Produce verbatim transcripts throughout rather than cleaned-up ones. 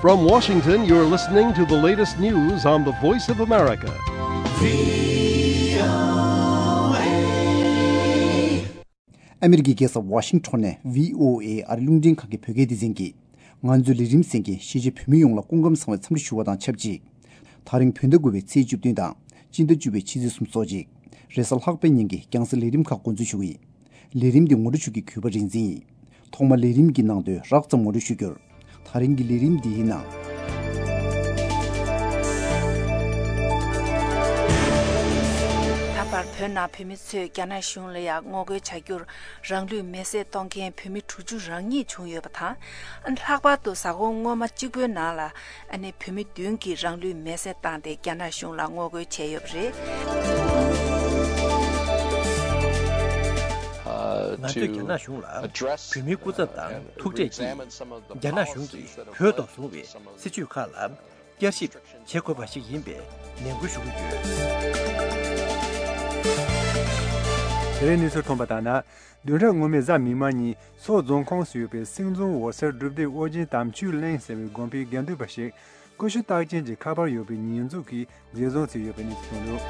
From Washington, you're listening to the latest news on the Voice of America. ཨ་མེ་རི་ཀའི་རྒྱལ་ས་ཝ་ཤིང་ཊོན་ནས་བྷི་ཨོ་ཨེ་ཨ་རི་རླུང་འཕྲིན་ཁང་གི་བོད་སྐད་སྡེ་ཚན་གྱིས། ང་ཚོའི་ལས་རིམ་གསན་མཁན་གཞིས་བྱེས་བོད་མི་ཡོངས་ལ་སྐུ་ཁམས་བཟང་བའི་འཚམས་འདྲི་ཞུ་བ་དང་ཆབས་ཅིག་དེ་རིང་བོད་ཟླ་དགུ་པའི་ཚེས་བཅུ་བདུན་དང་སྤྱི་ཟླ་བཅུ་པའི་ཕྱི་ཚེས་སུམ་ཅུ་སོགས་ཅིག་རེས་གཟའ་ལྷག་པའི་ཉིན་གྱི་རྒྱང་སྲིང་ལས་རིམ་ཁག་འགོ་འཛུགས་ཞུ་གི་ཡིན། ལས་རིམ་འདི་ངོ་སྤྲོད་ཞུ་གི་གུས་པ་རིག་འཛིན་ཡིན། ཐོག་མར་ལས་རིམ་གྱི་ནང་དོན་རགས་ཙམ་ངོ་སྤྲོད་ཞུ་རྒྱུར། ད་རིང་གི་ལས་རིམ་འདིའི་ནང་། ད་བར་བོད་ནང་བོད་མི་ཚོས་རྒྱ་ནག་གཞུང་ལ་ཡང་ངོ་རྒོལ་བྱ་རྒྱུར་རང་ལུས་མེར་སྲེག་གཏོང་མཁན་བོད་མི་དྲུག་ཅུ་རང་ཉིད་བྱུང་ཡོད་པ་དང་། ལྷག་པར་དུ་གཟའ་འཁོར་སྔོན་མ་གཅིག་པོའི་ནང་ལ་ཨ་ནི་བོད་མི་བདུན་གྱིས་རང་ལུས་མེར་སྲེག་བཏང་སྟེ་རྒྱ་ནག་གཞུང་ལ་ངོ་རྒོལ་བྱས་ཡོད་པ་རེད། ང་ཚོས་རྒྱ་ནག་གཞུང་ལ་བོད་མིའི་སྐུ་ཚབ་དང་ཐུག་འཕྲད་ཀྱིས་རྒྱ་ནག་གཞུང་གིས་བོད་ཐོག་བཟུང་བའི་སྲིད་བྱུས་ཁག་ལ་བསྐྱར་ཞིབ་བྱེད་དགོས་པ་ཞིག་ཡིན་པའི་ནན་སྐུལ་ཞུ་གི་ཡོད། དེ་རིང་གནས་ཚུལ་ཐོན་པ་ལྟར་ན། བདུན་ཕྲག་སྔོན་མའི་གཟའ་མིག་དམར་ཉིན་མཚོ་རྫོང་ཁོངས་སུ་ཡོད་པའི་སེང་རྫོང་འོད་གསལ་སྒྲུབ་སྡེའི་ཨོ་རྒྱན་དམ་ཆོས་གླིང་ཟེར་བའི་དགོན་པའི་དགེ་འདུན་པ་ཞིག་ཀུ་ཤུ་རྟགས་ཅན་གྱི་ཁ་པར་ཡོད་པའི་ཉེས་འཛུགས་ཀྱིས་འཛིན་བཟུང་བྱས་ཡོད་པའི་གནས་ཚུལ་བྱུང་འདུག་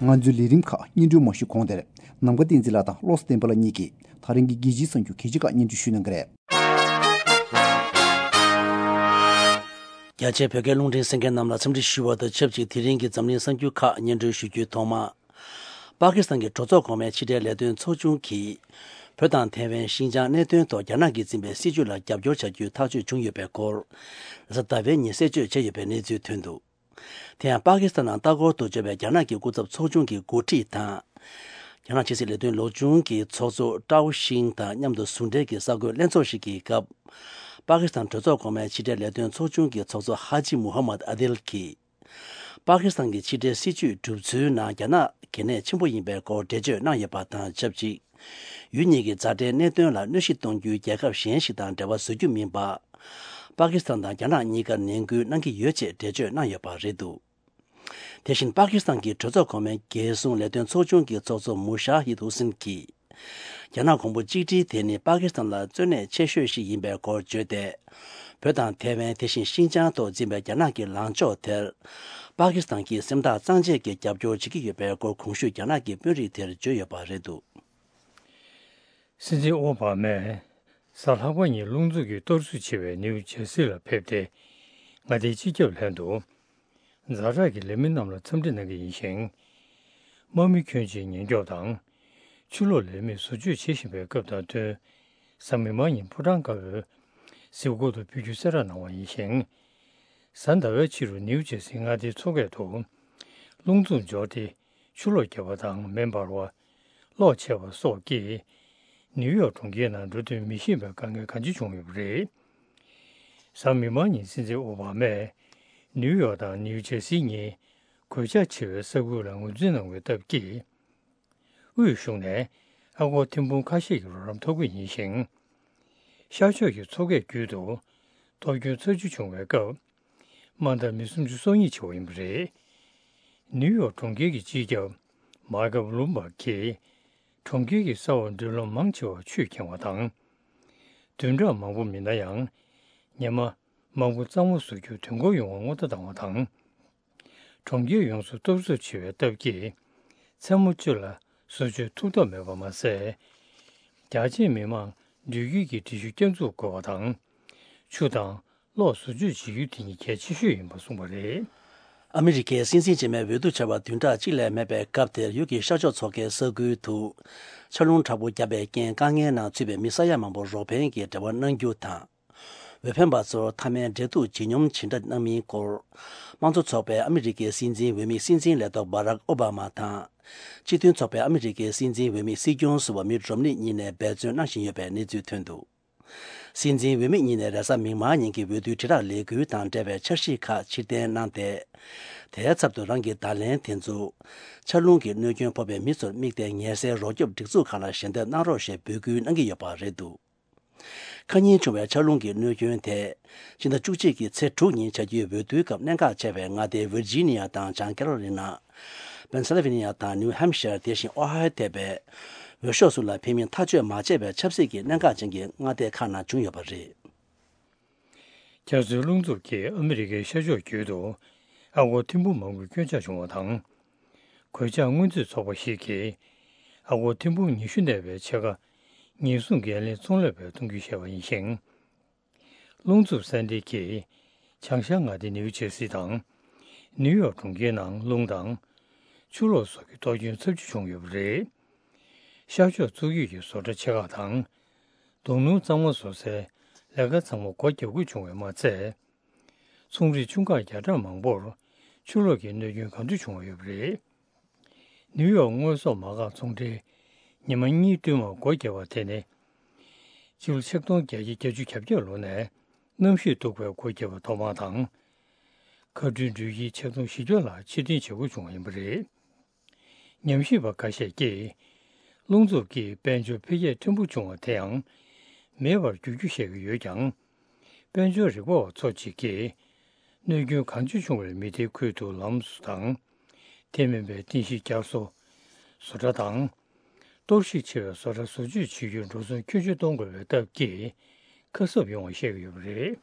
ང་ཚོའི་ལས་རིམ་ཁག་སྙན་སྒྲོན་མ་ཞུས་གོང་དེར། ནམ་མཁའ་བསྟན་འཛིན་ལགས་དང་བློ་བཟང་བསྟན་པ་ལགས་གཉིས་ཀྱིས་ད་རིང་གི་རྒྱལ་སྤྱིའི་གསར་འགྱུར་གལ་ཆེ་ཁག་སྙན་སྒྲོན་ཞུ་གནང་གི་རེད། རྒྱ་ཆེའི་བོད་སྐད་རླུང་འཕྲིན་གསན་མཁན་རྣམས་ལ་འཚམས་འདྲི་ཞུ་བ་དང་ཆབས་ཅིག་དེ་རིང་གི་འཛམ་གླིང་གསར་འགྱུར་ཁག་སྙན་སྒྲོན་ཞུ་རྒྱུའི་ཐོག་མ། པ་ཀི་སི་ཐན་གྱི་གྲོས་ཚོགས་གོང་མའི་ཕྱི་དྲིལ་ལས་དོན་ཚོགས་ཆུང་གིས། བོད་དང་ཐའེ་ཝན་ཤིན་ཅང་གནད་དོན་ཐོག་རྒྱ་ནག་གིས་འཛིན་པའི་སྲིད་བྱུས་ལ་རྒྱབ་སྐྱོར་བྱ་རྒྱུའི་ཐག་གཅོད་བྱུང་ཡོད་པའི་སྐོར། རེས་གཟའ་ཟླ་བའི་ཉིན་གསལ་བརྗོད་བྱས་ཡོད་པའི་གནས་ཚུལ་ཐོན་འདུག་དེ་ཡང་པ་ཀི་སི་ཐན་ནང་ལྟ་སྐོར་དུ་འབྱོར་བའི་རྒྱ་ནག་གི་སྐུ་ཚབ་ཚོགས་ཆུང་གི་འགོ་ཁྲིད་དང་། རྒྱ་ནག་ཕྱི་སྲིད་ལས་དོན་ལོ་ཆུང་གི་ཚོགས་གཙོ་ཀྲའོ་ཤིང་དང་མཉམ་དུ་ཟུང་འབྲེལ་གྱི་གསར་འགོད་ལྷན་ཚོགས་ཤིག་གི་སྐབས། པ་ཀི་སི་ཐན་གྲོས་ཚོགས་གོང་མའི་ཕྱི་དྲིལ་ལས་དོན་ཚོགས་ཆུང་གི་ཚོགས་གཙོ་ཧ་ཇི་མུ་ཧམ་མད་ཨ་དིལ་གྱིས། པ་ཀི་སི་ཐན་གྱི་ཕྱི་འབྲེལ་སྲིད་བྱུས་གྲུབ་ཚུལ་ནང་རྒྱ་ནག་གལ་གནད་ཆེན་པོ་ཡིན་པའི་སྐོར་འགྲེལ་བརྗོད་གནང་ཡོད་པ་དང་ཆབས་ཅིག་ཡུལ་གཉིས་ཀྱི་མཛའ་འབྲེལ་གནད་དོན་ལ་གནོད་གཞི་གཏོང་རྒྱུའི་རྒྱལ་ཁབ་གཞན་ཞིག་དང་འབྲེལ་བ་བཟོ་རྒྱུ་མིན་པ། པ་ཀི་སི་ཐན་དང་རྒྱ་ནག་གཉིས་ཀར་ནན་སྐུལ་གནང་གི་ཡོད་ཅེས་འགྲེལ་བརྗོད་གནང་ཡོད་པ་རེད་འདུག་དེ་བཞིན་པ་ཀི་སི་ཐན་གྱི་གྲོས་ཚོགས་གོང་མའི་རྒྱལ་སྲུང་ལས་དོན་ཚོགས་ཆུང་གི་ཚོགས་གཙོ་མུ་ཤ་ཧིད་ཧུ་སིན་གྱིས། རྒྱ་ནག་གོང་བུ་གཅིག་སྒྲིལ་དེ་ནི་པ་ཀི་སི་ཐན་ལ་གཙོ་གནད་ཆེ་ཤོས་ཤིག་ཡིན་པའི་སྐོར་བརྗོད་དེ། བོད་དང་ཐའེ་ཝན་དེ་བཞིན་ཤིན་ཅང་ཐོག་འཛིན་པའི་རྒྱ་ནག་གི་ལངས་ཕྱོགས་དེར། པ་ཀི་སི་ཐན་གྱིས་སེམས་ཐག་གཙང་བཅད་ཀྱིས་རྒྱབ་སྐྱོར་བྱེད་ཀྱི་ཡོད་པའི་སྐོར་གོང་ཞུས་རྒྱ་ནག་གི་དཔོན་རིགས་དེར་བརྗོད་ཡོད་པ་རེད་འདུག་སྲིད་འཛིན་ཨོ་བྷ་མས་གཟའ་ལྷག་པ་ཉིན་རླུང་འཚུབ་ཀྱིས་གཏོར་བཟོ་བྱས་པའི་ནིའུ་ཇར་སི་ལ་ཕེབས་ཏེ། མངའ་སྡེའི་སྤྱི་ཁྱབ་ལྷན་དུ། ཛ་དྲག་གི་ལས་མི་རྣམས་ལ་འཚམས་འདྲི་གནང་གི་ཡིན་ཞིང་། དམག་མི་ཁྱོན་ཆེའི་ཉེན་སྐྱོབ་དང་། ཆུ་ལོག་ལས་མིས་བཟོ་བཅོས་བྱེད་བཞིན་པའི་སྐབས་དང་བསྟུན། གཟའ་མིག་དམར་ཉིན་ཕོ་བྲང་དཀར་པོའི་གཟིམ་སྒོ་དུ་འབུལ་རྒྱུའི་གསལ་བསྒྲགས་གནང་བ་ཡིན་ཞིང་། གཟའ་ཟླ་བའི་ཕྱི་རུ་ནིའུ་ཇར་སིའི་མངའ་སྡེའི་མཚོ་ཁ་ཐོག་རླུང་འཚུབ་འབྱོར་ཏེ། ཆུ་ལོག་བརྒྱབ་པ་དང་མེ་འབར་བ། གློག་ཆད་པ་སོགས་ཀྱིས། ནིའུ་ཡོག་གྲོང་ཁྱེར་ནང་འགྲོ་དོན་མི་ཤེས་པའི་དཀའ་ངལ་གང་ཆེ་བྱུང་ཡོད་པ་རེད། གཟའ་མིག་དམར་ཉིན་སྲིད་འཛིན་ཨོ་བྷ་མས། ནིའུ་ཡོག་དང་ནིའུ་ཇར་སི་གཉིས། གོད་ཆག་ཆེ་བའི་ས་ཁུལ་ལ་ངོས་འཛིན་གནང་བའི་སྟབས་ཀྱིས། དབུས་གཞུང་ནས་ཨ་སྒོར་ཐེར་འབུམ་ཁ་ཤས་ཀྱི་རོགས་རམ་ཐོབ་ཀྱི་ཡིན་ཞིང་། ཤར་ཕྱོགས་ཀྱི་མཚོ་ཁའི་རྒྱུད་དུ་གཏོར་སྐྱོན་ཚ་རྒྱུད་བྱུང་བའི་སྐབས། དམའ་མཐར་མི་སུམ་ཅུ་སོ་གཉིས་འཆི་བ་ཡིན་པ་རེད། ནིའུ་ཡོག་གྲོང་ཁྱེར་གྱི་སྤྱི་ཁྱབ་མཱ་ཀབ་ལུམ་བྷག་གིས། གྲོང་ཁྱེར་གྱི་ས་འོག་མགྲོན་ལམ་མང་ཆེ་བ་ཆུས་ཁེངས་པ་དང་། བདུན་ཕྲག་མང་པོ་མིན་ན་ཡང་། ཉི་མ་མང་པོ་གཙང་མ་བཟོ་རྒྱུར་དུས་འགོར་ཡོང་བར་སྔོན་བརྡ་བཏང་བ་དང་། གྲོང་ཁྱེར་ཡོངས་སུ་གཏོར་བཟོ་བྱས་པའི་སྟབས་ཀྱིས། མཚན་མོ་གཅིག་ལ་བཟོ་བཅོས་ཐུབ་ཐབས་མེད་པ་མ་ཟད། རྒྱ་ཆེའི་མི་མང་འགྲུལ་སྐྱེལ་གྱི་འགྲུལ་བཞུད་བསྐྱར་འཛུགས་དགོས་པ་དང་། ཆུ་དང་གློག་བཟོ་བཅོས་བྱེད་རྒྱུ་དེ་གཉིས་གལ་ཆེ་ཤོས་ཡིན་པ་གསུངས་པ་རེད། ཨ་མི་རི་ཀའི་སྲིད་འཛིན་རྗེས་མའི་འོས་བསྡུ་བྱ་བ་བདུན་ཕྲག་གཅིག་ལས་མེད་པའི་སྐབས་དེར་ཡུལ་གྱི་ཤར་ཕྱོགས་མཚོ་ཁའི་ས་ཁུལ་དུ། ཆར་རླུང་དྲག་པོ་བརྒྱབ་པའི་རྐྱེན་དཀའ་ངལ་ནང་ཚུད་པའི་མི་ས་ཡ་མང་པོར་རོགས་ཕན་གྱི་འབྲེལ་བ་གནང་རྒྱུ་དང་། འོས་འཕེན་པ་ཚོར་མཐའ་མའི་འབྲེལ་གཏུག་ཇི་སྙོམས་ཇི་འདྲ་གནང་མིན་སྐོར། དམངས་གཙོ་ཚོགས་པའི་ཨ་མི་རི་ཀའི་སྲིད་འཛིན་འོས་མི་སྲིད་འཛིན་ལས་ཐོག་བྷ་རག་ཨོ་བྷ་མ་དང་། སྤྱི་མཐུན་ཚོགས་པའི་ཨ་མི་རི་ཀའི་སྲིད་འཛིན་འོས་མི་སྲིད་སྐྱོང་ཟུར་པ་མིད་རོམ་ནི་གཉིས་ནས་འབད་བརྩོན་གནང་བཞིན་ཡོད་པའི་གནས་ཚུལ་ཐོན་འདུག་སྲིད་འཛིན་འོས་མི་གཉིས་ནས་རེས་གཟའ་མིག་དམར་ཉིན་གྱི་འོས་བསྡུའི་དྲིལ་བསྒྲགས་ལས་འགུལ་དང་འབྲེལ་བའི་འཆར་གཞི་ཁག་ཕྱིར་འཐེན་གནང་སྟེ། དེའི་ཚབ་ཏུ་རང་གི་བརྡ་ལན་དེ་ཚོ། ཆར་རླུང་གི་གནོད་སྐྱོན་ཕོག་པའི་མི་ཚོར་དམིགས་ཏེ་ཉེན་སེལ་རོགས་སྐྱོབ་སྒྲིག་འཛུགས་ཁག་ལ་ཞལ་འདེབས་གནང་རོགས་ཞེས་འབོད་སྐུལ་གནང་གི་ཡོད་པ་རེད་འདུག་ཁ་ཉིན་བྱུང་བའི་ཆར་རླུང་གི་གནོད་སྐྱོན་དེ། སྤྱི་ཟླ་བཅུ་གཅིག་གི་ཚེས་དྲུག་ཉིན་བྱ་རྒྱུའི་འོས་བསྡུའི་སྐབས་གནད་འགག་ཆེ་བའི་མངའ་སྡེ་ཝིར་ཇི་ནི་ཡ་དང་བྱང་ཀེ་རོ་ལི་ན། པེན་སིལ་ཝེ་ནི་ཡ་དང་ནིའུ་ཧམ་ཤར། དེ་བཞིན་ཨོ་ཧའི་ཡོ་ཐེ་བའི། འོས་ཤོག་སུ་ལ་འཕེན་མིན་ཐག་གཅོད་མ་བྱས་པའི་ཆབ་སྲིད་ཀྱི་གནད་འགག་ཅན་གྱི་མངའ་སྡེ་ཁག་ནང་བྱུང་ཡོད་པ་རེད། རྒྱ་མཚོའི་རླུང་འཚུབ་ཀྱིས་ཨ་མི་རི་ཀའི་ཤར་ཕྱོགས་ཁུལ་དུ་ཨ་སྒོར་ཐེར་འབུམ་མང་པོའི་སྐྱོན་ཆག་བྱུང་བ་དང་། གོད་ཆག་སྔོན་རྩིས་ཚོགས་པ་ཞིག་གིས་ཨ་སྒོར་ཐེར་འབུམ་ཉི་ཤུ་གནས་པའི་ཕྱེད་ཀ་ཉེན་སྲུང་འགན་ལེན་ཚོང་ལས་པས་གཏོང་རྒྱུ་བཤད་པ་ཡིན་ཞིང་། རླུང་འཚུབ་སན་ཌི་གིས་བྱང་ཤར་མངའ་སྡེ་ནིའུ་ཇེར་སི་དང་ནིའུ་ཡོག་གྲོང་ཁྱེར་ནང་རླུང་དང་ཆུ་ལོག་སོགས་ཀྱི་གཏོར་སྐྱོན་ཚབས་ཆེ་བྱུང་ཡོད་པ་རེད། ཤར་ཕྱོགས་མཚོ་རྒྱུད་ཀྱི་བཟོ་གྲྭ་ཆེ་ཁག་དང་རྡོ་སྣུམ་གཙང་མ་བཟོ་སའི་ལས་ཀ་ཚང་མ་སྒོ་བརྒྱབ་དགོས་བྱུང་བས་མ་ཚད། ཚོང་རིགས་ཆུང་ཁག་བརྒྱ་ཕྲག་མང་པོར་ཆུ་ལོག་གི་གནོད་སྐྱོན་གང་འཚམ་བྱུང་བ་ཡོད་པ་རེད། ནིའུ་ཡོག་དངོས་ཟོག་མ་འགག་ཚོང་འབྲེལ་ཉི་མ་གཉིས་བསྟུད་མར་སྒོ་བརྒྱབ་པ་དེ་ནི། སྤྱི་ལོ་ཆིག་སྟོང་བརྒྱད་བརྒྱ་བརྒྱད་ཅུ་གྱ་བརྒྱད་ལོ་ནས་གནམ་གཤིས་སྡུག་པའི་སྒོ་བརྒྱབ་པ་ཐོག་མ་དང་། མཁའ་འགྲུལ་འགྲུལ་བཞུད་ཆིག་སྟོང་བཞི་བརྒྱ་ལ་ཕྱིར་འཐེན་བྱེད་དགོས་བྱུང་བ་ཡིན་པ་རེད། ཉམས་ཞིབ་པ་ཁ་ཤས་ཀྱིས། རླུང་འཚུབ་ཀྱིས་དཔལ་འབྱོར་འཕེལ་རྒྱས་ཕྲན་བུ་བྱུང་བ་དེའང་མེད་པར་འགྱུར་རྒྱུ་བཤད་ཀྱི་ཡོད་ཀྱང་། དཔལ་འབྱོར་རིག་པ་བ་ཚོ་གཅིག་གིས། གནོད་སྐྱོན་གང་ཆེ་བྱུང་བའི་མི་སྡེའི་ཁུལ་དུ་ལམ་བཟོ་དང་། དེ་མིན་པའི་རྟེན་གཞི་བསྐྱར་གསོ། བཟོ་གྲྭ་དང་། གཏོར་བཤིག་ཆེ་བའི་བཟོ་གྲྭ་བཟོ་བཅོས་བྱེད་རྒྱུར་འགྲོ་སོང་ཁྱོན་ཆེ་གཏོང་དགོས་པའི་སྟབས་ཀྱིས། ཁ་གསབ་ཡོང་བ་བཤད་ཀྱི་ཡོད་པ་རེད།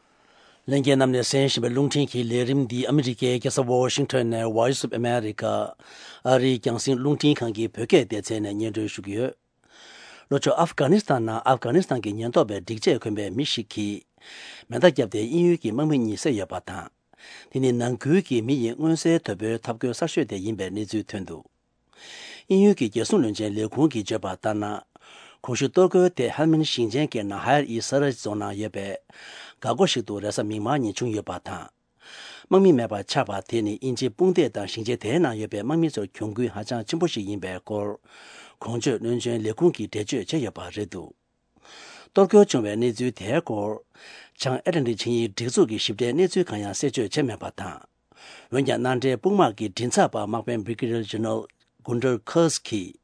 ལྷན་རྒྱས་རྣམས་ནས་གསན་བཞིན་པའི་རླུང་འཕྲིན་གྱི་ལས་རིམ་འདི་ཨ་མི་རི་ཀའི་རྒྱལ་ས་ཝོ་ཤིང་ཊོན་ནས་Voice of America ཨ་རིའི་རྒྱང་སྲིང་རླུང་འཕྲིན་ཁང་གི་བོད་སྐད་སྡེ་ཚན་ནས་སྙན་སྒྲོན་ཞུ་གི་ཡོད། ལྷོ་ཕྱོགས་ཨབ་གྷ་ནི་སི་ཐན་ནང་ཨབ་གྷ་ནི་སི་ཐན་གྱི་ཉེན་རྟོག་པའི་སྒྲིག་ཆས་གོན་པའི་མི་ཞིག་གིས་མེ་མདའ་བརྒྱབ་སྟེ་དབྱིན་ཡུལ་གྱི་དམག་མི་གཉིས་བསད་ཡོད་པ་དང་། དེ་ནི་ནང་ཁུལ་གྱི་མི་ཡི་མངོན་གསལ་དོད་པོའི་ཐབས་བཀོད་གསར་ཤོས་དེ་ཡིན་པའི་གནས་ཚུལ་ཐོན་འདུག་དབྱིན་ཡུལ་གྱི་རྒྱལ་སྲུང་བློན་ཆེན་ལས་ཁུངས་ཀྱིས་བརྗོད་པ་ལྟར་ན། གོང་ཞུས་གཏོར་རྒོལ་དེ་ཧལ་མིན་ཞིང་ཆེན་གྱི་ནང་ཧ་ཡར་ཨི་ས་ར་རྫོང་ནང་ཡོད་པའི་འགག་སྒོ་ཞིག་ཏུ་རེས་གཟའ་མིག་དམར་ཉིན་བྱུང་ཡོད་པ་དང་། དམག་མི་མེད་པར་ཆགས་པ་དེ་ནི་དབྱིན་ཇིའི་དཔུང་སྡེ་དང་ཞིང་ཆེན་དེའི་ནང་ཡོད་པའི་དམག་མི་ཚོར་གྱོང་གུན་ཧ་ཅང་ཆེན་པོ་ཞིག་ཡིན་པའི་སྐོར། གོང་བརྗོད་བློན་ཆེན་ལས་ཁུངས་ཀྱིས་འགྲེལ་བརྗོད་བྱས་ཡོད་པ་རེད་འདུག་གཏོར་རྒོལ་བྱུང་བའི་གནས་ཚུལ་དེའི་སྐོར། བྱང་ཨེ་ཊ་ལན་ཊིག་ཆིངས་ཡིག་སྒྲིག་འཛུགས་ཀྱི་ཞིབ་ཕྲའི་གནས་ཚུལ་གང་ཡང་གསལ་བརྗོད་བྱས་མེད་པ་དང་། འོན་ཀྱང་མནའ་འབྲེལ་དཔུང་དམག་གི་མགྲིན་ཚབ་པ་དམག་དཔོན་Brigadier General Gunter Kurz གྱིས།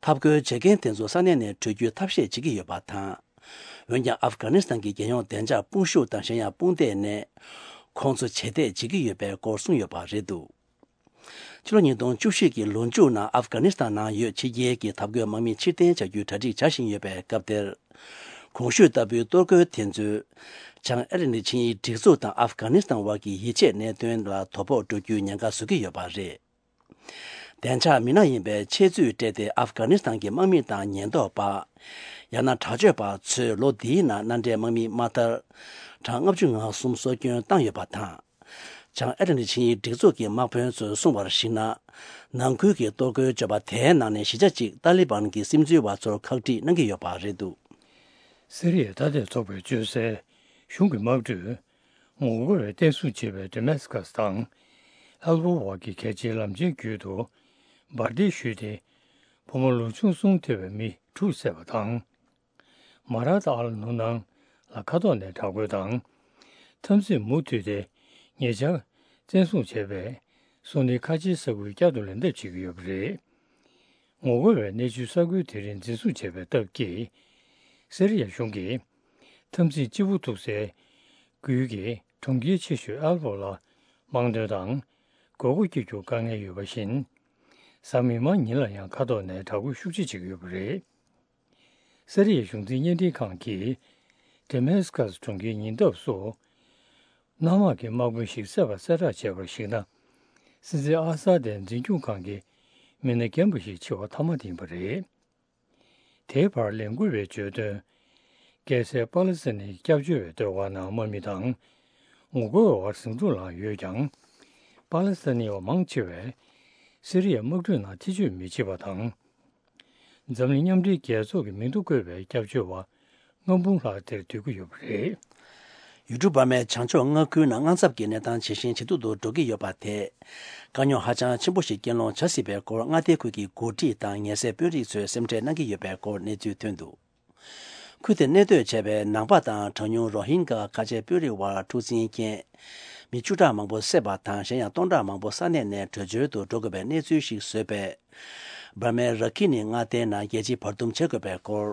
འཐབ་རྒོལ་བྱེད་མཁན་དེ་ཚོ་ས་གནས་ནས་བྲོས་རྒྱུའི་ཐབས་ཤེས་བྱེད་ཀྱི་ཡོད་པ་དང་། འོན་ཀྱང་ཨབ་གྷ་ནི་སི་ཐན་གྱི་རྒྱལ་ཡོངས་བདེ་འཇགས་དཔུང་ཤུགས་དང་གཞན་ཡང་དཔུང་སྡེ་ནས་ཁོང་ཚོ་བྱེད་གཏད་བྱེད་ཀྱི་ཡོད་པའི་སྐོར་གསུངས་ཡོད་པ་རེད་འདུག་ཕྱི་ལོ་ཉིས་སྟོང་བཅུ་བཞི་གི་ལོ་མཇུག་ནང་ཨབ་གྷ་ནི་སི་ཐན་ནང་ཡོད་ཕྱི་རྒྱལ་གྱི་འཐབ་རྒོལ་དམག་མི་ཕྱིར་འཐེན་བྱ་རྒྱུའི་གྲ་སྒྲིག་བྱ་བཞིན་ཡོད་པའི་སྐབས་དེར། གོང་ཞུས་ལྟ་བུའི་གཏོར་རྒོལ་དེ་ཚོས། བྱང་ཨེ་ཊ་ལན་ཊིག་ཆིངས་ཡིག་སྒྲིག་འཛུགས་དང་ཨབ་གྷ་ནི་སི་ཐན་དབར་གྱི་ཡིད་ཆེས་གནད་དོན་ལ་དོ་ཕོག་འགྲོ་རྒྱུའི་ཉེན་ཁ་བཟོ་གི་ཡོད་པ་རེད། བདེ་འཇགས་མི་སྣ་ཡིན་པའི་ཆེད་ཚུད་སྤྲད་དེ་ཨབ་གྷ་ནི་སི་ཐན་གྱི་དམག་མི་དང་ཉེན་རྟོག་པ། ཡང་ན་དྲག་སྤྱོད་པ་ཚོས་ལོ་འདིའི་ནང་མནའ་འབྲེལ་དམག་མི་མ་མཐར། གྲངས་ལྔ་བཅུ་ང་གསུམ་སྲོག་སྐྱོན་བཏང་ཡོད་པ་དང་། བྱང་ཨེ་ཊ་ལན་ཊིག་ཆིངས་ཡིག་སྒྲིག་འཛུགས་ཀྱི་དམག་དཔོན་ཚོས་གསུངས་པར་གཞིགས་ན། ནང་ཁུལ་གྱི་གཏོར་རྒོལ་བརྗོད་པ་དེའི་ནང་ནས་བཞི་ཆ་གཅིག་ཏཱ་ལི་བན་གྱི་སིམ་འཛུལ་བ་ཚོར་ཁག་དཀྲིས་གནང་གི་ཡོད་པ་རེད་འདུག་སི་རི་ཡའི་མཐའ་དོན་ཚོགས་པས་བཅོལ་སའི་གཞུང་གི་དམག་གྲུས། ངོ་རྒོལ་བས་བརྟན་སྲུང་བྱེད་པའི་ཌེ་མེ་སི་ཀ་སི་དང་། ཨེལ་པོ་བར་གྱི་གལ་ཆེའི་ལམ་ཆེན་བརྒྱུད་དུ། འབར་མདེལ་གཞུས་ཏེ། བུ་མོ་ལོ་ཆུང་གསུམ་ཐེ་བའི་མི་དྲུག་བསད་པ་དང་། མ་ར་ཏ་ཨལ་ནུ་ནང་ལ་མཁའ་ཐོག་ནས་དྲག་རྒོལ་དང་། འཐབ་འཛིང་མུ་མཐུད་དེ་ཉེ་ཆར་བཙན་བཟུང་བྱས་པའི་སུ་ནི་ཁ་ཆེའི་ས་ཁུལ་བསྐྱར་དུ་ལེན་ཐབས་བྱེད་ཀྱི་ཡོད་པ་རེད། ངོ་རྒོལ་བའི་གནས་ཚུལ་ས་ཁུལ་དེ་རིང་འཛིན་བཟུང་བྱས་པའི་སྟབས་ཀྱིས། སི་རི་ཡ་གཞུང་གིས་འཐབ་འཛིང་ལྕི་པོ་ཐུག་སའི་ཁུལ་གྱི་གྲོང་ཁྱེར་ཆེ་ཤོས་ཨལ་པོ་ལ་དམག་དོན་དང་དགོས་མཁོ་སྐྱེ་རྒྱུར་དཀའ་ངལ་ཡོད་པ་བཞིན། གཟའ་མིག་དམར་ཉིན་ལ་ཡང་མཁའ་ཐོག་ནས་དྲག་རྒོལ་ཤུགས་ཆེ་བྱེད་ཀྱི་ཡོད་པ་རེད། སི་རི་ཡའི་གཞུང་འཛིན་བརྙན་འཕྲིན་ཁང་གིས། ཌེ་མེ་སི་ཀ་སི་གྲོང་ཁྱེར་ཉེ་འདབས་སུ། གནམ་དམག་གི་དམག་དཔོན་ཞིག་བསད་པ་གསལ་བསྒྲགས་བྱས་པར་གཞིགས་ན། སྲིད་འཛིན་ཨ་ས་དའི་འཛིན་སྐྱོང་ཁང་གི་མི་སྣ་རྒན་པ་ཞིག་འཆི་བ་ཐ་མ་དེ་ཡིན་པ་རེད། དེའི་བར་ལས་འགུལ་བས་བརྗོད་དོན། རྒྱལ་སའི་པ་ལི་སི་ཐན་གྱི་སྐྱབས་བཅོལ་བའི་སྡོད་སྒར་ནང་དམག་མི་དང་ངོ་རྒོལ་བ་ཟིང་འཁྲུག་ལངས་ཡོད་ཀྱང་། པ་ལི་སི་ཐན་བ་མང་ཆེ་བས་སི་རི་ཡའི་དམག་གྲུའི་ནང་ཐེ་བྱུས་མི་བྱེད་པ་དང་། འཛམ་གླིང་མཉམ་འབྲེལ་རྒྱལ་ཚོགས་ཀྱི་མིང་ཐོ་བཀོད་པའི་སྐྱབས་བཅོལ་བ་ལྔ་འབུམ་ལྷག་དེར་སྡོད་ཀྱི་ཡོད་པ་རེད། ཡུལ་གྲུ་འབར་མའི་བྱང་ཕྱོགས་མངའ་ཁུལ་ནང་དངངས་འཚབ་ཀྱི་གནས་སྟངས་ཇེ་ཞན་ཇེ་སྡུག་ཏུ་འགྲོ་གི་ཡོད་པ་དེས། དཀའ་རྙོག་ཧ་ཅང་ཆེན་པོ་ཞིག་རྐྱེན་སློང་བྱ་སྲིད་པའི་སྐོར་མངའ་སྡེ་ཁུལ་གྱི་འགོ་ཁྲིད་དང་ངལ་སེལ་དཔོན་རིགས་ཚོས་སེམས་ཁྲལ་གནང་གི་ཡོད་པའི་སྐོར་གནས་ཚུལ་ཐོན་འདུག་ཁུལ་དེར་གནས་སྡོད་བྱས་པའི་ནང་པ་དང་གྲངས་ཉུང་རོ་ཧིན་གྷ་ཁ་ཆེ་དཔོན་རིགས་དབར་འཁྲུག་འཛིང་རྐྱེན། མི་བཅུ་ཕྲག་མང་པོ་བསད་པ་དང་གཞན་ཡང་སྟོང་ཕྲག་མང་པོ་ས་གནས་ནས་བྲོས་བྱོལ་དུ་འགྲོ་དགོས་པའི་གནས་ཚུལ་ཞིག་བཟོས་པས། འབར་མའི་ར་ཁི་ནི་མངའ་སྡེའི་ནང་རྒྱལ་སྤྱིའི་བར་འདུམ་བྱེད་དགོས་པའི་སྐོར།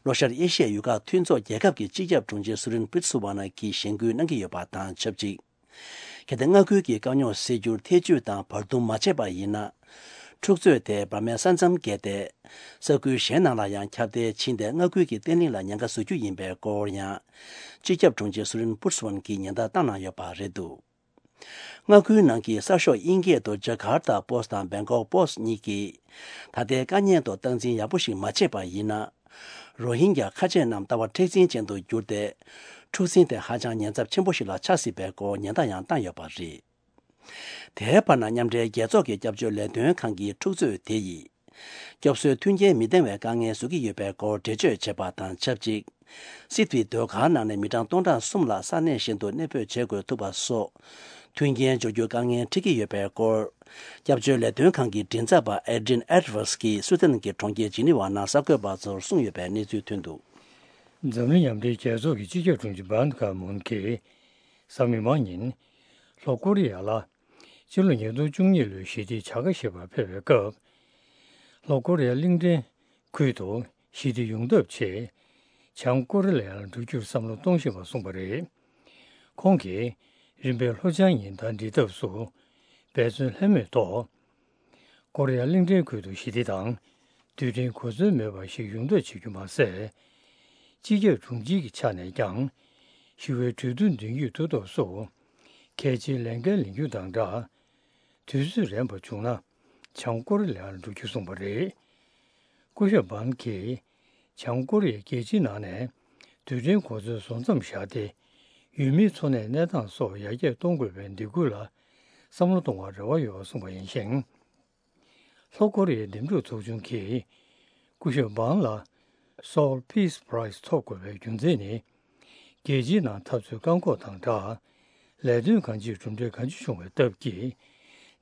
ལྷོ་ཤར་ཨེ་ཤི་ཡའི་ཡུལ་ཁག་མཐུན་ཚོགས་རྒྱལ་ཁབ་ཀྱི་སྤྱི་ཁྱབ་དྲུང་ཆེ་སུ་རིན་པིར་སུ་ཝ་ན་གྱིས་གཞེན་སྐུལ་གནང་གི་ཡོད་པ་དང་ཆབས་ཅིག་གལ་ཏེ་མངའ་ཁུལ་གྱི་དཀའ་རྙོག་སེལ་རྒྱུར་ཐེ་བྱུས་དང་བར་འདུམ་མ་བྱས་པ་ཡིན་ན། འཁྲུག་རྩོད་དེ་འབར་མའི་ས་མཚམས་བརྒལ་ཏེ། ས་ཁུལ་གཞན་ནང་ལ་ཡང་ཁྱབ་གདལ་ཕྱིན་ཏེ། མངའ་ཁུལ་གྱི་བརྟན་ལྷིང་ལ་ཉེན་ཁ་བཟོ་རྒྱུ་ཡིན་པའི་སྐོར་ཡང་། སྤྱི་ཁྱབ་དྲུང་ཆེ་སུ་རིན་པུར་སུ་ཝན་གྱིས་ཉེན་བརྡ་བཏང་གནང་ཡོད་པ་རེད་འདུག་མངའ་ཁུལ་ནང་གི་གསར་ཤོག་དབྱིན་སྐད་དུ་ཇ་ཀར་ཏ་པོ་སི་དང་བེང་ཀོག་པོ་སི་གཉིས་ཀྱིས། ད་ལྟའི་དཀའ་ངལ་ཐོག་སྟངས་འཛིན་ཡག་པོ་ཞིག་མ་བྱས་པ་ཡིན་ན། རོ་ཧིན་གྱ་ཁ་ཆེ་རྣམས་ལྟ་བ་མཁྲེགས་འཛིན་ཅན་དུ་གྱུར་ཏེ། འཁྲུག་ཟིང་དེ་ཧ་ཅང་ཉེན་ཚབས་ཆེན་པོ་ཞིག་ལ་ཆགས་སྲིད་པའི་སྐོར་ཉེན་བརྡ་ཡང་བཏང་ཡོད་པ་རེད། དེའི་བར་ན། མཉམ་འབྲེལ་རྒྱལ་ཚོགས་ཀྱི་སྐྱབས་བཅོལ་ལས་དོན་ཁང་གིས་འཁྲུག་རྩོད་དེ་ཡིས། སྐྱོབ་གསོའི་མཐུན་རྐྱེན་མི་ལྡན་པའི་དཀའ་ངལ་བཟོ་གི་ཡོད་པའི་སྐོར་འགྲེལ་བརྗོད་བྱས་པ་དང་ཆབས་ཅིག་སི་ཏུའི་ཟློས་གར་ནང་ནས་མི་གྲངས་སྟོང་ཕྲག་གསུམ་ལ་ས་གནས་གཞན་དུ་གནས་སྤོས་བྱེད་དགོས་ཐུག་པ་སོགས། མཐུན་རྐྱེན་སྦྱོར་རྒྱུ་དཀའ་ངལ་འཕྲད་ཀྱི་ཡོད་པའི་སྐོར། སྐྱབས་བཅོལ་ལས་དོན་ཁང་གི་མགྲིན་ཚབ་པ་ཨེ་ཌི་རིན་ཨེ་ཌི་ཝར་ཌི་གིས་སུའི་ཏན་གྱི་གྲོང་ཁྱེར་ཇི་ནི་ཝ་ནང་གསར་འགོད་པ་ཚོར་གསུངས་ཡོད་པའི་གནས་ཚུལ་ཐོན་འདུག་འཛམ་གླིང་མཉམ་འབྲེལ་རྒྱལ་ཚོགས་ཀྱི་སྤྱི་ཁྱབ་དྲུང་ཆེ་བྷན་ཁ་མུན་གྱིས། གཟའ་མིག་དམར་ཉིན། ལྷོ་ཀོ་རི་ཡ་ལ། ཕྱི་ལོ་ཉིས་སྟོང་བཅུ་གཉིས་ལོའི་ཞི་བདེའི་བྱ་དགའ་བཞེས་པར་ཕེབས་པའི་སྐབས། ལྷོ་ཀོ་རི་ཡ་གླིང་ཕྲན་ཁུལ་དུ་ཞི་བདེ་ཡོང་ཐབས་ཆེད། བྱང་ཀོ་རི་ལ་ཡར་འགྲོ་རྒྱུར་བསམ་བློ་གཏོང་བཞིན་པ་གསུངས་པ་རེད། ཁོང་གིས་རིམ་པས་ལྷོ་བྱང་གཉིས་ཟླ་འགྲིལ་ཐབས་སུ་འབད་བརྩོན་ལྷོད་མེད་ཐོག་ཀོ་རི་ཡ་གླིང་ཕྲན་ཁུལ་དུ་ཞི་བདེ་དང་། རྡུལ་ཕྲན་གོ་མཚོན་མེད་པ་ཞིག་ཡོང་ཐབས་བྱེད་རྒྱུ་མ་ཟད། སྤྱི་ཁྱབ་དྲུང་ཆེ་གི་ཆ་ནས་ཀྱང་ཞི་བའི་གྲོས་བསྡུར་མདུན་སྐྱོད་ཐུབ་ཐབས་སུ། གལ་ཆེའི་ལས་འགན་ལེན་རྒྱུ་དང་སྦྲགས། དུས་ཚོད་རན་པ་བྱུང་ན། བྱང་ཀོ་རི་ལ་ཡར་འགྲོ་རྒྱུ་གསུངས་པ་རེད། སྐུ་ཞབས་བྷན་གྱིས། བྱང་ཀོ་རི་ཡས་རྒྱལ་སྤྱིའི་ནང་ནས། རྡུལ་ཕྲན་གོ་མཚོན་བཟོ་མཚམས་བཞག་སྟེ། ཡུལ་མིའི་འཚོ་གནས་གནས་སྟངས་སོགས་ཡར་རྒྱས་གཏོང་དགོས་པའི་འདེད་སྐུལ་ལ། བསམ་བློ་གཏོང་བར་རེ་བ་ཡོད་པ་གསུངས་པ་ཡིན་ཞིང་། ལྷོ་ཀོ་རི་ཡའི་འདེམས་སྒྲུག་ཚོགས་ཆུང་གིས། སྐུ་ཞབས་བྷན་ལ། Seoul Peace Prize ཐོབ་དགོས་པའི་རྒྱུ་མཚན་ནི། རྒྱལ་སྤྱིའི་ནང་འཐབ་རྩོད་བཀག་འགོག་དང་སྦྲགས། ལས་དོན་གང་ཅིར་གྲུབ་འབྲས་གང་ཅི་བྱུང་བའི་སྟབས་ཀྱིས།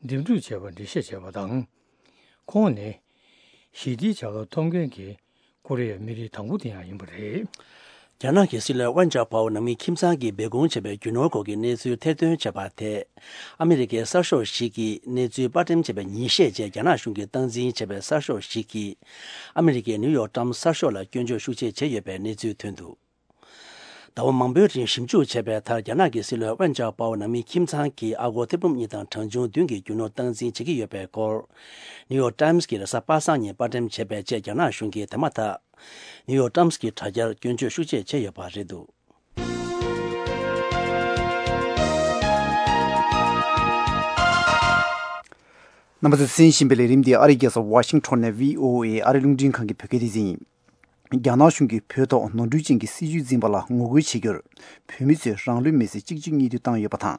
འདེམས་སྒྲུག་བྱས་པར་འགྲེལ་བཤད་བྱས་པ་དང་། ཁོང་ནི། ཞི་བདེའི་བྱ་དགའ་ཐོབ་མཁན་གྱི་ཀོ་རི་ཡའི་མི་རིགས་དང་པོ་དེ་ཡང་ཡིན་པ་རེད། རྒྱ་ནག་གི་སྲིད་བློན་ཝན་ཅའོ་པའོ་ནང་མི་ཁྱིམ་ཚང་གིས་སྦས་སྐུང་བྱས་པའི་རྒྱུ་ནོར་སྐོར་གྱི་གནས་ཚུལ་ཐེར་འདོན་བྱས་པ་དེ། ཨ་མི་རི་ཀའི་གསར་ཤོག་ཞིག་གིས་གནས་ཚུལ་པར་འགྲེམས་བྱས་པའི་ཉིན་ཤས་རྗེས། རྒྱ་ནག་གཞུང་གིས་སྟངས་འཛིན་བྱས་པའི་གསར་ཤོག་ཞིག་གིས། ཨ་མི་རི་ཀའི་ནིའུ་ཡོག་ཊའིམ་གསར་ཤོག་ལ་སྐྱོན་བརྗོད་ཤུགས་ཆེ་བྱས་ཡོད་པའི་གནས་ཚུལ་ཐོན་འདུག་ཟླ་བ་མང་པོའི་རིང་ཞིབ་འཇུག་བྱས་པའི་མཐར། རྒྱ་ནག་གི་སྲིད་བློན་ཝན་ཅའོ་པའོ་ནང་མི་ཁྱིམ་ཚང་གིས་ཨ་སྒོར་ཐེར་འབུམ་གཉིས་དང་གྲངས་ཆུང་བདུན་གྱི་རྒྱུ་ནོར་སྟངས་འཛིན་བྱེད་ཀྱི་ཡོད་པའི་སྐོར། ནིའུ་ཡོག་ཊའིམ་གྱིས་རེས་གཟའ་པ་སངས་ཉིན་པར་འགྲེམས་བྱས་པའི་རྗེས། རྒྱ་ནག་གཞུང་གིས་དེ་མ་ཐག་ནིའུ་ཡོག་ཊའིམ་གྱི་དྲ་རྒྱར་སྐྱོན་བརྗོད་ཤུགས་ཆེ་བྱས་ཡོད་པ་རེད་འདུག་རྣམ་པ་ཚོས་གསན་བཞིན་པའི་ལས་རིམ་འདི་ཨ་རིའི་རྒྱལ་ས་ཝ་ཤིང་ཊོན་ནས་བྷི་ཨོ་ཨེ་ཨ་རིའི་རླུང་འཕྲིན་ཁང་གི་བོད་སྐད་སྡེ་ཚན་ཡིན། རྒྱ་ནག་གཞུང་གིས་བོད་ཐོག་ནོར་འཁྲུལ་ཅན་གྱི་སྲིད་བྱུས་འཛིན་པ་ལ་ངོ་རྒོལ་བྱེད་རྒྱུར། བོད་མི་ཚོས་རང་ལུས་མེར་སྲེག་གཅིག་མཇུག་གཉིས་མཐུད་བཏང་ཡོད་པ་དང་།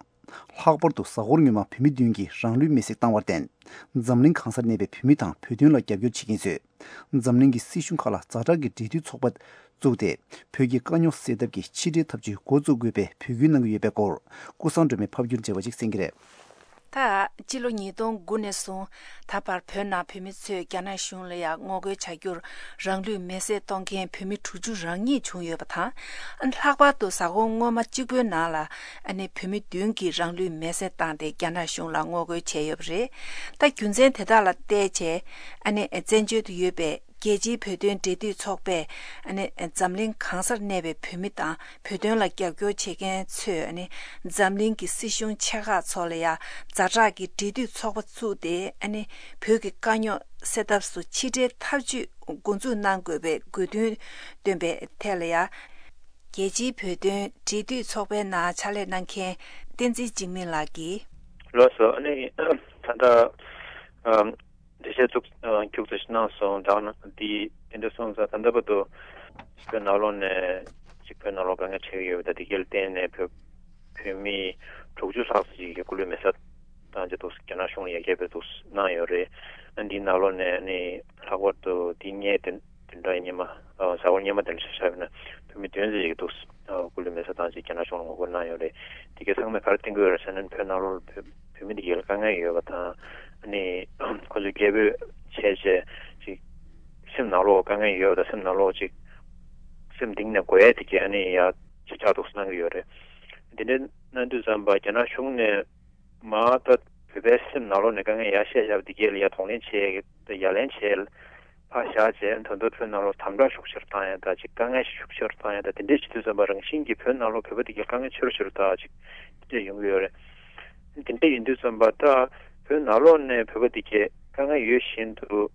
ལྷག་པར་དུ་གཟའ་འཁོར་སྔོན་མ་བོད་མི་བདུན་གྱིས་རང་ལུས་མེར་སྲེག་བཏང་བར་བརྟེན། འཛམ་གླིང་གང་སར་གནས་པའི་བོད་མི་དང་བོད་དོན་ལ་རྒྱབ་སྐྱོར་བྱེད་མཁན་ཚོས། འཛམ་གླིང་གི་སྲིད་གཞུང་ཁག་ལ་ཛ་དྲག་གི་འབྲེལ་མཐུད་ཚོགས་པ་བཙུགས་ཏེ། བོད་ཀྱི་དཀའ་རྙོག་སེལ་ཐབས་ཀྱི་ཕྱི་འབྲེལ་ཐབས་ཇུས་འགོ་བཙུགས་དགོས་པའི་འབོད་སྐུལ་གནང་གི་ཡོད་པའི་སྐོར། ཀུན་བཟང་སྒྲོལ་མས་ཕབ་སྒྱུར་མཛད་པ་ཅིག་གསན་གྱི་རེད། ད། སྤྱི་ལོ་ཉིས་སྟོང་དགུ་ནས་བཟུང་ད་བར་བོད་ནང་བོད་མི་ཚོས་རྒྱ་ནག་གཞུང་ལ་ཡང་ངོ་རྒོལ་བྱ་རྒྱུར་རང་ལུས་མེར་སྲེག་གཏོང་མཁན་བོད་མི་དྲུག་ཅུ་རང་ཉིད་བྱུང་ཡོད་པ་དང་། ལྷག་པར་དུ་གཟའ་འཁོར་སྔོན་མ་གཅིག་པོའི་ནང་ལ་ཨ་ནི་བོད་མི་བདུན་གྱིས་རང་ལུས་མེར་སྲེག་བཏང་སྟེ་རྒྱ་ནག་གཞུང་ལ་ངོ་རྒོལ་བྱས་ཡོད་པ་རེད། ད་རྒྱུ་མཚན་དེ་དག་ལ་བལྟས་བྱས་ཨ་ནི་བཙན་བྱོལ་དུ་ཡོད་པའི་རྒྱལ་སྤྱིའི་བོད་དོན་འབྲེལ་མཐུད་ཚོགས་པས་ཨ་ནི་འཛམ་གླིང་གང་སར་གནས་པའི་བོད་མི་དང་བོད་དོན་ལ་རྒྱབ་སྐྱོར་བྱེད་མཁན་ཚོས་ཨ་ནི་འཛམ་གླིང་གི་སྲིད་གཞུང་ཆེ་ཁག་ཚོ་ལ་ཡང་ཛ་དྲག་གི་འབྲེལ་མཐུད་ཚོགས་པ་བཙུགས་ཏེ་ཨ་ནི་བོད་ཀྱི་དཀའ་རྙོག་སེལ་ཐབས་སུ་ཕྱི་འབྲེལ་ཐབས་ཇུས་འགོ་འཛུགས་གནང་དགོས་པའི་དགོས་འདུན་བཏོན་པའི་ཐད་ལ་ཡང་རྒྱལ་སྤྱིའི་བོད་དོན་འབྲེལ་མཐུད་ཚོགས་པའི་ནང་ཕྱག་ལས་གནང་མཁན་བསྟན་འཛིན་འཇིགས་མེད་ལགས་ཀྱིས། ལགས་སོ། ཨ་ནི་ད་ལྟ་ཨམ། འགྲེལ་བཤད་ཚུགས་ཁྱུག་ཙམ་ཞིག་གནང་སོང་། ད་ནི་འདི་དེ་འདྲ་སོང་ཙང་ད་ལྟ་བར་དུ་བོད་ནང་ལོགས་ནས་ཅིག་བོད་ནང་ལོགས་དཀའ་ངལ་འཕྲད་ཀྱི་ཡོད་པ་དང་། དེ་གའི་བརྟེན་ནས་བོད་བོད་མི་དྲུག་ཅུ་ལྷག་ཙམ་ཞིག་གིས་སྐུ་ལུས་མེ་སྲེག་བཏང་རྗེས་འདུག་རྒྱ་ནག་གཞུང་ལ་ཡ་གྱལ་བོད་འདུག་གནང་ཡོད་རེད། ཨ་འདིའི་ནང་ལོགས་ནས་ནི་ལྷག་པར་དུ་འདི་ཉིན་དེ་དེ་འདྲ་སྔོན་མ་གཟའ་འཁོར་སྔོན་མ་དེ་འདྲ་ཆ་བཞག་པ་ཡིན་ན་བོད་མི་བདུན་ཙམ་ཞིག་འདུག་སྐུ་ལུས་མེ་སྲེག་བཏང་རྗེས་རྒྱ་ནག་གཞུང་ལ་ངོ་རྒོལ་གནང་ཡོད་རེད། དེ་གའི་ཚང་མས་ག་རེ་བསྟན་གྱི་ཡོད་རེད་ཟེར་ན། བོད་ནང་ལོགས་ལ་བོད་བོད་མི་དེ་གའི་ལ་དཀའ་ངལ་ཡོད་པ་དང་། ཨ་ནི་ཁོ་ཚོས་གྱལ་བོད་བྱས་བྱས་ཅིག་སེམས་ནང་ལོགས་དཀའ་ངལ་ཡོད་པ་དང་། སེམས་ནང་ལོགས་ཅིག་སེམས་གཏིང་ནས་དགོས་ཡ་དེ་གའི་ཨ་ནི་ཡ་ཅིག་ཆགས་འདུག་གནང་གི་ཡོད་རེད། དེ་འདྲ་གནང་དུས་ཙམ་པ་རྒྱ་ནག་གཞུང་ནས་མ་ད་བོད་པའི་སེམས་ནང་ལོགས་ནས་དཀའ་ངལ་ཡར་བཤད་བཞག་པ་དེ་གའི་ལ་ཡ་གདོང་ལེན་བྱས། ཡ་ལན་བྱས། ཕར་བཞག་བྱས་ད་དུང་བོད་ནང་ལོགས་དམ་དྲག་ཤུགས་ཆེར་བཏང་ཡ་དང་། ཅིག་དཀའ་ངལ་ཤུགས་ཆེར་བཏང་ཡ་དང་། དེ་འདྲས་བྱེད་དུས་ཙམ་པ་རང་བཞིན་གྱིས་བོད་ནང་ལོགས་བོད་པ་དེ་གའི་དཀའ་ངལ་ཆེ་རུ་ཆེ་རུ་དང་ཅིག་དེ་འདྲས་ཡོང་གི་ཡོད་རེད། དེ་འདྲས་ཡིན་དུས་ཙམ་པ་ད་ བོད་ནང་ལོགས་ནས་བོད་པ་དེ་གས་དཀའ་ངལ་ཡོད་བཞིན་དུ་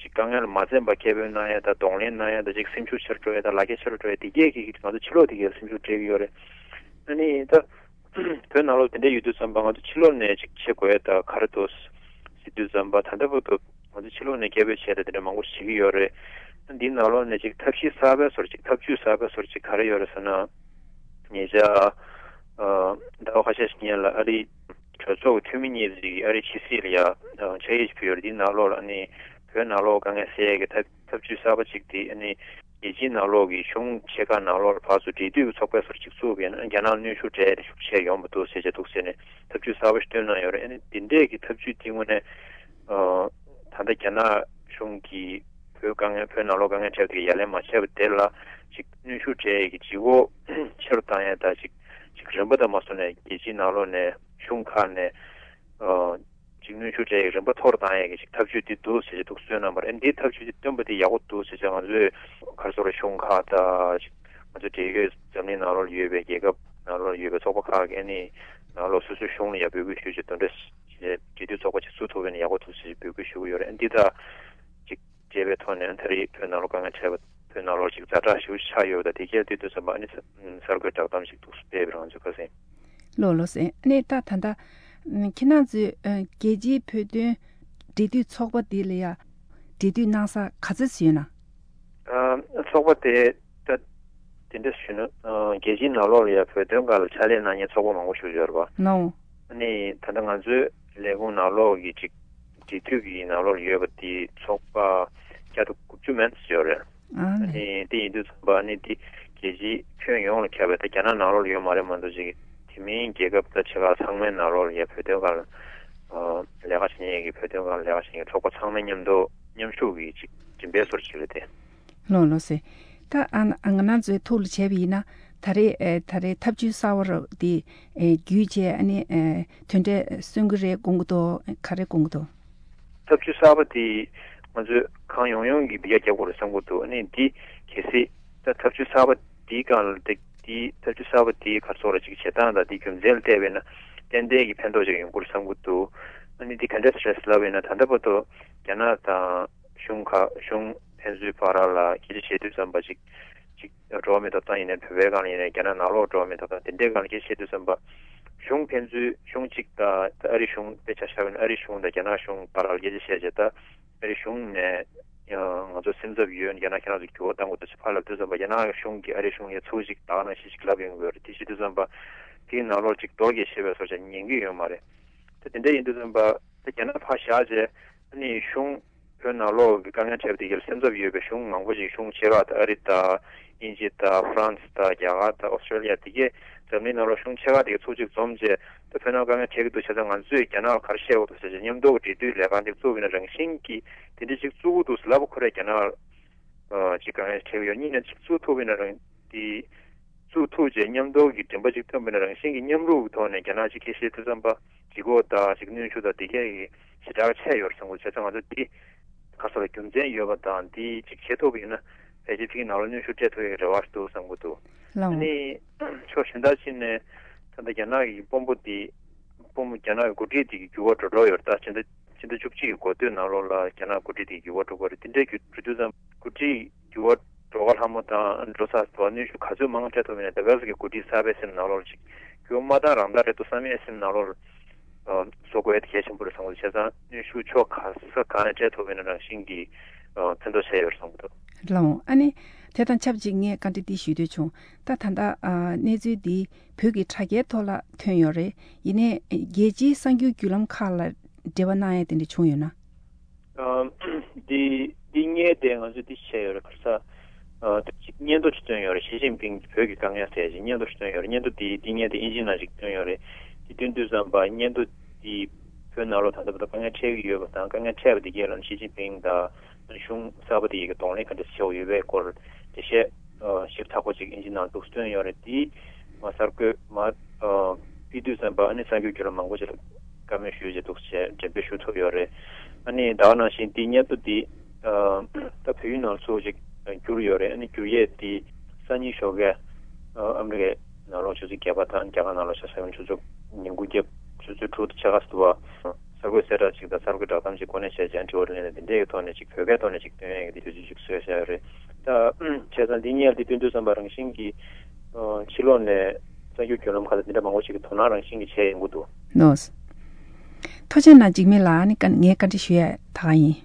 ཅིག་དཀའ་ངལ་ལ་མ་འཛེམས་པར་སྐད་འབོད་གནང་ཡ་དང་གདོང་ལེན་གནང་ཡ་དང་ཅིག་སེམས་ཤུགས་ཆེ་རུ་འགྲོ་ཡ་དང་ལག་ཁྱེར་ཆེ་རུ་འགྲོ་ཡ་དེ་གས་ཀྱིས་ང་ཚོ་ཕྱི་ལོགས་དེ་གས་སེམས་ཤུགས་སྤྲད་ཀྱི་ཡོད་རེད། ཨ་ནི་ད་བོད་ནང་ལོགས་དེ་འདྲ་ཡོད་དུས་ཙམ་པ་ང་ཚོ་ཕྱི་ལོགས་ནས་ཅིག་བྱེད་དགོས་ཡ་ད་ག་རེ་འདུག་ཟེར་དུས་ཙམ་པ་ད་ལྟ་བར་དུ་ང་ཚོ་ཕྱི་ལོགས་ནས་སྐད་འབོད་བྱས་ཏེ་དེ་འདྲ་མང་པོ་བྱེད་ཀྱི་ཡོད་རེད། འདིའི་ནང་ལོགས་ནས་ཅིག་ཐབས་ཤེས་གསར་པའི་བཟོ་འདྲ་ཅིག་ཐབས་ཇུས་གསར་པའི་བཟོ་འདྲ་ཅིག་ག་རེ་ཡོད་རེད་ཟེར་ན། ཉེ་ཆར་ཨ་ཟླ་བ་ཁ་ཤས་ཤིག་སྔོན་ལ་ཨ་རིའི་གྲོས་ཚོགས་ཀྱི་འཐུས་མི་གཉིས་ཅིག་ཨ་རིའི་ཕྱི་སྲིད་ལ་ཡ་ཕྱག་ཡིག་ཅིག་ཕུལ་ཡོད་རེད། འདིའི་ནང་ལོགས་ལ་ཨ་ནི་བོད་ནང་ལོགས་དཀའ་ངལ་སེལ་ཡས་ཀྱི་ཐབས་ཐབས་ཇུས་གསར་པ་ཅིག་དེ་ཨ་ནི་རྒྱལ་སྤྱིའི་ནང་ལོགས་ཀྱི་གཞུང་ཆེ་ཁག་ནང་ལོགས་ལ་ཕར་ཚུར་འབྲེལ་མཐུད་ཀྱི་ཚོགས་པའི་བཟོ་འདྲ་ཅིག་བཙུགས་པ་ཡིན་ན་རྒྱ་ནག་གནོན་ཤུགས་སྤྲད་ཡས་ཤུགས་ཆེ་ཡོང་མི་འདུག་ཟེར་བྱས་འདུག་ཟེར་ནས་ཐབས་ཇུས་གསར་པ་ཞིག་བཏོན་གནང་ཡོད་རེད། ཨ་ནི་འདི་འདྲས་ཀྱི་ཐབས་ཇུས་དེ་དངོས་གནས་ཨ་ད་ལྟ་རྒྱ་ནག་གཞུང་གིས་བོད་དཀའ་ངལ་བོད་ནང་ལོགས་དཀའ་ངལ་འཕྲད་པ་དེ་གའི་ཡ་ལན་མ་བྱས་པ་དེ་ལ་ཅིག་གནོན་ཤུགས་སྤྲད་ཡས་ཀྱི་ལྗིད་ཁོག་ཆེ་རུ་བཏང་ཡས་དང་ཅིག་ཅིག་རིམ་པ་དང་མ་སོང་ནས་རྒྱལ་སྤྱིའི་ནང་ལོགས་ནས་གཞུང་ཁག་ནས་ཨ་ཅིག་གནོན་ཤུགས་སྤྲད་ཡས་རིམ་པ་མཐོ་རུ་བཏང་ཡས་ཀྱི་ཅིག་ཐབས་ཇུས་འདི་འདུག་ཟེར་ཅིག་འདུག་སེ་བཏོན་གནང་བ་རེད། ཨ་འདིའི་ཐབས་ཇུས་འདི་བཏོན་པ་དེ་ཡག་པོ་འདུག་ཟེར་ཅིག་ང་ཚོས་ག་རེ་ཟེར་དགོས་རེད། གཞུང་ཁག་དང་ཅིག་ང་ཚོ་འབྲེལ་ཡོད་འཛམ་གླིང་ནང་ལོགས་ཡོད་པའི་རྒྱལ་ཁབ་ནང་ལོགས་ཡོད་པའི་ཚོགས་པ་ཁག་གིས་ཨ་ནི་ནང་ལོགས་སོ་སོའི་གཞུང་ལ་ཡ་འབོད་སྐུལ་ཞུས་ཅིག་དེ་འདྲ་ཞིག་འབྲེལ་མཐུད་ཚོགས་པ་ཅིག་བཙུགས་ཐུབ་པ་ཡིན་ན་ཡག་པོ་འདུག་ཟེར་འབོད་སྐུལ་ཞུ་གི་ཡོད་རེད། ཨ་འདི་དང་ཅིག་འབྲེལ་བའི་ཐོག་ནས་ད་རེས་བོད་ནང་ལོགས་དཀའ་ངལ་འཕྲད་པ་བོད་ནང་ལོགས་ཅིག་ཛ་དྲག་ཞེ་པོ་ཆགས་ཡོད་པ་དང་དེ་གས་དུས་དུས་ཙམ་པ་ཨ་ནི་གསར་འགོད་བསྒྲགས་གཏམ་ཞིག་འདུག་སྤེལ་བའི་རང་ཚོའི་ཁ་སེང་། ལོ་ལོ་སེ་ཨ་ནི་ད་ད་ལྟ་ཁྱེད་རང་ཚོའི་རྒྱལ་སྤྱིའི་བོད་དོན་འབྲེལ་མཐུད་ཚོགས་པ་འདི་ལ་ཡ་འབྲེལ་མཐུད་གནང་ས་ག་ཚོད་ཡོད་ན། ཚོགས་པ་དེ་ད་དེ་འདྲ་ཞུས་ན་རྒྱལ་སྤྱིའི་ནང་ལོགས་ལ་ཡ་བོད་དོན་སྒང་ལ་ཕྱག་ལས་གནང་མཁན་ཚོགས་པ་མང་པོ་ཞིག་ཡོད་རེད་པ། ནོ། ཨ་ནི་ད་ལྟ་ང་ཚོའི་ལས་ཁུངས་ནང་ལོགས་ཀྱི་ཅིག་འབྲེལ་མཐུད་ཀྱི་ནང་ལོགས་ཡོད་པ་དེ་ཚོགས་པ་བརྒྱ་དང་དགུ་བཅུ་མན་ཙམ་ཡོད་རེད། ཨ་ཨ་ནི་དེ་ཡིན་དུས་ཙམ་པ་ཨ་ནི་དེ་རྒྱལ་སྤྱིའི་ཁྱོན་ཡོངས་ལ་ཁྱབ་པའི་ད་རྒྱ་ནག་ནང་ལོགས་ལ་ཡོད་མ་རེད་མ་གཏོགས་ཅིག་དེ་མིན་རྒྱལ་ཁབ་ད་ཆེ་ཁག་ཚང་མའི་ནང་ལོགས་ལ་ཡ་བོད་དོན་སྒང་ལ་ལས་ཀ་བྱེད་མཁན་གྱི་བོད་དོན་སྒང་ལ་ལས་ཀ་བྱེད་མཁན་ཚོགས་པ་ཚང་མའི་མཉམ་དུ་མཉམ་ཞུགས་ཀྱི་ཅིག་མགྲིན་པའི་ཟུར་ཅིག་རེད་དེ། ལོ་ལོ་སེ། ད་ཨ་ང་རང་ཚོའི་ཐུགས་ལ་བྱས་པ་ཡིན་ན་ད་རེས་ཨེ་ད་རེས་ཐབས་ཇུས་གསར་བ་རུ་དེ་ཨེ་བརྒྱུད་བྱས་ཨ་ནི་ཨེ་དོན་འབྲས་སོན་གྱི་རེད་དགོངས་ཀྱི་འདུག་ག་རེ་དགོངས་ཀྱི་འདུག་ཐབས་ཇུས་གསར་པ་དེ་ང་ཚོས་གང་ཡོང་ཡོང་གི་འདི་ག་རྒྱབ་དགོས་རེད་བསམ་གྱི་འདུག་ཨ་ནི་འདི་གལ་སྲིད་ད་ཐབས་ཇུས་གསར་པ་དེའི་སྒང་ལ་དེ་དེའི་ཐབས་ཇུས་གསར་པ་དེའི་ག་རེ་ཟེར་དགོས་རེད་ཅིག་བྱེད་སྟངས་དང་དེའི་རྒྱུ་མཚན་ལ་བལྟས་པས་ན་ཏན་ཏན་གྱི་ཕན་ཐོགས་ཅིག་ཡོང་གི་རེད་བསམ་གྱི་འདུག་ཨ་ནི་འདི་ག་འདྲས་རེད་ལབ་པས་ན་ད་ལྟ་བར་དུ་རྒྱ་ནག་དང་གཞུང་ཁག་གཞུང་ཕན་ཚུན་བར་ལ་སྐད་ཆ་བཤད་དུས་ཙམ་པ་ཅིག་ཅིག་འགྲོ་བ་མིའི་ཐོབ་ཐང་ཡིན་ནའི་བོད་པའི་སྒང་ལ་ཡིན་ནའི་རྒྱ་ནག་ནང་ལོགས་འགྲོ་བ་མིའི་ཐོབ་ཐང་དེ་འདྲའི་སྒང་ལ་སྐད་ཆ་བཤད་དུས་ཙམ་པ་གཞུང་ཕན་ཚུན་གཞུང་གཅིག་དང་ཨ་རི་གཞུང་དཔེ་ཆ་བཞག་པ་ཡིན་ན་ཨ་རི་གཞུང་དང་རྒྱ་ནག་གཞུང་བར་ལ་སྐད་ཆ་བཤད་བྱས་ད་ཨ་རི་གཞུང་ནས་ཡང་ང་ཚོ་སེམས་འཚབ་ཡོད། རྒྱ་ནག་ཁྱེད་རང་ཚོ་འགྱུར་བ་གཏང་དགོས་འདུག་ཅེས་ཕར་ལབ་དུས་ཙམ་པ་རྒྱ་ནག་གཞུང་གིས་ཨ་རི་གཞུང་ལ་ཚུར་ཅིག་ད་ག་ནང་བཞིན་ཞིག་ལབ་ཡོང་གི་ཡོད་རེད། དེ་བྱེད་དུས་ཙམ་པ་དེའི་ནང་ལོགས་ཅིག་རྡོ་རྗེ་ཤེས་པའི་བཟོ་འདྲ་ཉན་གྱི་ཡོད་མ་རེད། ད་དེ་འདྲ་ཡིན་དུས་ཙམ་པ་ད་རྒྱ་ནག་ཕར་བཞག་བྱས་ཨ་ནི་གཞུང་བོད་ནང་ལོགས་ཀྱི་དཀའ་ངལ་འཕྲད་པ་དེ་གར་སེམས་འཚབ་ཡོད་པའི་གཞུང་མང་པོ་ཞིག་གཞུང་ཆེ་ཁག་དང་ཨ་རི་དང་དབྱིན་ཇི་དང་ཧྥ་རན་སི་དང་རྒྱ་གར་དང་ཨོ་སི་ཀྲོ་ལི་ཡ་དེ་གས་འཛམ་གླིང་ནང་ལོགས་གཞུང་ཆེ་ཁག་དེ་གས་ཚུར་ཅིག་འཛོམས་བྱས་ད་བོད་ནང་དཀའ་ངལ་འཕྲད་ཀྱི་འདུག་བྱས་ཙང་ང་ཚོས་རྒྱ་ནག་ལ་ག་རེ་བཤད་དགོས་འདུག་ཟེར་བྱས་མཉམ་དུ་གྲོས་མཐུན་ལས་ཁང་དེ་བཙུགས་པ་ཡིན་ན་རང་བཞིན་གྱིས་དེ་འདྲ་ཅིག་བཙུགས་ཀྱི་འདུག་ཟེར་ལབ་པ་ཁོ་རས་རྒྱ་ནག་ལ་ཅིག་དཀའ་ངལ་འཕྲད་ཀྱི་ཡོད། གཉིས་ནས་ཅིག་བཙུགས་ཐུབ་པ་ཡིན་ན་རང་དེ་བཙུགས་ཐུབ་བྱས་མཉམ་དུ་གི་མགྲིན་པ་ཅིག་ཐོན་པ་ཡིན་ན་རང་བཞིན་གྱིས་མཉམ་རུབ་ཀྱི་ཐོག་ནས་རྒྱ་ནག་ཅིག་སྐད་བཤད་དུས་ཙམ་པ་ལྗིད་ཁོག་དང་ཅིག་གནོན་ཤུགས་དང་དེ་གས་ཀྱི་ཞེ་དྲག་ཆེ་ཡོད་རེད་བསམ་གྱི་འདུག་བྱས་ཙང་ང་ཚོ་འདི་ག་རེ་ཟེར་རྒྱུ་མཚན་ཡོད་པ་དང་འདི་ཅིག་བྱེད་ཐུབ་པ་ཡིན་ན་ཕལ་ཆེར་ཕ་གི་ནང་ལ་གནོན་ཤུགས་སྤྲད་ཐུབ་ཡག་གི་རེ་བ་ཞིག་འདུག་བསམ་གྱི་འདུག་ལའོ། ཨ་ནི་ཕྱོགས་གཞན་དག་ཅིག་ནས་ད་ལྟ་རྒྱ་ནག་གི་དཔོན་པོ་འདི་དཔོན་པོ་རྒྱ་ནག་གི་འགོ་ཁྲིད་འདི་གི་འགྱུར་བ་འགྲོ་འགྲོ་ཡོད་རེད། ད་ཕྱི་ཟླ་ཕྱི་ཟླ་བཅུ་གཅིག་གི་འགོ་སྟོད་ནང་ལོགས་ལ་རྒྱ་ནག་འགོ་ཁྲིད་འདི་གི་འགྱུར་བ་འགྲོ་གི་རེད། དེ་འདྲའི་འགྱུར་འགྲོ་དུས་ཙམ་འགོ་ཁྲིད་འགྱུར་བ་འགྲོ་ག་ལྷ་མོ་དང་འགྲོ་ས་དང་གནོན་ཤུགས་ག་ཚོད་མང་སྤྲད་ཐུབ་ཡིན་ན་ད་ག་ཟེ་གི་འགོ་ཁྲིད་གསར་པའི་སེམས་ནང་ལོགས་ལ་ཅིག་འགྱུར་བ་མ་བཏང་རང་བདག་རེད་འདུག་བསམ་ཡས་སེམས་ནང་ལོགས་ལ་བཟོ་དགོས་ཡ་དེ་གལ་ཆེན་པོ་རེད་བསམ་གྱི་འདུག་བྱས་ཙང་གནོན་ཤུགས་ཕྱོགས་ག་ས་གང་ནས་སྤྲད་ཐུབ་ཡིན་ན་རང་བཞིན་གྱིས་ཕན་ཐོགས་ཆེ་ཡོད་རེད་བསམ་གྱི་འདུག་ལགས་འོང་། ཨ་ནི་དེ་དང་ཆབས་ཅིག་ངས་བཀའ་འདྲི་འདི་ཞུ་འདོད་བྱུང་། ད་ད་ལྟ་ཨ་གནས་ཚུལ་འདི་བོད་ཀྱི་དྲ་རྒྱའི་ཐོག་ལ་ཐོན་ཡོད་རེད། ཡིན་ནའི་རྒྱལ་སྤྱིའི་གསར་འགྱུར་བརྒྱུད་ལམ་ཁག་ལ་འབྲེལ་བ་གནང་ཡ་དེ་འདྲ་བྱུང་ཡོད་ན། ཨ་འདི་འདི་སྔོན་དེ་ང་ཚོས་འདི་བྱས་ཡོད་རེད། ག་རེ་ཟེར་ཨ་ཅིག་སྙན་ཐོ་ཅིག་བཏོན་ཡོད་རེད། ཞི་ཅིན་ཕིང་བོད་ཀྱི་དཀའ་ངལ་ཟེར་ཅིག་སྙན་ཐོ་ཅིག་བཏོན་ཡོད་རེད། སྙན་ཐོ་འདི་འདི་སྔོན་དེ་ཨིན་ཇིའི་ནང་ཅིག་བཏོན་ཡོད་རེད། འདི་བཏོན་དུས་ཙམ་པ་སྙན་ཐོ་འདི་བོད་ནང་ལོགས་ད་ལྟ་བར་དུ་དཀའ་ངལ་འཕྲད་ཀྱི་ཡོད་པ་དང་དཀའ་ངལ་འཕྲད་པ་དེ་གས་ལ་ཞི་ཅིན་ཕིང་དང་གཞུང་གསར་པ་དེ་ཡི་གི་གདོང་ལེན་ག་འདྲ་བྱེད་དགོས་ཡོད་པའི་སྐོར་འགྲེལ་བཤད་ཞིབ་ཚགས་པོ་ཅིག་ཨིན་ཇི་ནང་འདུག་སེ་བཏོན་ཡོད་རེད། དེ་མ་གསར་འགོད་མ་ཕུལ་དུས་ཙམ་པ་ཨ་ནི་གསར་འགྱུར་བརྒྱུད་ལམ་མང་པོ་ཅིག་ལ་བཀའ་མོལ་ཞུས་བྱས་འདུག་སེ་འགྲེམས་སྤེལ་ཞུ་ཐུབ་ཡོད་རེད། ཨ་ནི་ད་ག་ནང་བཞིན་དེ་སྙན་ཐོ་དེ་ད་བོད་ཡིག་ནང་ཚུར་ཅིག་བསྒྱུར་ཡོད་རེད། ཨ་ནི་བསྒྱུར་ཡས་དེ་སང་ཉིན་ཞོགས་ཀས་ཨ་མི་རི་ཀའི་ནང་ལོགས་ཆུ་ཚོད་བརྒྱད་པ་དང་རྒྱ་གར་ནང་ལོགས་ཆུ་ཚོད་ཉིན་གུང་ཉིན་གུང་རྒྱབ་ ཆུ་ཚོད་དྲུག་དང་ཕྱེད་ཀ་ཟེར་བ། གསར་འགོད་གསལ་བསྒྲགས་ཅིག་དང་གསར་འགོད་བསྒྲགས་གཏམ་ཅིག་གོ་གནས་བྱས་རྗེས་དྲི་བ་དྲིས་ལན་དེ་འདྲའི་གི་ཐོག་ནས་ཅིག་བོད་སྐད་ཐོག་ནས་ཅིག་སྟོན་ཡས་ཀྱི་དུས་ཚོད་ཅིག་བཟོས་བཞག་ཡོད་རེད། ད་བྱས་ཙང་འདི་གཉིས་ལ་འདི་སྟོན་དུས་ཙམ་པ་རང་བཞིན་གྱིས་ཕྱི་ལོགས་ནས་གསར་འགྱུར་བརྒྱུད་ལམ་ཁག་ལ་འདི་འདྲ་མང་པོ་ཞིག་གིས་དོ་སྣང་རང་བཞིན་གྱིས་བྱས་ཡོང་གི་འདུག་ནོ། ཐུགས་རྗེ་གནང་། འཇིགས་མེད་ལགས། ཨ་ནི་ཀ་ངས་བཀའ་འདྲི་ཞུ་ཡས་ད་ག་ཡིན།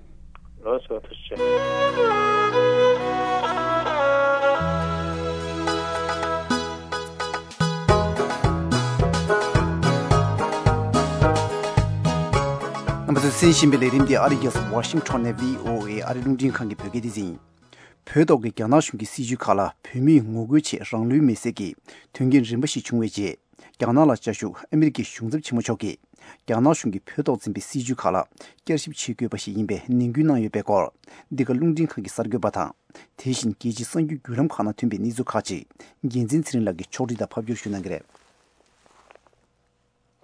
ལགས་སོ། ཐུགས་རྗེ་ཆེ། རྣམ་པ་ཚོས་གསན་བཞིན་པའི་ལས་རིམ་འདི་ཨ་རིའི་རྒྱལ་ས་ཝ་ཤིང་ཊོན་ནས་བྷི་ཨོ་ཨེ་ཨ་རིའི་རླུང་འཕྲིན་ཁང་གི་བོད་སྐད་སྡེ་ཚན་ཡིན། བོད་ཐོག་གི་རྒྱ་ནག་གཞུང་གི་སྲིད་བྱུས་ཁག་ལ་བོད་མིས་ངོ་རྒོལ་ཆེད་རང་ལུས་མེར་སྲེག་གི་དོན་རྐྱེན་རིམ་པ་ཞིག་བྱུང་བའི་རྗེས། རྒྱ་ནག་ལ་བཅའ་བཞུགས་ཨ་མི་རི་ཀའི་གཞུང་ཚབ་ཆེན་མོ་མཆོག་གིས། རྒྱ་ནག་གཞུང་གིས་བོད་ཐོག་འཛིན་པའི་སྲིད་བྱུས་ཁག་ལ་བསྐྱར་ཞིབ་བྱེད་དགོས་པ་ཞིག་ཡིན་པའི་ནན་སྐུལ་གནང་ཡོད་པའི་སྐོར། འདི་ག་རླུང་འཕྲིན་ཁང་གི་གསར་འགོད་པ་དང་། དེ་བཞིན་རྒྱལ་སྤྱིའི་གསར་འགྱུར་བརྒྱུད་ལམ་ཁག་ནང་ཐོན་པའི་གནས་ཚུལ་ཁག་ཅིག་རྒྱལ་མཚན་ཚེ་རིང་ལགས་ཀྱིས་ཕྱོགས་སྒྲིག་དང་ཕབ་སྒྱུར་ཞུ་གནང་གི་རེད།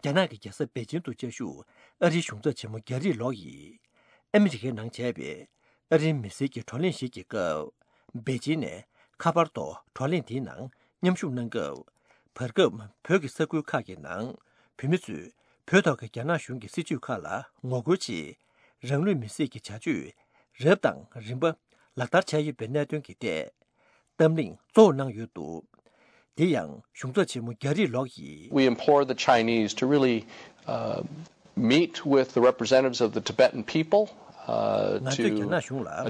རྒྱ་ནག་གི་རྒྱལ་ས་པེ་ཅིང་དུ་བཅའ་བཞུགས་ཨ་རིའི་གཞུང་ཚབ་ཆེན་མོ་རྒྱ་རིགས་ལོག་ཡིས། ཨ་མི་རི་ཀའི་ནང་བྱས་པའི་ཨ་རིའི་མི་སེར་གྱི་བགྲོ་གླེང་ཞིག་གི་སྐབས། པེ་ཅིང་ནས་ཁ་པར་ཐོག་བགྲོ་གླེང་དེའི་ནང་མཉམ་ཞུགས་གནང་སྐབས། བར་སྐབས་བོད་ཀྱི་ས་ཁུལ་ཁག་གི་ནང་བོད་མི་ཚོས་བོད་ཐོག་གི་རྒྱ་ནག་གཞུང་གི་སྲིད་བྱུས་ཁག་ལ་ངོ་རྒོལ་ཆེད། རང་ལུས་མེར་སྲེག་གི་བྱ་སྤྱོད་རབ་དང་རིམ་པ་ལག་བསྟར་བྱས་ཡོད་པའི་གནད་དོན་གྱི་ཐད། གཏམ་གླེང་གཙོ་བོ་གནང་ཡོད་འདུག་དེ་ཡང་གཞུང་ཚབ་ཆེན་མོ་རྒྱ་རིགས་ལོག་ཡིས། We implore the Chinese to really, uh, meet with the representatives of the Tibetan people, uh, ང་ཚོས་རྒྱ་ནག་གཞུང་ལ་བོད་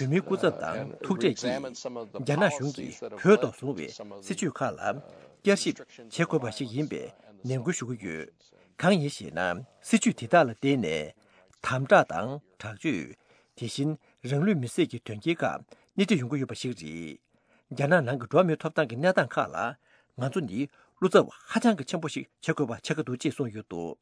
མིའི་སྐུ་ཚབ་དང་ཐུག་འཕྲད་ཀྱིས། རྒྱ་ནག་གཞུང་གིས་བོད་ཐོག་བཟུང་བའི་སྲིད་བྱུས་ཁག་ལ་བསྐྱར་ཞིབ་བྱེད་དགོས་པ་ཞིག་ཡིན་པའི་ནན་སྐུལ་ཞུ་གི་ཡོད། གང་ཡིན་ཞེ་ན། སྲིད་བྱུས་དེ་དག་ལ་བརྟེན་ནས་དམ་དྲག་དང་དྲག་སྤྱོད། དེ་བཞིན་རང་ལུས་མེར་སྲེག་གི་དོན་རྐྱེན་ཁག་སྣེ་ཁྲིད་ཡོང་གི་ཡོད་པ་ཞིག་རེད། རྒྱ་ནག་ནང་གི་འགྲོ་བ་མིའི་ཐོབ་ཐང་གི་གནས་སྟངས་ཁག་ལ་ང་ཚོ་ནི་བློ་འཚབ་ཧ་ཅང་གི་ཆེན་པོ་ཞིག་བྱེད་དགོས་པ་ཆགས་ཀྱི་འདུག་ཅེས་གསུངས་ཡོད་འདུག་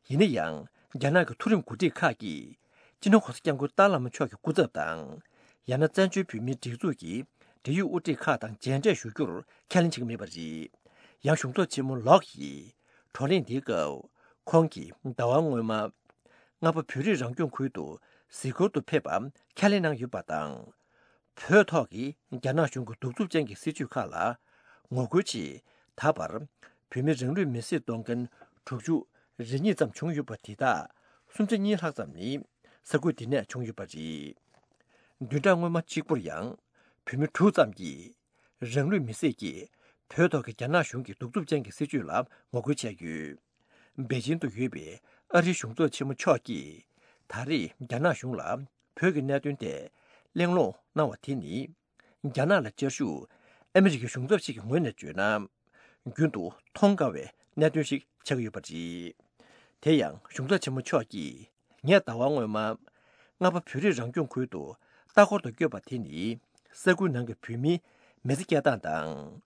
ཡིན་ན་ཡང་རྒྱ་ནག་གི་མཐོ་རིམ་འགོ་ཁྲིད་ཁག་གིས་སྤྱི་ནོར་གོང་ས་སྐྱབས་མགོན་ཏཱ་བླ་མ་མཆོག་གི་སྐུ་ཚབ་དང་། ཡང་ན་བཙན་བྱོལ་བོད་མིའི་སྒྲིག་འཛུགས་ཀྱི་འབྲེལ་ཡོད་དབུ་ཁྲིད་ཁག་དང་མཇལ་འཕྲད་ཞུ་རྒྱུར་ཁས་ལེན་བྱེད་ཀྱི་མེད་པ་རེད། ཡང་གཞུང་ཚབ་ཆེན་མོ་ལོག་ཡིས་བགྲོ་གླེང་འདིའི་སྐབས་ཁོང་གིས་ཟླ་བ་སྔོན་མ། རྔ་པ་བོད་རིགས་རང་སྐྱོང་ཁུལ་དུ་གཟིགས་སྐོར་དུ་ཕེབས་པ་ཁས་ལེན་གནང་ཡོད་པ་དང་། བོད་ཐོག་གི་རྒྱ་ནག་གཞུང་གི་གདུག་རྩུབ་ཅན་གྱི་སྲིད་བྱུས་ཁག་ལ་ངོ་རྒོལ་ཆེད་ད་བར་བོད་མི་རང་ལུས་མེར་སྲེག་གཏོང་མཁན་དྲུག་ཅུ་རེ་གཉིས་ཙམ་བྱུང་ཡོད་པ་དེ་དག་སུམ་ཆ་གཉིས་ལྷག་ཙམ་ནི་ས་ཁུལ་འདི་ནས་བྱུང་ཡོད་པ་རེད། བདུན་ཕྲག་སྔོན་མ་གཅིག་པུར་ཡང་བོད་མི་དྲུག་ཙམ་གྱིས་རང་ལུས་མེར་སྲེག་གིས་བོད་ཐོག་གི་རྒྱ་ནག་གཞུང་གི་གདུག་རྩུབ་ཅན་གྱི་སྲིད་བྱུས་ལ་ངོ་རྒོལ་བྱས་ཡོད། པེ་ཅིང་དུ་ཡོད་པའི་ཨ་རིའི་གཞུང་ཚབ་ཆེན་མོ་མཆོག་གིས་ད་རེས་རྒྱ་ནག་གཞུང་ལ་བོད་ཀྱི་གནད་དོན་ཐད་གླེང་སློང་གནང་བ་དེ་ནི། རྒྱ་ནག་ལ་བཅའ་བཞུགས་ཨ་མི་རི་ཀའི་གཞུང་ཚབ་ཞིག་གི་ངོས་ནས་བརྗོད་ན། རྒྱུན་དུ་མཐོང་དཀའ་བའི་གནད་དོན་ཞིག་ཆགས་ཀྱི་ཡོད་པ་རེད། དེ་ཡང་གཞུང་ཚབ་ཆེན་མོ་མཆོག་གིས་ངས་ཟླ་བ་སྔོན་མ། རྔ་པ་བོད་རིགས་རང་སྐྱོང་ཁུལ་དུ་ལྟ་སྐོར་དུ་བསྐྱོད་པ་དེ་ནི། ས་ཁུལ་ནང་གི་བོད་མིའི་མི་ཚེ་སྐྱེལ་སྟངས་དང་།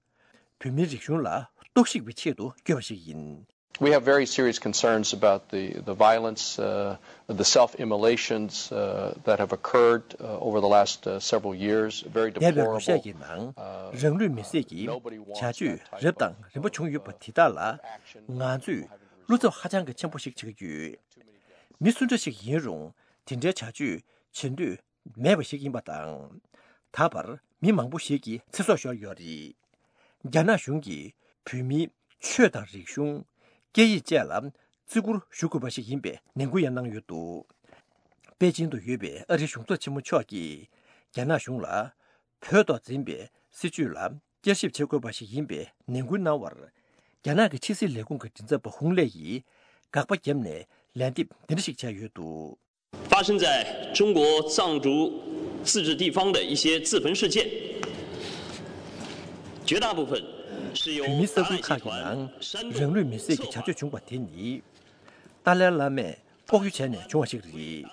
བོད་མིའི་རིག་གཞུང་ལ་གཏོར་བཤིག་པའི་ཆེད་དུ་བསྐྱོད་པ་ཞིག་ཡིན། We have very serious concerns about the, the violence, uh, the self-immolations, uh, that have occurred, uh, over the last, uh, several years. Very deplorable. འདས་པའི་ལོ་ཤས་ཀྱི་ནང་རང་ལུས་མེར་སྲེག་གི་བྱ་སྤྱོད་རབ་དང་རིམ་པ་བྱུང་ཡོད་པ་དེ་དག་ལ་ང་ཚོས་བློ་འཚབ་ཧ་ཅང་གི་ཆེན་པོ་ཞིག་བྱེད་ཀྱི་ཡོད། མི་སུ་འདྲ་ཞིག་ཡིན་རུང་དེ་འདྲའི་བྱ་སྤྱོད་བྱེད་འདོད་མེད་པ་ཞིག་ཡིན་པ་དང་། ད་བར་མི་མང་པོ་ཞིག་གི་ཚེ་སྲོག་ཤོར་ཡོད་རེད། རྒྱ་ནག་གཞུང་གིས་བོད་མིའི་ཆོས་དང་རིག་གཞུང་། སྐད་ཡིག་བཅས་ལ་བརྩི་བཀུར་ཞུ་དགོས་པ་ཞིག་ཡིན་པའི་ནན་སྐུལ་ཡང་གནང་ཡོད་འདུག་པེ་ཅིང་དུ་ཡོད་པའི་ཨ་རིའི་གཞུང་ཚབ་ཆེན་མོ་མཆོག་གིས་རྒྱ་ནག་གཞུང་ལ་བོད་ཐོག་འཛིན་པའི་སྲིད་བྱུས་ལ་བསྐྱར་ཞིབ་བྱེད་དགོས་པ་ཞིག་ཡིན་པའི་ནན་སྐུལ་གནང་བར། རྒྱ་ནག་གི་ཕྱི་སྲིད་ལས་ཁུངས་ཀྱི་མགྲིན་ཚབ་པ་ཧུང་ལེ་ཡིས་དགག་པ་བརྒྱབ་ནས་ལན་འདེབས་འདི་འདྲ་ཞིག་བྱས་ཡོད་འདུག། 发生在中国藏族自治地方的一些自焚事件，绝大部分是由 བོད་མིའི་ས་ཁུལ་ཁག་གི་ནང་རང་ལུས་མེར་སྲེག་གི་བྱ་སྤྱོད་བྱུང་བ་དེ་ནི། ཏཱ་ལའི་བླ་མས་ལྐོག་གཡོ་བྱས་ནས་བྱུང་བ་ཞིག་རེད།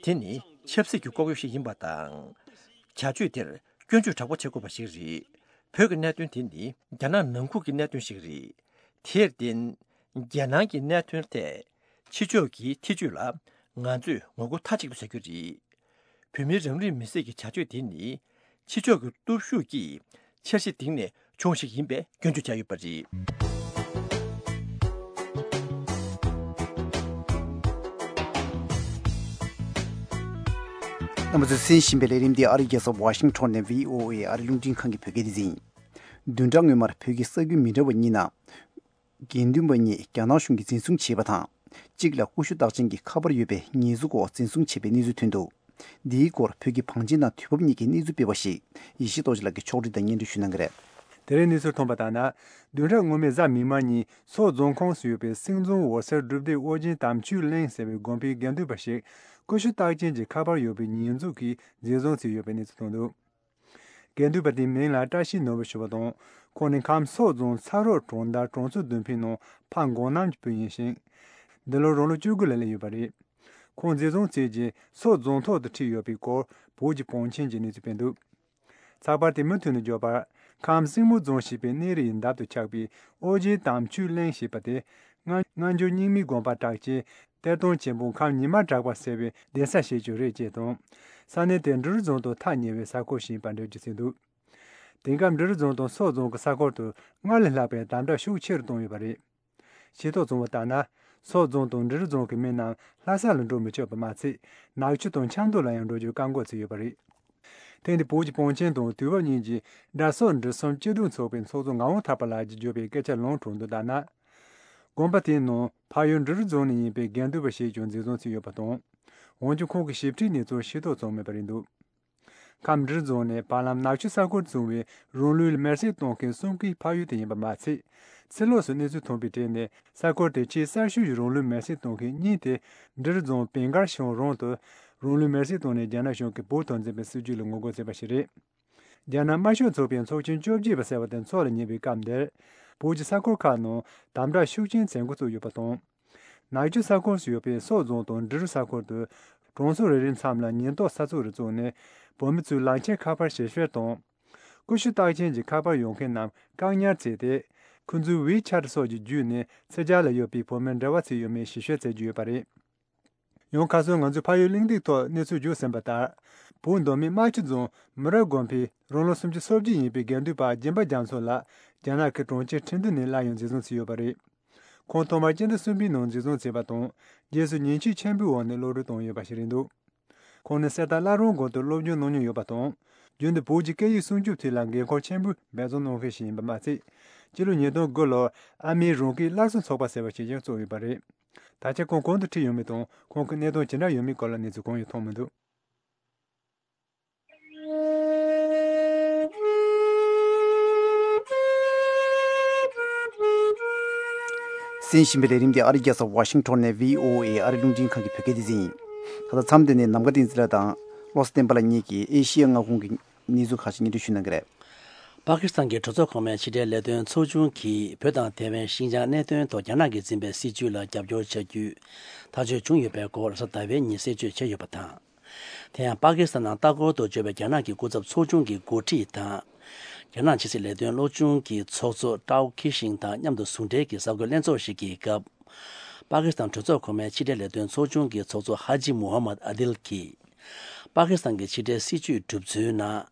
དེ་ནི་ཆབ་སྲིད་ཀྱི་ལྐོག་གཡོ་ཞིག་ཡིན་པ་དང་། བྱ་སྤྱོད་དེར་སྐྱོན་བརྗོད་དྲག་པོ་བྱེད་དགོས་པ་ཞིག་རེད། བོད་ཀྱི་གནད་དོན་དེ་ནི་རྒྱ་ནག་ནང་ཁུལ་གྱི་གནད་དོན་ཞིག་རེད། དེར་བརྟེན། རྒྱལ་ནང་གི་གནད་དོན་ཐད་ཕྱི་ཕྱོགས་ཀྱི་ཐེ་ཇུས་ལ་ང་ཚོས་ངོ་རྒོལ་མཐའ་གཅིག་ཏུ་བྱ་རྒྱུ་རེད། བོད་མིའི་རང་ལུས་མེར་སྲེག་གི་བྱ་སྤྱོད་དེ་ནི་ཕྱི་ཕྱོགས་ཀྱི་སྟོབས་ཤུགས་ཀྱིས་འཆར་གཞི་བཏིང་ནས་བྱུང་བ་ཞིག་ཡིན་པའི་སྐྱོན་བརྗོད་བྱས་ཡོད་པ་རེད། རྣམ་པ་ཚོས་གསན་བཞིན་པའི་ལས་རིམ་འདི་ཨ་རིའི་རྒྱལ་ས་ཝ་ཤིང་ཊོན་ནས་བྷི་ཨོ་ཨེ་ཨ་རིའི་རླུང་འཕྲིན་ཁང་གི་བོད་སྐད་སྡེ་ཚན་ཡིན། བདུན་ཕྲག་སྔོན་མར་བོད་ཀྱི་ས་ཁུལ་མི་འདྲ་བ་གཉིས་ནང་ དགེ་འདུན་པ་གཉིས་རྒྱ་ནག་གཞུང་གིས་འཛིན་བཟུང་བྱས་པ་དང་། གཅིག་ལ་ཀུ་ཤུ་རྟགས་ཅན་གྱི་ཁ་པར་ཡོད་པའི་ཉེས་འཛུགས་འོག་འཛིན་བཟུང་བྱས་པའི་གནས་ཚུལ་ཐོན་འདུག་འདིའི་སྐོར་བོད་ཀྱི་བང་ཆེན་དང་དུས་བབ་གཉིས་ཀྱིས་གནས་ཚུལ་སྤེལ་བ་ཞིག་ཡེ་ཤེས་རྡོ་རྗེ་ལགས་ཀྱིས་ཕྱོགས་སྒྲིག་དང་སྙན་སྒྲོན་ཞུ་གནང་གི་རེད། དེ་རིང་གནས་ཚུལ་ཐོན་པ་ལྟར་ན། བདུན་ཕྲག་སྔོན་མའི་གཟའ་མིག་དམར་ཉིན་སོག་རྫོང་ཁོངས་སུ་ཡོད་པའི་སེང་རྫོང་འོད་གསལ་སྒྲུབ་སྡེ་ཨོ་རྒྱན་དམ་ཆོས་གླིང་ཟེར་བའི་དགོན་པའི་དགེ་འདུན་པ་ཞིག་ཀུ་ཤུ་རྟགས་ཅན་གྱི་ཁ་པར་ཡོད་པའི་ཉེས་འཛུགས་ཀྱིས་འཛིན་བཟུང་བྱས་ཡོད་པའི་གནས་ཚུལ་ཐོན་འདུག་དགེ་འདུན་པ་དེའི་མིང་ལ་བཀྲ་ཤིས་ནོར་བུ་ཞུ་བ་དང་། ཁོང་ནི་ཁམས་སོག་རྫོང་ཚ་རོག་གྲོང་རྡལ་གྲོང་ཚོ་བདུན་པའི་ནང་ཕ་མགོ་ནམ་གྱི་བུ་ཡིན་ཞིང་། འདི་ལོ་རང་ལོ་བཅུ་དགུ་ལ་སླེབས་ཡོད་པ་རེད། ཁོང་འཛིན་བཟུང་བྱས་རྗེས་སོག་རྫོང་ཐོག་ཏུ་ཁྲིད་ཡོད་པའི་སྐོར་བོད་ཀྱི་བང་ཆེན་གྱིས་གནས་ཚུལ་སྤེལ་འདུག་ཚགས་པར་དེ་མུ་མཐུད་ནས་བརྗོད་པར། ཁམས་སྲིང་མོ་རྫོང་ཞེས་པའི་གནས་རི་ཡི་འདབས་སུ་ཆགས་པའི་ཨོ་རྒྱན་དམ་ཆོས་གླིང་ཞེས་པ་དེ། སྔ་སྔ་འགྱུར་རྙིང་མའི་དགོན་པ་གྲགས་ཅན་གཏེར་སྟོན་ཆེན་པོ་ཁམས་ཉི་མ་གྲགས་པ་ཟེར་བའི་གདན་ས་ཞིག་ཀྱང་རེད་ཅེས་དང་། ས་གནས་དེ་འབྲི་རུ་རྫོང་དང་ཐག་ཉེ་བའི་ས་ཁུལ་ཞིག་ཡིན་པ་འགྲེལ་བརྗོད་བྱས་འདུག་དེང་སྐབས་འབྲི་རུ་རྫོང་དང་སོག་རྫོང་གི་ས་ཁུལ་དུ་སྔར་ལས་ལྷག་པའི་དམ་དྲག་ཤུགས་ཆེ་རུ་བཏང་ཡོད་པ་རེད། ཤེས་རྟོགས་བྱུང་བ་ལྟར་ན། སོག་རྫོང་དང་འབྲི་རུ་རྫོང་གི་མི་རྣམས་ལྷ་ས་ལ་འགྲོ་མི་ཆོག་པ་མ་ཚད། ནག་ཆུ་དང་ཆབ་མདོ་ལ་ཡང་འགྲོ་རྒྱུར་བཀག་འགོག་བྱས་ཡོད་པ་རེད། ཐེངས་འདིའི་བོད་ཀྱི་བང་ཆེན་དང་དུས་བབ་གཉིས་ཀྱི་དགྲ་སོག་འབྲི་གསུམ་སྤྱི་འཐུས་ཚོགས་པའི་ཚོགས་གཙོ་ངག་དབང་ཐར་པ་ལགས་ཀྱིས་བརྗོད་པའི་སྐད་ཆ་ལུང་དྲངས་དོན་ལྟར་ན། དགོན་པ་དེའི་ནང་ཕ་ཡུལ་འབྲི་རུ་རྫོང་ནས་ཡིན་པའི་དགེ་འདུན་པ་ཞིག་ཀྱང་འཛིན་བཟུང་བྱས་ཡོད་པ་དང་། འོན་ཀྱང་ཁོང་གི་ཞིབ་ཕྲའི་གནས་ཚུལ་ཤེས་རྟོགས་བྱུང་མེད་པ་རེད་འདུག་ཁམས་འབྲི་རུ་རྫོང་ནི་བར་ལམ་ནག་ཆུ་ས་ཁུལ་བྱུང་བའི་རང་ལུས་མེར་སྲེག་གཏོང་མཁན་གསུམ་ཀའི་ཕ་ཡུལ་དེ་ཡིན་པ་མ་ཚད། ཕྱི་ལོགས་སུ་གནས་ཚུལ་ཐོན་པའི་གྲས་ནས་ས་ཁུལ་དེར་ཆེས་གསར་ཤོས་ཀྱི་རང་ལུས་མེར་སྲེག་གཏོང་མཁན་གཉིས་དེ་འབྲི་རུ་རྫོང་བན་དཀར་ཤང་རོང་དུ་རང་ལུས་མེར་སྲེག་བཏང་ནས་རྒྱ་ནག་གཞུང་གིས་བོད་དོན་འཛིན་པའི་སྲིད་བྱུས་ལ་ངོ་རྒོལ་བྱས་པ་ཞིག་རེད། རྒྱ་ནག་དམར་ཤོག་ཚོགས་པའི་ཚོགས་ཆེན་བཅོ་བརྒྱད་པ་ཟེར་བ་དེ་འཚོགས་ལ་ཉེ་བའི་སྐབས་འདིར། བོད་ཀྱི་ས་ཁུལ་ཁག་ནང་དམ་དྲག་ཤུགས་ཆེན་བྱེད་འགོ་བཙུགས་ཡོད་པ་དང་། ནག་ཆུ་ས་ཁུལ་སུ་ཡོད་པའི་སོག་རྫོང་དང་འབྲི་རུ་ས་ཁུལ་དུ། གྲོང་ཚོ་རེ་རེའི་མཚམས་ལ་ཉེན་རྟོག་ས་ཚིགས་རེ་བཙུགས་ནས། བོད་མི་ཚོའི་ལག་འཁྱེར་ཁ་པར་ཞིབ་བཤེར་དང་། ཀུ་ཤུ་རྟགས་ཅན་གྱི་ཁ་པར་ཡོད་མཁན་རྣམས་བཀག་ཉར་བྱས་ཏེ། ཁོང་ཚོའི་ཝེ་ཆ་ཊི་སོགས་ཀྱི་བརྒྱུད་ནས་ཕྱི་རྒྱལ་ལ་ཡོད་པའི་བོད་མི་འབྲེལ་བ་བྱས་ཡོད་མེད་ཞིབ་བཤེར་བྱེད་ཀྱི་ཡོད་པ་རེད། ཡང་ཁ་སང་ང་ཚོས་ཕ་ཡུལ་གླེང་སྟེགས་ཐོག་གནས་ཚུལ་བརྗོད་ཟིན་པ་ལྟར། བོད་མདོ་སྨད་རྨ་ཆུ་རྫོང་མུ་ར་དགོན་པའི་རང་ལོ་སུམ་ཅུ་སོ་བརྒྱད་ཡིན་པའི་དགེ་འདུན་པ་སྦྱིན་པ་རྒྱ་མཚོ་ལགས་རྒྱ་ནག་གི་གྲོང་ཁྱེར་ཁྲིན་ཏུ་ནས་སླར་ཡང་འཛིན་བཟུང་བྱས་ཡོད་པ་རེད། ཁོང་ཐོག་མར་སྤྱི་ཟླ་གསུམ་པའི་ནང་འཛིན་བཟུང་བྱས་པ་དང་། རྗེས་སུ་ཉེས་ཆད་ཆེན་པོའི་འོག་ནས་གློད་གྲོལ་བཏང་ཡོད་པ་ཞིག་རེད་འདུག་ཁོང་ནི་གསེར་རྟ་བླ་རུང་དགོན་དུ་སློབ་སྦྱོང་གནང་མྱོང་ཡོད་པ་དང་། རྒྱུན་དུ་བོད་ཀྱི་སྐད་ཡིག་སྲུང་སྐྱོབ་ཐད་ལ་འགན་ཁུར་ཆེན་པོས་འབད་བརྩོན་གནང་མཁན་ཞིག་ཡིན་པ་མ་ཚད། སྤྱི་ལོ་ཉིས་སྟོང་དགུ་ལོར་ཨ་མེའི་རང་སྐད་སླར་གསོ་ཚོགས་པ་ཟེར་བ་ཞིག་ཀྱང་བཙུགས་ཡོད་པ་རེད། ད་ཆ་ཁོང་གང་དུ་ཁྲིད་ཡོད་མེད་དང་། ཁོང་གི་གནས་སྟངས་ཇི་འདྲ་ཡོད་མེད་སྐོར་ལ་གནས་ཚུལ་གང་ཡང་ཐོན་མི་འདུག་གསན་བཞིན་པའི་ལས་རིམ་འདི་ཨ་རིའི་རྒྱལ་ས་ཝ་ཤིང་ཊོན་ནས་བྷི་ཨོ་ཨེ་ཨ་རིའི་རླུང་འཕྲིན་ཁང་གི་བོད་སྐད་སྡེ་ཚན་ཡིན། ད་ལྟ་མཚམས་འདི་ནས་ནམ་མཁའ་བསྟན་འཛིན་ལགས་དང་བློ་བཟང་བསྟན་པ་ལགས་གཉིས་ཀྱིས་ཨེ་ཤི་ཡ་མངའ་ཁོངས་ཀྱི་གནས་ཚུལ་ཁག་ཅིག་སྙན་སྒྲོན་ཞུ་གནང་གི་རེད། པ་ཀི་སི་ཐན་གྱི་གྲོས་ཚོགས་གོང་མའི་ཕྱི་དྲིལ་ལས་དོན་ཚོགས་ཆུང་གིས་བོད་དང་ཐེ་ཝན། ཤིན་ཅང་གནད་དོན་ཐོག་རྒྱ་ནག་གིས་འཛིན་པའི་སྲིད་བྱུས་ལ་རྒྱབ་སྐྱོར་བྱ་རྒྱུའི་ཐག་གཅོད་བྱུང་ཡོད་པའི་སྐོར་རེས་གཟའ་ཟླ་བའི་ཉིན་གསལ་བརྗོད་བྱས་ཡོད་པ་དང་། དེ་ཡང་པ་ཀི་སི་ཐན་ནང་ལྟ་སྐོར་དུ་བསྐྱོད་པའི་རྒྱ་ནག་གི་སྐུ་ཚབ་ཚོགས་ཆུང་གི་འགོ་ཁྲིད་དང་། རྒྱ་ནག་ཕྱི་སྲིད་ལས་དོན་ལྷོ་ཆུང་གི་ཚོགས་གཙོ་ཀྲའོ་ཁི་ཤིང་དང་མཉམ་དུ་ཟུང་འབྲེལ་གྱིས་གསར་འགོད་ལྷན་ཚོགས་ཤིག་གི་སྐབས། པ་ཀི་སི་ཐན་གྲོས་ཚོགས་གོང་མའི་ཕྱི་དྲིལ་ལས་དོན་ཚོགས་ཆུང་གི་ཚོགས་གཙོ་ཧ་ཇི་མུ་ཧམ་མད་ཨ་དིལ་གྱིས། པ་ཀི་སི་ཐན་གྱི་ཕྱི་འབྲེལ་སྲིད་བྱུས་གྲུབ་ཚུལ་ནང་།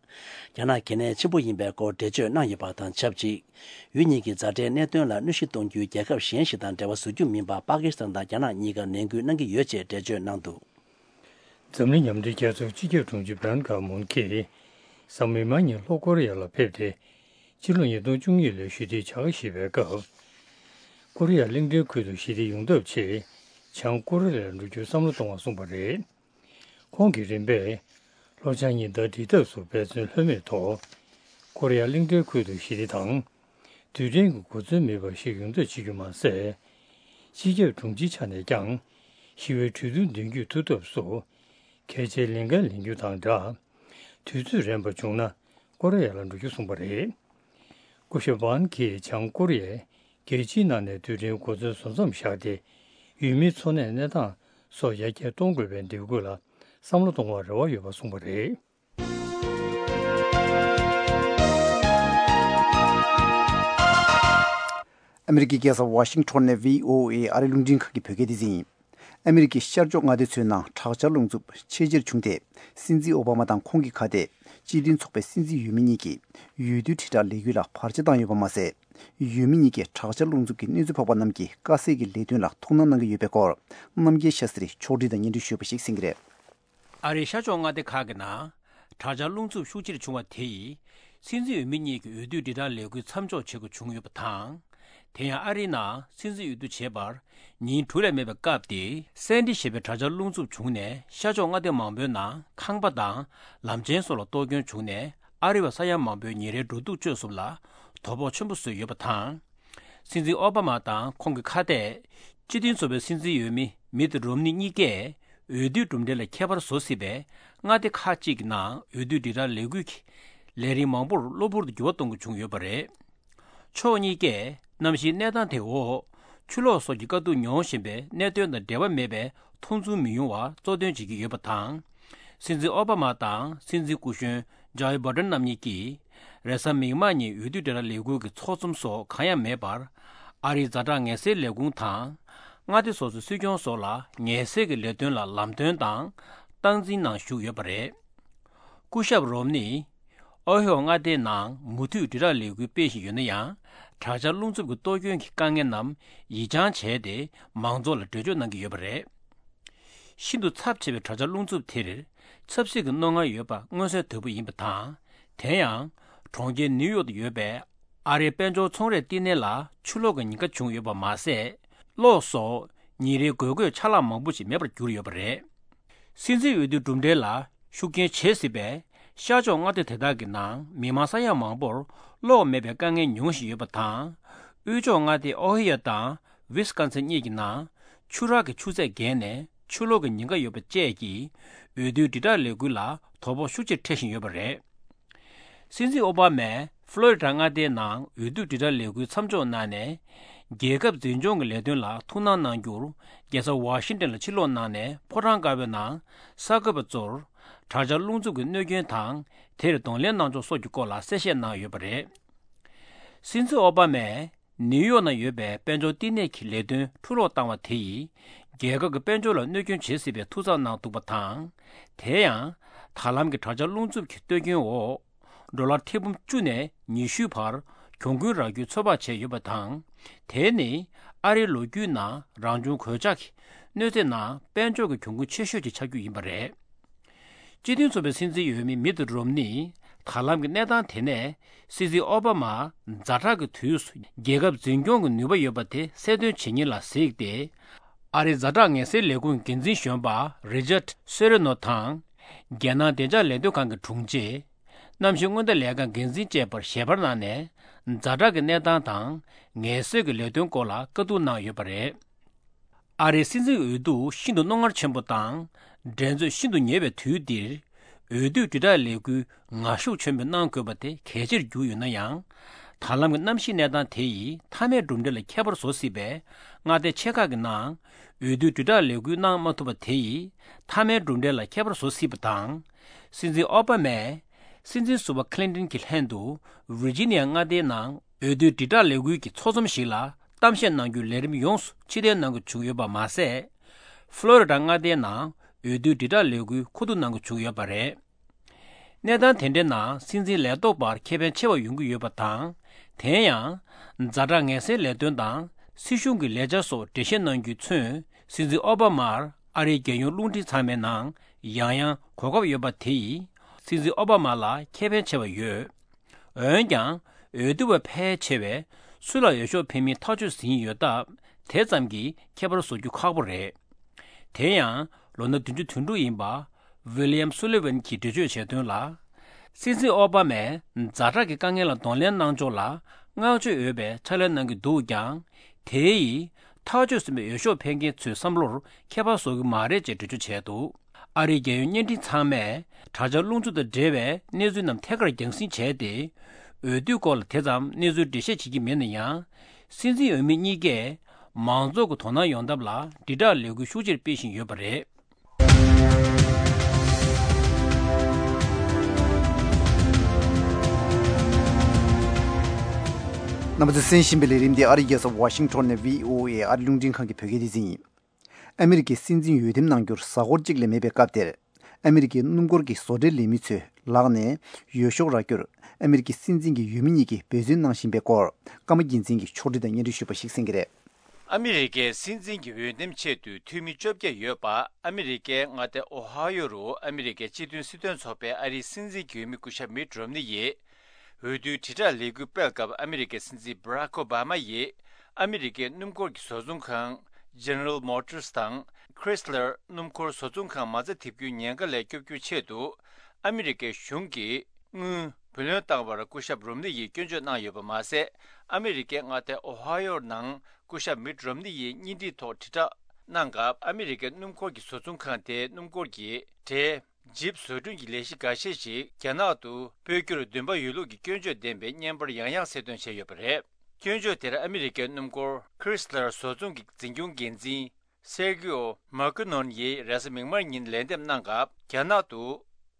རྒྱ་ནག་གལ་གནད་ཆེན་པོ་ཡིན་པའི་སྐོར་འགྲེལ་བརྗོད་གནང་ཡོད་པ་དང་ཆབས་ཅིག་ཡུལ་གཉིས་ཀྱི་མཛའ་འབྲེལ་གནད་དོན་ལ་གནོད་གཞི་གཏོང་རྒྱུའི་རྒྱལ་ཁབ་གཞན་ཞིག་དང་འབྲེལ་བ་བཟོ་རྒྱུ་མིན་པ་པ་ཀི་སི་ཐན་དང་རྒྱ་ནག་གཉིས་ཀར་ནན་སྐུལ་གནང་གི་ཡོད་ཅེས་འགྲེལ་བརྗོད་གནང་འདུག་འཛམ་གླིང་མཉམ་འབྲེལ་རྒྱལ་ཚོགས་སྤྱི་ཁྱབ་དྲུང་ཆེ་བྷན་གྷི་མུན་གྱིས་གཟའ་མིག་དམར་ཉིན་ལྷོ་ཀོ་རི་ཡ་ལ་ཕེབས་ཏེ། ཕྱི་ལོ་ཉིས་སྟོང་བཅུ་གཉིས་ལོའི་ཞི་བདེའི་བྱ་དགའ་བཞེས་པའི་སྐབས། ཀོ་རི་ཡ་གླིང་ཕྲན་ཁུལ་དུ་ཞི་བདེ་ཡོང་ཐབས་ཆེད་བྱང་ཀོ་རི་ཡ་ལ་འགྲོ་རྒྱུར་བསམ་བློ་གཏོང་བར་གསུངས་པ་རེད། ཁོང་གིས་རིམ་པས་ལྷོ་བྱང་གཉིས་ཟླ་སྒྲིལ་ཐབས་སུ་འབད་བརྩོན་ལྷོད་མེད་ཐོག་ཀོ་རི་ཡ་གླིང་ཕྲན་ཁུལ་དུ་ཞི་བདེ་དང་། རྡུལ་ཕྲན་གྱི་གོ་མཚོན་མེད་པ་ཞིག་ཡོང་ཐབས་བྱེད་རྒྱུ་མ་ཟད། སྤྱི་ཁྱབ་དྲུང་ཆེའི་ཆ་ནས་ཀྱང་ཞི་བའི་གྲོས་བསྡུར་མདུན་སྐྱོད་ཐུབ་ཐབས་སུ་གལ་ཆེའི་ལས་འགན་ལེན་རྒྱུ་དང་སྦྲགས། དུས་ཚོད་རན་པ་བྱུང་ན་ཀོ་རི་ཡ་ལ་འགྲོ་རྒྱུ་གསུངས་པ་རེད། སྐུ་ཞབས་ཝན་གྱིས་བྱང་ཀོ་རི་ཡས་རྒྱལ་སྤྱིའི་ནང་ནས་རྡུལ་ཕྲན་གོ་མཚོན་བཟོ་མཚམས་བཞག་སྟེ། ཡུལ་མིའི་འཚོ་གནས་གནས་སྟངས་སོགས་ཡར་རྒྱས་གཏོང་དགོས་པའི་འདེགས་སྐུལ་ལ་བསམ་བློ་གཏོང་བར་རེ་བ་ཡོད་པ་གསུངས་པ་རེད། ཨ་མི་རི་ཀའི་རྒྱལ་ས་ཝ་ཤིང་ཊོན་ནས་བྷི་ཨོ་ཨེ་ཨ་རིའི་རླུང་འཕྲིན་ཁང་གི་བོད་སྐད་སྡེ་ཚན་ཡིན། ཨ་མི་རི་ཀའི་ཤར་ཕྱོགས་མངའ་སྡེ་ཚོའི་ནང་དྲག་ཆར་རླུང་འཚུབ་ཆེས་ཆེར་བྱུང་སྟེ། སྲིད་འཛིན་ཨོ་བྷ་མ་དང་ཁོང་གི་ཁ་གཏད་སྤྱི་མཐུན་ཚོགས་པའི་སྲིད་འཛིན་འོས་མི་གཉིས་ཀྱི་འོས་བསྡུའི་དྲིལ་བསྒྲགས་ལས་འགུལ་ལ་བར་ཆད་བཏང་ཡོད་པ་མ་ཟད། འོས་མི་གཉིས་ཀྱིས་དྲག་ཆར་རླུང་འཚུབ་ཀྱི་གནོད་འཚེ་ཕོག་པ་རྣམས་ཀྱི་དཀའ་སེལ་གྱི་ལས་དོན་ལ་ཐུགས་སྣང་གནང་གི་ཡོད་པའི་སྐོར། རྣམ་རྒྱལ་ཤཱ་སྟྲིས་ཕྱོགས་སྒྲིག་དང་སྙན་སྒྲོན་ཞུས་པ་ཞིག་གསན་གྱི་རེད། ཨ་རིའི་ཤར་ཕྱོགས་མངའ་སྡེ་ཁག་གི་ནང་དྲག་ཆར་རླུང་འཚུབ་ཤུགས་ཆེར་བྱུང་བ་དེ་ཡིས། སྲིད་འཛིན་འོས་མི་གཉིས་ཀྱི་འོས་བསྡུའི་དྲིལ་བསྒྲགས་ལས་འགུལ་མཚམས་འཇོག་བྱེད་དགོས་བྱུང་ཡོད་པ་དང་། དེ་ཡང་ཨ་རིའི་ནང་སྲིད་འཛིན་འོས་བསྡུ་བྱེད་པར་ཉིན་དྲུག་ལས་མེད་པའི་སྐབས་དེ། སེན་ཏི་ཞེས་པའི་དྲག་ཆར་རླུང་འཚུབ་བྱུང་ནས་ཤར་ཕྱོགས་མངའ་སྡེ་མང་པོའི་ནང་ཁང་པ་དང་ལམ་ཆེན་སོགས་ལ་གཏོར་སྐྱོན་བྱུང་ནས། ཨ་རི་བ་ས་ཡ་མང་པོའི་ཉིན་རེའི་འགྲོ་འདུག་སྤྱོད་གསུམ་ལ་དོ་ཕོག་ཆེན་པོ་བཟོས་ཡོད་པ་དང་། སྲིད་འཛིན་ཨོ་བྷ་མ་དང་ཁོང་གི་ཁ་གཏད། སྤྱི་མཐུན་ཚོགས་པའི་སྲིད་འཛིན་འོས་མི་མིད་རོམ་ནི་གཉིས་ཀས་འོས་བསྡུའི་གྲུབ་འབྲས་ལ་ཁྱད་པར་བཟོ་སྲིད་པའི་མངའ་སྡེ་ཁག་ཅིག་གི་ནང་འོས་བསྡུ་དྲིལ་བསྒྲགས་ལས་འགུལ་གྱི་ལས་རིམ་མང་པོར་གློ་བུར་དུ་འགྱུར་བ་གཏོང་དགོས་བྱུང་ཡོད་པ་རེད། ཕྱོགས་གཉིས་ཀས་གནམ་གཤིས་གནས་སྟངས་དེ་འོག་ཆུ་ལོག་སོགས་ཀྱི་དཀའ་སྡུག་མྱོང་བཞིན་པའི་གནད་དོན་དང་འབྲེལ་བ་མེད་པའི་མཐོང་ཚུལ་མི་ཡོང་བ་གཙོ་འདོན་བྱེད་ཀྱི་ཡོད་པ་དང་། སྲིད་འཛིན་ཨོ་བྷ་མ་དང་སྲིད་འཛིན་སྐུ་གཞོན་ཇོ་ཨི་བྷ་ཏན་རྣམ་གཉིས་ཀྱིས། རེས་གཟའ་མིག་དམར་ཉིན་འོས་བསྡུ་དྲིལ་བསྒྲགས་ལས་འགུལ་གྱི་ཚོགས་འཛོམས་སོགས་གང་ཡང་མེད་པར། ཨ་རིའི་ཛ་དྲག་ངལ་སེལ་ལས་ཁུངས་དང་། མངའ་སྡེ་སོ་སོའི་སྲིད་སྐྱོང་སོགས་ལ་ངལ་སེལ་གྱི་ལས་དོན་ལ་ལམ་སྟོན་དང་སྟངས་འཛིན་ནང་ཞུགས་ཡོད་པ་རེད། སྐུ་ཞབས་རོམ་ནི། ཨོ་ཧེ་ཡོ་མངའ་སྡེའི་ནང་མུ་མཐུད་དྲིལ་བསྒྲགས་ལས་འགུལ་སྤེལ་བཞིན་ཡོད་ན་ཡང་། དྲག་ཆར་རླུང་འཚུབ་ཀྱི་གཏོར་སྐྱོན་གྱི་དཀའ་ངལ་རྣམས་ཡིད་འགྱངས་བྱས་ཏེ། མང་ཚོགས་ལ་འགྲེལ་བརྗོད་གནང་གི་ཡོད་པ་རེད། ཤིན་ཏུ་ཚབས་ཆེ་བའི་དྲག་ཆར་རླུང་འཚུབ་དེར་ཆབ་སྲིད་ཀྱི་རྣོ་ངར་ཡོད་པ་མངོན་གསལ་དོད་པོ་ཡིན་པ་དང་། དེ་ཡང་གྲོང་ཁྱེར་ནིའུ་ཡོག་ཏུ་ཡོད་པའི་ཨ་རིའི་དཔལ་འབྱོར་ཚོང་རའི་བསྟི་གནས་ལ་ཆུ་ལོག་གི་ཉེན་ཁ་བྱུང་ཡོད་པ་མ་ཟད། གློག་སོགས་ཉིན་རེའི་དགོས་མཁོའི་ཆ་ལག་མང་པོ་ཞིག་མེད་པར་གྱུར་ཡོད་པ་རེད། སྲིད་འཛིན་འོས་བསྡུའི་གྲུབ་འབྲས་ལ་ཤུགས་རྐྱེན་བྱེད་སྲིད་པའི་ཤར་ཕྱོགས་མངའ་སྡེ་དེ་དག་གི་ནང་མི་མང་ས་ཡ་མང་པོར་གློག་མེད་པའི་དཀའ་ངལ་མྱོང་བཞིན་ཡོད་པ་དང་། དབུས་ཕྱོགས་མངའ་སྡེ་ཨོ་ཧི་ཡོ་དང་ཝི་སི་ཀོན་སིན་གཉིས་ཀྱི་ནང་ཆུ་རགས་ཀྱི་ཆུ་ཚད་བརྒལ་ནས་ཆུ་ལོག་གི་ཉེན་ཁ་ཡོད་པ་བཅས་ཀྱིས་འོས་བསྡུའི་དྲིལ་བསྒྲགས་ལས་འགུལ་ལ་དོ་ཕོག་ཤུགས་ཆེར་འཕྲད་བཞིན་ཡོད་པ་རེད། སྲིད་འཛིན་ཨོ་བྷ་མས་ཕློ་རི་ཌ་མངའ་སྡེའི་ནང་འོས་བསྡུ་དྲིལ་བསྒྲགས་ལས་འགུལ་མཚམས་འཇོག་གནང་ནས། རྒྱལ་ཁབ་འཛིན་སྐྱོང་གི་ལས་དོན་ལ་ཐུགས་སྣང་གནང་རྒྱུར་རྒྱལ་ས་ཝ་ཤིང་ཏན་ལ་ཕྱིར་ལོག་གནང་ནས། ཕོ་བྲང་དཀར་པོའི་ནང་གསར་འགོད་པ་ཚོར་དྲག་ཆར་རླུང་འཚུབ་ཀྱི་གནོད་སྐྱོན་དང་། དེར་གདོང་ལེན་གནང་ཕྱོགས་སོགས་ཀྱི་སྐོར་ལ་གསལ་བཤད་གནང་ཡོད་པ་རེད། སྲིད་འཛིན་ཨོ་བྷ་མས་ནིའུ་ཡོག་ནང་ཡོད་པའི་དཔལ་འབྱོར་བསྟི་གནས་ཀྱི་ལས་དོན་འཕྲུ་སློག་བཏང་བ་དེ་ཡིས། རྒྱལ་ཁབ་ཀྱི་དཔལ་འབྱོར་ལ་གནོད་སྐྱོན་བྱེད་སྲིད་པའི་ཐུགས་འཚབ་གནང་འདུག་པ་དང་། དེ་ཡང་། ད་ལམ་གྱི་དྲག་ཆར་རླུང་འཚུབ་ཀྱི་གཏོར་སྐྱོན་འོག་ཌོ་ལར་ཐེར་འབུམ་བཅུ་ནས་ཉི་ཤུའི་བར་གྱོང་གུན་རག་རྒྱུའི་ཚོད་དཔག་བྱས་ཡོད་པ་དང་། དེ་ནི་ཨ་རིའི་ལོ་རྒྱུས་ནང་རང་བྱུང་གོད་ཆག་གི་གནོད་འཚེ་ནང་དཔལ་འབྱོར་གྱི་གྱོང་གུན་ཆེ་ཤོས་ཀྱི་ཆགས་རྒྱུ་ཡིན་པ་རེད། སྤྱི་མཐུན་ཚོགས་པའི་སྲིད་འཛིན་འོས་མི་མིད་རོམ་ནིས་ད་ལམ་གྱི་གནས་སྟངས་དེ་ནས་སྲིད་འཛིན་ཨོ་བྷ་མ་ཛ་དྲག་གི་དུས་སུ་རྒྱལ་ཁབ་འཛིན་སྐྱོང་གི་ནུས་པ་ཡོད་པ་དེ་གསལ་སྟོན་བྱེད་ཉིན་ལ་གཟིགས་ཏེ། ཨ་རིའི་ཛ་དྲག་ངལ་སེལ་ལས་ཁུངས་འགན་འཛིན་གཞོན་པ་རི་ཅར་སེ་རེ་ནོ་དང་། རྒྱལ་ནང་བདེ་འཇགས་ལས་དོན་ཁང་གི་དྲུང་ཆེ། གནམ་གཤིས་སྔོན་བརྡ་ལས་ཁང་འགན་འཛིན་བཅས་པར་ཞལ་པར་གནང་ནས། ཛ་དྲག་གི་གནས་སྟངས་དང་ངལ་སེལ་གྱི་ལས་དོན་སྐོར་ལ་བཀའ་བསྡུར་གནང་ཡོད་པ་རེད། ཨ་རིའི་སྲིད་འཛིན་འོས་བསྡུ་ཤིན་ཏུ་རྣོ་ངར་ཆེན་པོ་དང་། འགྲན་རྩོད་ཤིན་ཏུ་ཉེ་བའི་དུས་འདིར། འོས་བསྡུའི་དྲིལ་བསྒྲགས་ལས་འགུལ་ངར་ཤུགས་ཆེན་པོས་གནང་དགོས་པ་དེ་གལ་ཆེར་གྱུར་ཡོད་ན་ཡང་། ད་ལམ་གྱི་གནམ་གཤིས་གནས་སྟངས་དེ་ཡིས་མཐའ་མའི་གྲུབ་འབྲས་ལ་ཁྱད་པར་བཟོ་སྲིད་པས། མངའ་སྡེ་ཆེ་ཁག་གི་ནང་འོས་བསྡུའི་དྲིལ་བསྒྲགས་ལས་འགུལ་གནང་མ་ཐུབ་པ་དེ་ཡིས་མཐའ་མའི་གྲུབ་འབྲས་ལ་ཁྱད་པར་བཟོ་སྲིད་པ་དང་། སྲིད་འཛིན་ཨོ་བྷ་མས་སྲིད་འཛིན་ཟུར་པ་ཁི་ལིན་ཏོན་གྱི་ལྷན་དུ་ཝིར་ཇི་ནི་ཡ་མངའ་སྡེའི་ནང་འོས་བསྡུའི་དྲིལ་བསྒྲགས་ལས་འགུལ་གྱི་ཚོགས་འཛོམས་ཤིག་ལ་གཏམ་བཤད་གནང་རྒྱུའི་ལས་རིམ་ཡོངས་སུ་ཕྱིར་འཐེན་གནང་དགོས་བྱུང་ཡོད་པ་མ་ཟད། ཕློ་རི་ཌ་མངའ་སྡེའི་ནང་འོས་བསྡུའི་དྲིལ་བསྒྲགས་ལས་འགུལ་མཁོ་བསྡུ་གནང་དགོས་བྱུང་ཡོད་པ་རེད། གནས་སྟངས་དེ་འདྲའི་ནང་སྲིད་འཛིན་ལས་ཐོག་པར་ཁེ་ཕན་ཆེ་བ་ཡོང་གི་ཡོད་པ་དང་། དེ་ཡང་། ཛ་དྲག་ངལ་སེལ་ལས་དོན་དང་སྲིད་གཞུང་གི་ལས་འཆར་སོགས་འགྲེལ་བཤད་གནང་རྒྱུས་མཚོན། སྲིད་འཛིན་ཨོ་བྷ་མར་ཨ་རིའི་རྒྱལ་ཡོངས་རླུང་འཕྲིན་ཚང་མའི་ནང་ཡང་ཡང་གོ་སྐབས་ཡོད་པ་དེ་ཡིས་སྲིད་འཛིན་ཨོ་བྷ་མ་ལ་ཁེ་ཕན་ཆེ་བ་ཡོད། འོན་ཀྱང་། འོས་བསྡུ་བ་ཕལ་ཆེ་བས་སུ་ལ་འོས་ཤོག་འཕེན་མིན་ཐག་གཅོད་ཟིན་ཡོད་སྟབས། དེ་ཙམ་གྱིས་ཁྱད་པར་བཟོ་རྒྱུ་ཁག་པོ་རེད། དེ་ཡང་ལོ་ན་བདུན་ཅུ་དོན་དྲུག་ཡིན་པ་ཝི་ལི་ཡམ་སུ་ལི་ཝན་གྱིས་འགྲེལ་བརྗོད་བྱས་དོན་ལ། སྲིད་འཛིན་ཨོ་བྷ་མས་ཛ་དྲག་གི་དཀའ་ངལ་ལ་གདོང་ལེན་གནང་ཕྱོགས་ལ་བསྔགས་བརྗོད་འོས་པའི་ཕྱག་ལས་གནང་གི་འདུག་ཀྱང་། དེ་ཡིས་ཐག་གཅོད་ཟིན་པའི་འོས་ཤོག་འཕེན་མཁན་ཚོའི་བསམ་བློར་ཁྱད་པར་བཟོ་གི་མ་རེད་ཅེས་འགྲེལ་བརྗོད་བྱས་འདུག་ཨ་རིའི་རྒྱལ་ཡོངས་བརྙན་འཕྲིན་ཚང་མས་དྲག་ཆར་རླུང་འཚུབ་དང་འབྲེལ་བའི་གནས་ཚུལ་རྣམས་ཐད་ཀར་རྒྱང་སྲིང་བྱས་ཏེ། འོས་བསྡུའི་སྐོར་ལ་དེ་ཙམ་གནས་ཚུལ་འགྲེལ་བཤད་བྱེད་ཀྱི་མེད་ན་ཡང་། སྲིད་འཛིན་འོས་མི་གཉིས་ཀས་མང་ཚོགས་ཀྱི་དོ་སྣང་ཡོང་ཐབས་ལ་དྲིལ་བསྒྲགས་ལས་འགུལ་ཤུགས་ཆེར་སྤེལ་བཞིན་ཡོད་པ་རེད། རྣམ་པ་ཚོས་གསན་བཞིན་པའི་ལས་རིམ་འདི་ཨ་རིའི་རྒྱལ་ས་ཝ་ཤིང་ཊོན་ནས་བྷི་ཨོ་ཨེ་ཨ་རི་རླུང་འཕྲིན་ཁང་གི་བོད་སྐད་སྡེ་ཚན་ཡིན། ཨ་མི་རི་ཀའི་སྲིད་འཛིན་འོས་འདེམས་གནང་རྒྱུར་གཟའ་འཁོར་གཅིག་ལས་མེད་པའི་སྐབས་དེར། ཨ་མི་རི་ཀའི་སྣུམ་འཁོར་གྱི་བཟོ་གྲྭའི་ལས་མི་ཚོའི་ལག་ནས་འོས་ཤོག་རག་རྒྱུར། ཨ་མི་རི་ཀའི་སྲིད་འཛིན་གྱི་འོས་མི་གཉིས་ཀྱིས་འབད་བརྩོན་གནང་བཞིན་པའི་སྐོར། ཀརྨ་རྒྱལ་མཚན་གྱིས་ཕྱོགས་སྒྲིག་དང་སྙན་སྒྲོན་ཞུས་པ་ཞིག་གསན་གྱི་རེད། ཨ་མི་རི་ཀའི་སྲིད་འཛིན་གྱི་འོས་འདེམས་ཆེད་དུ་འཐུས་མི་བཅོ་བརྒྱད་ཡོད་པ། ཨ་མི་རི་ཀའི་མངའ་སྡེ་ཨོ་ཧ་ཡོ་རུ་ཨ་མི་རི་ཀའི་སྤྱི་མཐུན་སྲིད་དོན་ཚོགས་པའི་ཨ་རིའི་སྲིད་འཛིན་གྱི་འོས་མི་སྐུ་ཞབས་མིད་རོམ་ནི་ཡིས། འོས་བསྡུའི་དྲིལ་བསྒྲགས་ལས་འགུལ་སྤེལ་སྐབས། ཨ་མི་རི་ཀའི་སྲིད་འཛིན་བྷ་རག་ཨོ་བྷ་མ་ཡིས། ཨ་མི་རི་ཀའི་སྣུམ་འཁོར་གྱི་བཟོ་ཚོང་ཁང་General Motors་དང་Chrysler་སྣུམ་འཁོར་བཟོ་ཚོང་ཁང་མ་རྩ་འཐེབ་རྒྱུའི་ཉེན་ཁ་ལས་སྐྱོབ་རྒྱུའི་ཆེད་དུ། ཨ་མི་རི་ཀའི་གཞུང་གིས་དངུལ་བུ་ལོན་བཏང་བར་སྐུ་ཞབས་རོམ་ནི་ཡིས་སྐྱོན་བརྗོད་གནང་ཡོད་པ་མ་ཟད། ཨ་མི་རི་ཀའི་མངའ་སྡེ་ཨོ་ཧ་ཡོ་ནང་སྐུ་ཞབས་མིད་རོམ་ནི་ཡིས་བརྙན་འཕྲིན་ཐོག་དྲིལ་བསྒྲགས་གནང་སྐབས། ཨ་མི་རི་ཀའི་སྣུམ་འཁོར་གྱི་བཟོ་ཚོང་ཁང་དེའི་སྣུམ་འཁོར་གྱི་གྲས་ཇིབ་བཟོ་སྐྲུན་གྱི་ལས་གཞི་འགའ་ཤས་ཤིག་རྒྱ་ནག་ཏུ་སྤོ་རྒྱུར་འདུན་པ་ཡོད་ལུགས་ཀྱི་སྐྱོན་བརྗོད་ལྡན་པའི་བརྙན་པར་ཡང་ཡང་གསལ་སྟོན་བྱས་ཡོད་པ་རེད། སྐྱོན་བརྗོད་དེར་ཨ་མི་རི་ཀའི་སྣུམ་འཁོར་Chrysler་བཟོ་ཚོང་གི་འཛིན་སྐྱོང་འགན་འཛིན་Sergio Marcognon་ཡིས་རེས་གཟའ་མིག་དམར་ཉིན་ལན་འདེབས་གནང་སྐབས། རྒྱ་ནག་ཏུ་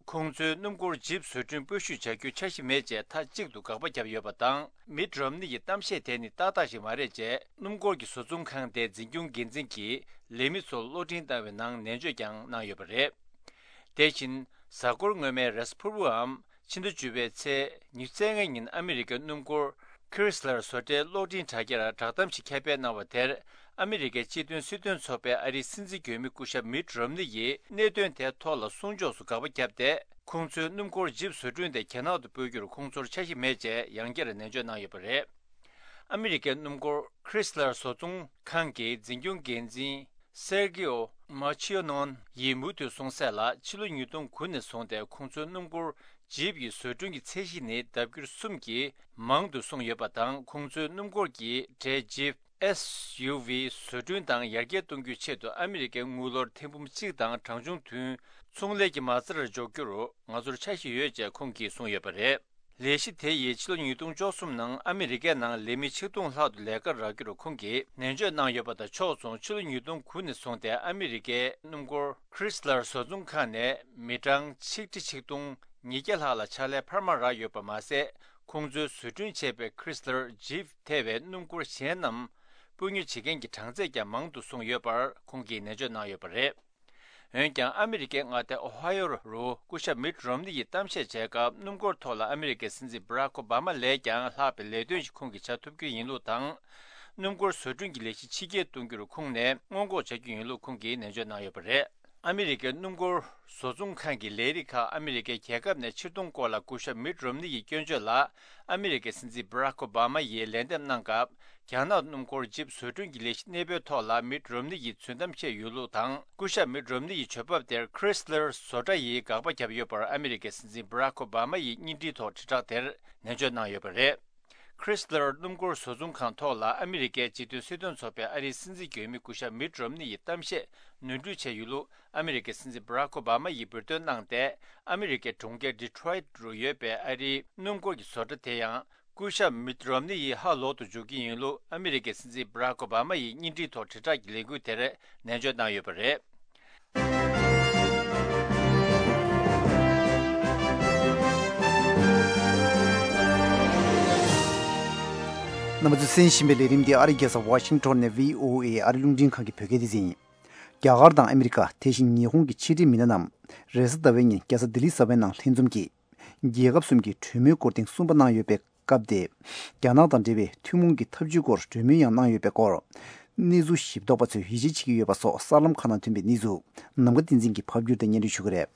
ཁོང་ཚོའི་སྣུམ་འཁོར་ཇིབ་བཟོ་སྐྲུན་སྤོ་བཤུད་བྱ་རྒྱུའི་འཆར་གཞི་མེད་ཅེས་མཐའ་གཅིག་ཏུ་དགག་པ་བརྒྱབ་ཡོད་པ་དང་། མིད་རོམ་ནི་ཡི་གཏམ་བཤད་དེ་ནི་ཏག་ཏག་ཞིག་མ་རེད་ཅེས་སྣུམ་འཁོར་གྱི་བཟོ་ཚོང་ཁང་དེའི་འཛིན་སྐྱོང་འགན་འཛིན་གྱིས་ལས་མི་ཚོར་གློག་འཕྲིན་བཏང་བའི་ནང་ནན་བརྗོད་ཀྱང་གནང་ཡོད་པ་རེད། དེ་བཞིན། གཟའ་འཁོར་སྔོན་མའི་རེས་གཟའ་ཕུར་བུའམ་ཕྱི་ཟླ་བཅུ་པའི་ཚེས་ཉི་ཤུ་རྩ་ལྔ་ཉིན་ཨ་མི་རི་ཀའི་སྣུམ་འཁོར་Chrysler་བཟོ་གྲྭའི་གློག་འཕྲིན་དྲ་རྒྱར་བསྒྲགས་གཏམ་ཞིག་ཁྱབ་སྤེལ་གནང་བ་དེར། ཨ་མི་རི་ཀའི་སྤྱི་མཐུན་སྲིད་དོན་ཚོགས་པའི་ཨ་རིའི་སྲིད་འཛིན་འོས་མི་སྐུ་ཞབས་མིད་རོམ་ནི་ཡིས་གནད་དོན་དེའི་ཐོག་ལ་གསུང་ཕྱོགས་སུ་དགག་པ་བརྒྱབ་སྟེ། ཁོང་ཚོའི་སྣུམ་འཁོར་ཇིབ་བཟོ་སྐྲུན་དེ་རྒྱ་ནག་ཏུ་སྤོ་རྒྱུར་ཁོང་ཚོར་འཆར་གཞི་མེད་ཅེས་ཡང་བསྐྱར་ནན་བརྗོད་གནང་ཡོད་པ་རེད། ཨ་མི་རི་ཀའི་སྣུམ་འཁོར་Chrysler་བཟོ་ཚོང་ཁང་གི་འཛིན་སྐྱོང་འགན་འཛིན་Sergio Marchionneau་ཡིས་མུ་མཐུད་གསུངས་གསལ་ལ། ཕྱི་ལོ་ཉིས་སྟོང་དགུ་ནས་བཟུང་སྟེ་ཁོང་ཚོའི་སྣུམ་འཁོར་ཇིབ་ཀྱི་བཟོ་སྐྲུན་གྱི་ཚད་གཞི་ནི་ལྡབ་འགྱུར་གསུམ་གྱིས་མང་དུ་སོང་ཡོད་པ་དང་། ཁོང་ཚོའི་སྣུམ་འཁོར་གྱི་གྲས་ཇིབ་SUV་བཟོ་སྐྲུན་དང་ཡར་རྒྱས་གཏོང་རྒྱུའི་ཆེད་དུ་ཨ་མི་རི་ཀའི་དངུལ་ལོར་ཐེར་འབུམ་གཅིག་དང་གྲངས་ཆུང་བདུན་ཚོང་ལས་ཀྱི་མ་རྩར་འཇོག་རྒྱུར་ང་ཚོར་འཆར་གཞི་ཡོད་ཅེས་ཁོང་གིས་གསུངས་ཡོད་པ་རེད། ལས་གཞི་དེ་ཡིས་ཕྱི་ལོ་ཉིས་སྟོང་བཅུ་གསུམ་ནང་ཨ་མི་རི་ཀའི་ནང་ལས་མི་ཆིག་སྟོང་ལྷག་ཏུ་ལས་ཀར་རག་རྒྱུར་ཁོང་གིས་ནན་བརྗོད་གནང་ཡོད་པ་དང་ཕྱོགས་མཚུངས། ཕྱི་ལོ་ཉིས་སྟོང་དགུ་ནས་བཟུང་སྟེ་ཨ་མི་རི་ཀའི་སྣུམ་འཁོར་Chrysler་བཟོ་ཚོང་ཁང་ནས་མི་གྲངས་ཆིག་ཁྲི་ཆིག་སྟོང་ཉིས་བརྒྱ་ལྷག་ལ་ཕྱག་ལས་འཕར་མ་རག་ཡོད་པ་མ་ཟད། ཁོང་ཚོས་བཟོ་སྐྲུན་བྱས་པའི་Chrysler་Jeep་ཐེ་བའི་སྣུམ་འཁོར་གཞན་རྣམས་སྤོ་ཉོ་བྱེད་མཁན་གྱི་གྲངས་ཚད་ཀྱང་མང་དུ་སོང་ཡོད་པར་ཁོང་གིས་ནན་བརྗོད་གནང་ཡོད་པ་རེད། འོན་ཀྱང་ཨ་མི་རི་ཀའི་མངའ་སྡེ་ཨོ་ཧ་ཡོ་རུ་སྐུ་ཞབས་མིད་རོམ་ནི་ཡིས་གཏམ་བཤད་བྱས་སྐབས། སྣུམ་འཁོར་ཐོག་ལ་ཨ་མི་རི་ཀའི་སྲིད་འཛིན་Barack Obama་ལས་ཀྱང་ལྷག་པའི་ལས་དོན་ཞིག་ཁོང་གིས་བྱ་ཐུབ་རྒྱུ་ཡིན་ལུགས་དང་། སྣུམ་འཁོར་བཟོ་སྐྲུན་གྱི་ལས་གཞི་ཕྱི་སྐྱེལ་གཏོང་རྒྱུར་ཁོང་ནས་སྔོན་འགོག་བྱ་རྒྱུ་ཡིན་ལུགས་ཁོང་གིས་ནན་བརྗོད་གནང་ཡོད་པ་རེད། ཨ་མི་རི་ཀའི་སྣུམ་འཁོར་བཟོ་ཚོང་ཁང་གི་ལས་རིགས་ཁག་ཨ་མི་རི་ཀའི་རྒྱལ་ཁབ་ནས་ཕྱིར་གཏོང་སྐོར་ལ་སྐུ་ཞབས་མིད་རོམ་ནི་ཡི་སྐྱོན་བརྗོད་ལ། ཨ་མི་རི་ཀའི་སྲིད་འཛིན་Barack Obama་ཡིས་ལན་འདེབས་གནང་སྐབས། རྒྱ་ནག་སྣུམ་འཁོར་ཇིབ་བཟོ་སྐྲུན་གྱི་ལས་གཞི་གནས་སྤོའི་ཐོག་ལ་མིད་རོམ་ནི་ཡིས་རྫུན་གཏམ་བཤད་ཡོད་ལུགས་དང་། སྐུ་ཞབས་མིད་རོམ་ནི་ཡི་བྱེད་བབ་དེར་Chrysler་བཟོ་གྲྭ་ཡིས་དགག་པ་བརྒྱབ་ཡོད་པར་ཨ་མི་རི་ཀའི་སྲིད་འཛིན་Barack Obama་ཡིས་བརྙན་འཕྲིན་ཐོག་དྲིལ་བསྒྲགས་དེར་ནན་བརྗོད་གནང་ཡོད་པ་རེད། Chrysler་སྣུམ་འཁོར་བཟོ་ཚོང་ཁང་ཐོག་ལ་ཨ་མི་རི་ཀའི་སྤྱི་མཐུན་སྲིད་དོན་ཚོགས་པའི་ཨ་རིའི་སྲིད་འཛིན་འོས་མི་སྐུ་ཞབས་མིད་རོམ་ནི་ཡི་གཏམ་བཤད་ནོར་འཁྲུལ་བྱས་ཡོད་ལུགས་ཨ་མི་རི་ཀའི་སྲིད་འཛིན་Barack Obama་ཡིས་འབུར་འདོན་གནང་སྟེ། ཨ་མི་རི་ཀའི་གྲོང་ཁྱེར་Detroit་རུ་ཡོད་པའི་ཨ་རིའི་སྣུམ་འཁོར་གྱི་བཟོ་གྲྭ་དེ་ཡང་སྐུ་ཞབས་མིད་རོམ་ནི་ཡིས་ཧ་ལོག་ཏུ་འཇུག་གི་ཡིན་ལུགས་ཨ་མི་རི་ཀའི་སྲིད་འཛིན་Barack Obama་ཡིས་བརྙན་འཕྲིན་ཐོག་དྲིལ་བསྒྲགས་ཀྱི་ལས་འགུལ་དེར་ནན་བརྗོད་གནང་ཡོད་པ་རེད། རྣམ་པ་ཚོས་གསན་བཞིན་པའི་ལས་རིམ་འདི་ཨ་རིའི་རྒྱལ་ས་ཝ་ཤིང་ཊོན་ནས་བྷི་ཨོ་ཨེ་ཨ་རིའི་རླུང་འཕྲིན་ཁང་གི་བོད་སྐད་སྡེ་ཚན་ཡིན། རྒྱ་གར་དང་ཨ་མི་རི་ཀ། དེ་བཞིན་ཉི་ཧོང་གི་ཕྱི་འབྲེལ་མི་སྣ་རྣམས་རེས་གཟའ་ཟླ་བའི་ཉིན་རྒྱལ་ས་ལྡི་ལི་གསར་པའི་ནང་ལྷན་འཛོམས་ཀྱིས། རྒྱལ་ཁབ་གསུམ་གྱི་གྲོས་མོལ་སྐོར་ཐེངས་གསུམ་པ་གནང་ཡོད་པའི་སྐབས་དེ། རྒྱ་ནག་དང་འབྲེལ་བའི་ཐུན་མོང་གི་འཐབ་ཇུས་སྐོར་གྲོས་མོལ་ཡང་གནང་ཡོད་པའི་སྐོར། གནས་ཚུལ་ཞིབ་ཐོག་པ་ཚོས་ཡིད་ཆེས་བྱེད་ཀྱི་ཡོད་པ་སོགས་གསར་ལམ་ཁག་ནང་ཐོན་པའི་གནས་ཚུལ་ནམ་མཁའ་བསྟན་འཛིན་གྱིས་ཕབ་བསྒྱུར་དང་སྙན་སྒྲོན་ཞུ་གི་རེད།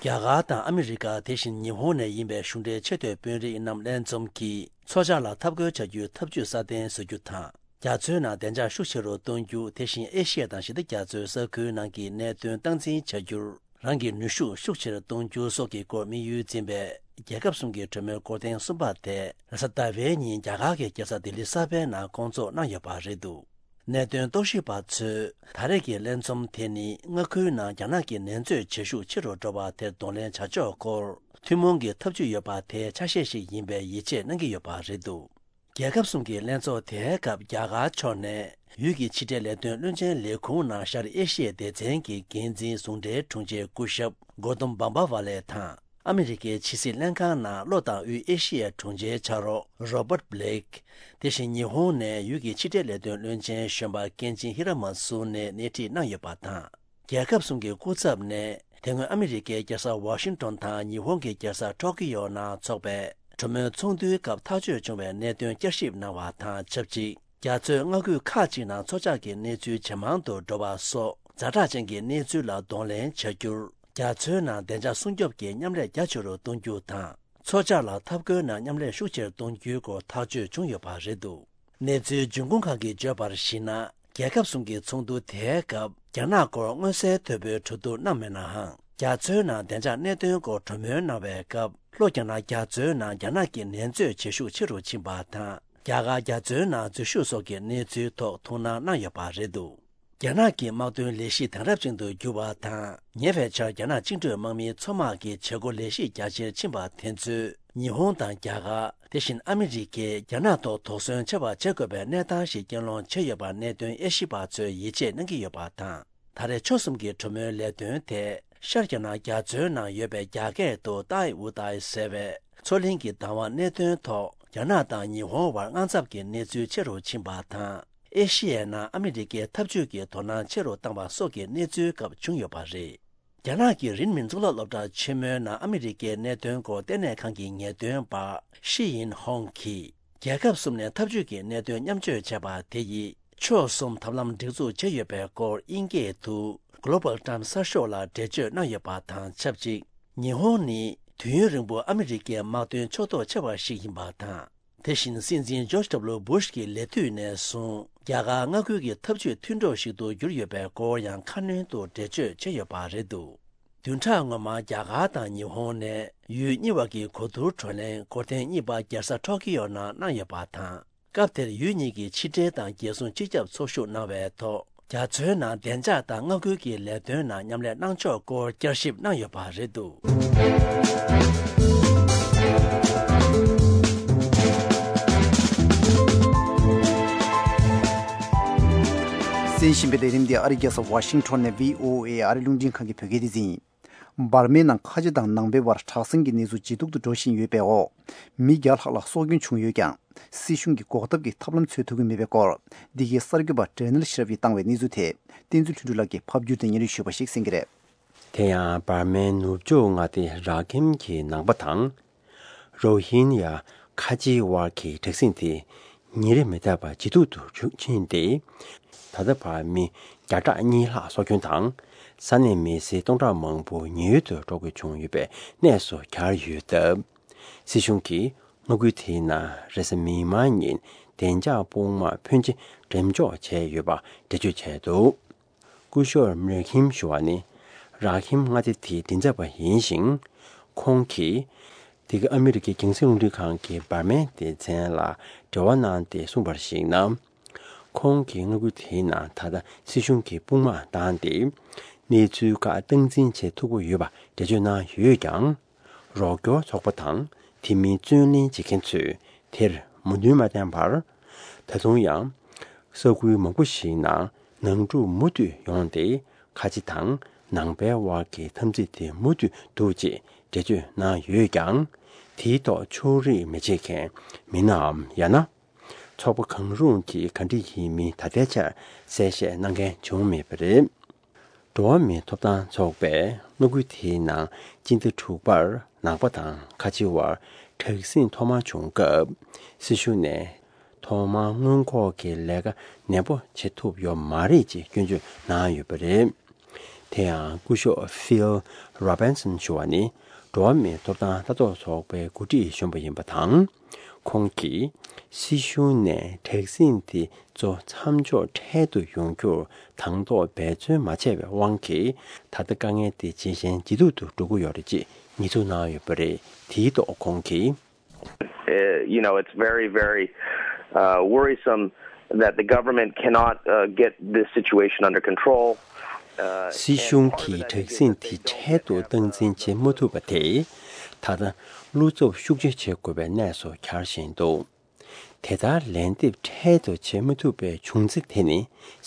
རྒྱ་གར་དང་ཨ་མི་རི་ཀ། དེ་བཞིན་ཉི་ཧོང་ནས་ཡིན་པའི་གཞུང་འབྲེལ་ཆེས་མཐོའི་དཔོན་རིགས་རྣམས་ལྷན་འཛོམས་ཀྱིས་མཚོ་བྱང་ལ་འཐབ་རྒོལ་བྱ་རྒྱུའི་ཐབས་ཇུས་སྲ་བརྟན་བཟོ་རྒྱུ་དང་། རྒྱ་མཚོའི་ནང་བདེ་འཇགས་ཤུགས་ཆེ་རུ་གཏོང་རྒྱུ། དེ་བཞིན་ཨེ་ཤི་ཡ་དང་ཞི་བདེ་རྒྱ་མཚོའི་ས་ཁུལ་ནང་གི་གནད་དོན་སྟངས་འཛིན་བྱ་རྒྱུར་རང་གི་ནུས་ཤུགས་ཤུགས་ཆེར་གཏོང་རྒྱུ་སོགས་ཀྱི་སྐོར་དམིགས་ཡུལ་འཛིན་པའི་རྒྱལ་ཁབ་གསུམ་གྱི་གྲོས་མོལ་སྐོར་ཐེངས་གསུམ་པ་དེ་རེས་གཟའ་ཟླ་བའི་ཉིན་རྒྱ་གར་གྱི་རྒྱལ་ས་ལྡི་ལི་གསར་པའི་ནང་བསྐོང་ཚོགས་གནང་ཡོད་པ་རེད་འདུག་གནད་དོན་རྟོག་ཞིབ་པ་ཚོས་ད་རེས་ཀྱི་ལྷན་འཛོམས་དེ་ནི་མངའ་ཁུལ་ནང་རྒྱ་ནག་གི་འགྲན་རྩོད་བྱེད་ཤུགས་ཆེ་རུ་འགྲོ་བ་དེར་གདོང་ལེན་བྱ་ཕྱོགས་སྐོར་ཐུན་མོང་གི་ཐབས་ཇུས་ཡོད་པ་དེའི་ཆ་ཤས་ཤིག་ཡིན་པའི་ཡིད་ཆེས་གནང་གི་ཡོད་པ་རེད་འདུག་རྒྱལ་ཁབ་གསུམ་གྱི་ལྷན་ཚོགས་དེའི་སྐབས་རྒྱ་གར་ཕྱོགས་ནས་ཡུལ་གྱི་ཕྱི་འབྲེལ་ལས་དོན་བློན་ཆེན་ལས་ཁུངས་ནང་ཤར་ཨེ་ཤི་ཡའི་སྡེ་ཚན་གྱི་འགན་འཛིན་ཟུང་འབྲེལ་དྲུང་ཆེ་སྐུ་ཞབས་གོ་ཏམ་བམ་བ་ཝ་ལེ་དང་། ཨ་མི་རི་ཀའི་ཕྱི་སྲིད་ལྷན་ཁང་ནང་ལྷོ་དང་དབུས་ཨེ་ཤི་ཡའི་དྲུང་ཆེའི་ཕྱག་རོགས་རོ་བརྟ་བྷི་ལེག་དེ་བཞིན་ཉི་ཧོང་ནས་ཡུལ་གྱི་ཕྱི་འབྲེལ་ལས་དོན་བློན་ཆེན་གཞོན་པ་ཀེན་ཅིན་ཧི་ར་མ་སུ་ནས་སྣེ་ཁྲིད་གནང་ཡོད་པ་དང་། རྒྱལ་ཁབ་གསུམ་གྱི་སྐུ་ཚབ་ནས་དེ་སྔོན་ཨ་མི་རི་ཀའི་རྒྱལ་ས་ཝ་ཤིང་ཏོན་དང་ཉི་ཧོང་གི་རྒྱལ་ས་ཊོ་ཀི་ཡོ་ནང་འཚོགས་པའི་གྲོས་མོལ་ཚོགས་འདུའི་སྐབས་ཐག་གཅོད་བྱུང་བའི་གནད་དོན་བསྐྱར་ཞིབ་གནང་བ་དང་ཆབས་ཅིག་རྒྱ་མཚོའི་མངའ་ཁུལ་ཁག་ཅིག་ནང་མཚོ་འཇགས་ཀྱི་གནས་ཚུལ་ཇེ་མང་དུ་འགྲོ་བ་སོགས་ཛ་དྲག་ཅན་གྱི་གནས་ཚུལ་ལ་གདོང་ལེན་བྱ་རྒྱུར། རྒྱ་མཚོའི་ནང་བདེ་འཇགས་སྲུང་སྐྱོབ་ཀྱི་མཉམ་ལས་རྒྱ་ཆེ་རུ་གཏོང་རྒྱུ་དང་། མཚོ་འཇགས་ལ་འཐབ་རྒོལ་ནང་མཉམ་ལས་ཤུགས་ཆེར་གཏོང་རྒྱུའི་སྐོར་ཐག་གཅོད་བྱུང་ཡོད་པ་རེད་འདུག་གནས་ཚུལ་འབྱུང་ཁུངས་ཁག་གིས་བརྗོད་པར་གཞིགས་ན། རྒྱལ་ཁབ་གསུམ་གྱི་ཚོགས་འདུ་དེའི་སྐབས་རྒྱ་ནག་སྐོར་མངོན་གསལ་དོད་པོའི་གྲོས་བསྡུར་གནང་མེད་ནའང་། རྒྱ་མཚོའི་ནང་བདེ་འཇགས་གནད་དོན་སྐོར་གྲོས་མོལ་གནང་བའི་སྐབས། ལྷོ་རྒྱ་ནག་རྒྱ་མཚོའི་ནང་རྒྱ་ནག་གི་འགྲན་རྩོད་བྱེད་ཤུགས་ཆེ་རུ་ཕྱིན་པ་དང་། རྒྱ་གར་རྒྱ་མཚོའི་ནང་འཛུལ་ཞུགས་སོགས་ཀྱི་གནས་ཚུལ་ཐོག་ཐུགས་སྣང་གནང་ཡོད་པ་རེད་འདུག་རྒྱ་ནག་གི་དམག་དོན་ལས་གཞི་དེང་རབས་ཅན་དུ་གྱུར་བ་དང་། ཉེ་བའི་ཆར་རྒྱ་ནག་བཅིངས་འགྲོལ་དམག་མིའི་མཚོ་དམག་གི་བྱེད་སྒོ་ལས་གཞི་རྒྱ་ཆེར་ཕྱིན་པ་དེ་ཚོས། ཉི་ཧོང་དང་རྒྱ་གར། དེ་བཞིན་ཨ་མི་རི་ཀས་རྒྱ་ནག་ཐོག་དོགས་ཟོན་ཆེ་བ་བྱེད་དགོས་པའི་གནས་སྟངས་ཤིག་རྐྱེན་སློང་བྱས་ཡོད་པ་གནད་དོན་དབྱེ་ཞིབ་པ་ཚོས་ཡིད་ཆེས་གནང་གི་ཡོད་པ་དང་། ད་རེས་ཕྱོགས་གསུམ་གྱི་གྲོས་མོལ་ལས་དོན་དེ། ཤར་རྒྱ་ནག་རྒྱ་མཚོའི་ནང་ཡོད་པའི་རྒྱ་སྐད་དུ་ཏའི་ཝུ་ཏའི་ཟེར་བའི་མཚོ་གླིང་གི་བདག་དབང་གནད་དོན་ཐོག་རྒྱ་ནག་དང་ཉི་ཧོང་བར་དངངས་འཚབ་ཀྱི་གནས་ཚུལ་ཆེ་རུ་ཕྱིན་པ་དང་། ཨེ་ཤི་ཡའི་ནང་ཨ་མི་རི་ཀས་འཐབ་ཇུས་ཀྱི་དོ་སྣང་ཆེ་རུ་བཏང་བ་སོགས་ཀྱི་གནས་ཚུལ་སྐབས་བྱུང་ཡོད་པ་རེད། རྒྱ་ནག་གི་རིན་མིན་གཙུག་ལག་སློབ་གྲྭ་ཆེན་མོའི་ནང་ཨ་མི་རི་ཀའི་གནད་དོན་སྐོར་ལྟེ་གནས་ཁང་གི་ངེས་སྟོན་པ་ཤི་ཡིན་ཧོང་གིས། རྒྱལ་ཁབ་གསུམ་ནས་འཐབ་ཇུས་ཀྱི་གནད་དོན་མཉམ་སྤྱོད་བྱས་པ་དེ་ཡིས། ཕྱོགས་གསུམ་ཐབས་ལམ་སྒྲིག་འཛུགས་བྱས་ཡོད་པའི་སྐོར་དབྱིན་སྐད་དུ་Global Times གསར་ཤོག་ལ་འགྲེལ་བརྗོད་གནང་ཡོད་པ་དང་ཆབས་ཅིག་ཉི་ཧོང་ནི་དུས་ཡུན་རིང་པོ་ཨ་མི་རི་ཀའི་དམག་དོན་ཕྱོགས་གཏོགས་ཆེ་བ་ཞིག་ཡིན་པ་དང་། དེ་བཞིན་སྲིད་འཛིན་ཇོརྗ་ཌབ་ལུ་བུ་ཤ་གི་ལས་དུས་ནས་བཟུང་རྒྱ་གར་མངའ་ཁུལ་གྱི་འཐབ་ཇུས་མཐུན་གྲོགས་ཤིག་ཏུ་གྱུར་ཡོད་པའི་སྐོར་ཡང་ཁ་སྣོན་དུ་འགྲེལ་བརྗོད་བྱས་ཡོད་པ་རེད་འདུག་བདུན་ཕྲག་སྔོན་མ་རྒྱ་གར་དང་ཉི་ཧོང་ནས་ཡུལ་གཉིས་བར་གྱི་གོ་བསྡུར་བགྲོ་གླེང་སྐོར་ཐེངས་གཉིས་པ་རྒྱལ་ས་ཊོ་ཀི་ཡོ་ནང་གནང་ཡོད་པ་དང་། སྐབས་དེར་ཡུལ་གཉིས་ཀྱི་ཕྱི་འབྲེལ་དང་རྒྱལ་སྲུང་སྤྱི་ཁྱབ་ཚོགས་ཞུགས་གནང་བའི་ཐོག་རྒྱ་མཚོའི་ནང་བདེ་འཇགས་དང་མངའ་ཁུལ་གྱི་ལས་དོན་ནང་མཉམ་ལས་གནང་ཕྱོགས་སྐོར་བསྐྱར་ཞིབ་གནང་ཡོད་པ་རེད་འདུག་གསན་བཞིན་པའི་ལས་རིམ་འདི་ཨ་རིའི་རྒྱལ་ས་ཝ་ཤིང་ཊོན་ནས་བྷི་ཨོ་ཨེ་ཨ་རིའི་རླུང་འཕྲིན་ཁང་གི་བོད་སྐད་སྡེ་ཚན་ཡིན། འབར་མའི་ནང་ཁ་ཆེ་དང་ནང་པའི་བར་དྲག་ཟིང་གི་གནས་ཚུལ་ཇེ་སྡུག་ཏུ་འགྲོ་བཞིན་ཡོད་པའི་འོག་མི་བརྒྱ་ལྷག་ལ་སྲོག་སྐྱོན་བྱུང་ཡོད་ཀྱང་། སྲིད་གཞུང་གི་འགོག་ཐབས་ཀྱི་ཐབས་ལམ་འཚོལ་ཐུབ་ཀྱི་མེད་པའི་སྐོར། འདི་གའི་གསར་འགོད་པ་ཌེ་ནེལ་ཤི་རབ་ཀྱིས་བཏང་བའི་གནས་ཚུལ་དེ། བསྟན་འཛིན་ལྷུན་གྲུབ་ལགས་ཀྱིས་ཕབ་བསྒྱུར་དང་སྙན་སྒྲོན་ཞུས་པ་ཞིག་གསན་གྱི་རེད། དེ་ཡང་འབར་མའི་ནུབ་ཕྱོགས་མངའ་སྡེ་ར་ཁིམ་གྱི་ནང་པ་དང་། རོ་ཧིན་ཡ་ཁ་ཆེའི་དབར་གྱི་དྲག་ཟིང་དེ་ཉིན་རེ་མི་ཐར་བར་ཇེ་སྡུག་ཏུ་ཕྱིན་ཏེ། ད་ལྟ་བར་མི་བརྒྱ་ཕྲག་གཉིས་ལྷག་སྲོག་སྐྱོན་དང་། ས་གནས་མི་སེར་སྟོང་ཕྲག་མང་པོ་ཉེན་གཡོལ་དུ་འགྲོ་དགོས་བྱུང་ཡོད་པའི་གནས་སུ་གྱར་ཡོད་སྟབས། སྲིད་གཞུང་གིས་མངའ་ཁུལ་དེའི་ནང་རེས་གཟའ་མིག་དམར་ཉིན་བདེ་འཇགས་དཔུང་དམག་ཕོན་ཆེ་འགྲེམས་འཇོག་བྱས་ཡོད་པ་འགྲེལ་བརྗོད་བྱས་འདུག་སྐུ་ཞབས་མེར་ཁིམ་ཞུ་བ་ནི་ར་ཁིམ་མངའ་སྡེ་དེའི་མགྲིན་ཚབ་པ་ཡིན་ཞིང་། ཁོང་གིས་འདི་ག་ཨ་མི་རི་ཀའི་རྒྱང་སྲིང་རླུང་འཕྲིན་ཁང་གི་འབར་མའི་སྡེ་ཚན་ལ་འབྲེལ་བ་གནང་སྟེ་གསུངས་པར་གཞིགས་ན། ཁོང་གིས་མངའ་ཁུལ་དེའི་ནང་ད་ལྟ་སྲིད་གཞུང་གི་དཔུང་དམག་བཏང་སྟེ། གནས་ཚུལ་ཁག་སྟངས་འཛིན་བྱེད་ཐུབ་ཀྱི་ཡོད་པ་འགྲེལ་བརྗོད་གནང་ཡོད་ཀྱང་། རོགས་སྐྱོར་ཚོགས་པ་དང་དེ་མིན་བརྩོན་ལེན་བྱེད་མཁན་ཚོས་དེར་མོས་མཐུན་མ་བསྟན་པར། ད་དུང་ཡང་ས་ཁུལ་མང་པོ་ཞིག་ནང་ནང་འཁྲུག་མུ་མཐུད་ཡོང་སྟེ། ཁ་ཆེ་དང་ནང་པའི་དབར་གྱི་འཐབ་འཛིང་དེ་མུ་མཐུད་འདུག་ཅེས་འགྲེལ་བརྗོད་གནང་ཡོད་ཀྱང་། དེའི་ཐོག་ཕྱོགས་རིས་མི་བྱེད་མཁན་མི་སྣའམ། ཡང་ན་ཚོགས་པ་གང་རུང་གིས་ག་འདྲ་ཡིན་མིན་ད་ལྟའི་ཆར་གསལ་བཤད་གནང་མཁན་བྱུང་མེད་པ་རེད། འགྲོ་བ་མིའི་ཐོབ་ཐང་ཚོགས་པས་མངའ་ཁུལ་དེའི་ནང་སྤྱི་ཟླ་དྲུག་པར་ནང་པ་དང་ཁ་ཆེ་བར་དྲག་ཟིང་ཐོག་མར་བྱུང་སྐབས། སྲིད་གཞུང་ནས་ཐོག་མར་སྔོན་འགོག་གི་ལས་ཀ་ནན་པོ་བྱེད་ཐུབ་ཡོད་མ་རེད་ཅེས་སྐྱོན་བརྗོད་གནང་ཡོད་པ་རེད། དེ་ཡང་སྐུ་ཞབས་ཕིལ་རོ་བན་སན་ཞུ་བ་ནི་འགྲོ་བ་མིའི་ཐོབ་ཐང་ལྟ་རྟོག་ཚོགས་པའི་འགོ་ཁྲིད་གཞོན་པ་ཡིན་པ་དང་། ཁོང་གིས་སྲིད་གཞུང་ནས་དྲག་ཟིང་དེ་གཙོ་མཚམས་འཇོག་འཕྲལ་དུ་ཡོང་རྒྱུར་དང་ཐོག་འབད་བརྩོན་མ་བྱས་པའི་དབང་གིས། ད་ལྟ་དཀའ་ངལ་དེ་ཇེ་ཞན་ཇེ་སྡུག་ཏུ་འགྲོ་གི་ཡོད་རེད་ཅེས་ཉེས་འཛུགས་གནང་ཡོད་པ་རེད། དེའི་ཐོག་ཁོང་གིས། Uh, you know, it's very, very uh, worrisome that the government cannot uh, get this situation under control. Uh, སྲིད་གཞུང་གིས་དྲག་ཟིང་དེ་འཕྲལ་དུ་སྟངས་འཛིན་བྱེད་མ་ཐུབ་པ་དེས། ད་ལྟ་བློ་འཚབ་ཤུགས་ཆེ་བྱེད་དགོས་པའི་གནས་སུ་གྱར་བཞིན་འདུག་དེ་ལྟར་ལན་འདེབས་འཕྲལ་དུ་བྱེད་མ་ཐུབ་པའི་བྱུང་རྩིས་དེ་ནི།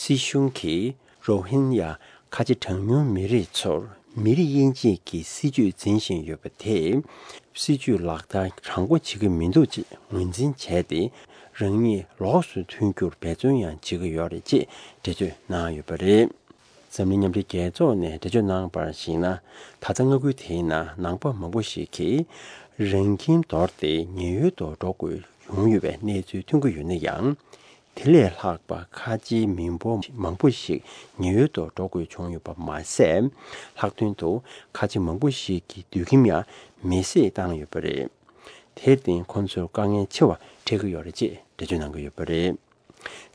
སྲིད་གཞུང་གིས་རོ་ཧིན་ཡ་ཁ་ཆེ་གྲངས་ཉུང་མི་རིགས་ཚོར་མི་རིགས་དབྱེ་འབྱེད་ཀྱི་སྲིད་ཇུས་འཛིན་བཞིན་ཡོད་པ་དེས། སྲིད་ཇུས་ལག་བསྟར་དྲང་པོ་བྱེད་ཀྱི་མི་འདུག་ཅེས་ངོས་འཛིན་བྱས་ཏེ། རང་ཉིད་ལོགས་སུ་ཐོན་རྒྱུར་འབད་བརྩོན་ཡང་བྱེད་ཀྱི་ཡོད་རེད་ཅེས་འགྲེལ་བརྗོད་གནང་ཡོད་པ་རེད། འཛམ་གླིང་མཉམ་འབྲེལ་རྒྱལ་ཚོགས་ནས་འགྲེལ་བརྗོད་གནང་བར་གཞིགས་ན། ད་ལྟ་མངའ་ཁུལ་དེའི་ནང་ནང་པ་མང་པོ་ཞིག་གིས་རང་ཁྱིམ་དོར་ཏེ་ཉེན་གཡོལ་དུ་འགྲོ་དགོས་ཡོང་ཡོད་པའི་གནས་ཚུལ་ཐོན་གྱི་ཡོད་ན་ཡང་། དེ་ལས་ལྷག་པ་ཁ་ཆེའི་མི་འབོར་མང་པོ་ཞིག་ཉེན་གཡོལ་དུ་འགྲོ་དགོས་བྱུང་ཡོད་པ་མ་ཟད། ལྷག་དོན་དུ་ཁ་ཆེ་མང་པོ་ཞིག་གི་སྡོད་ཁྱིམ་ཡང་མེ་བསྲེགས་བཏང་ཡོད་པ་རེད། དེར་བརྟེན་ཁོང་ཚོར་དཀའ་ངལ་ཆེ་བ་འཕྲད་ཀྱི་ཡོད་རེད་ཅེས་འགྲེལ་བརྗོད་གནང་གི་ཡོད་པ་རེད།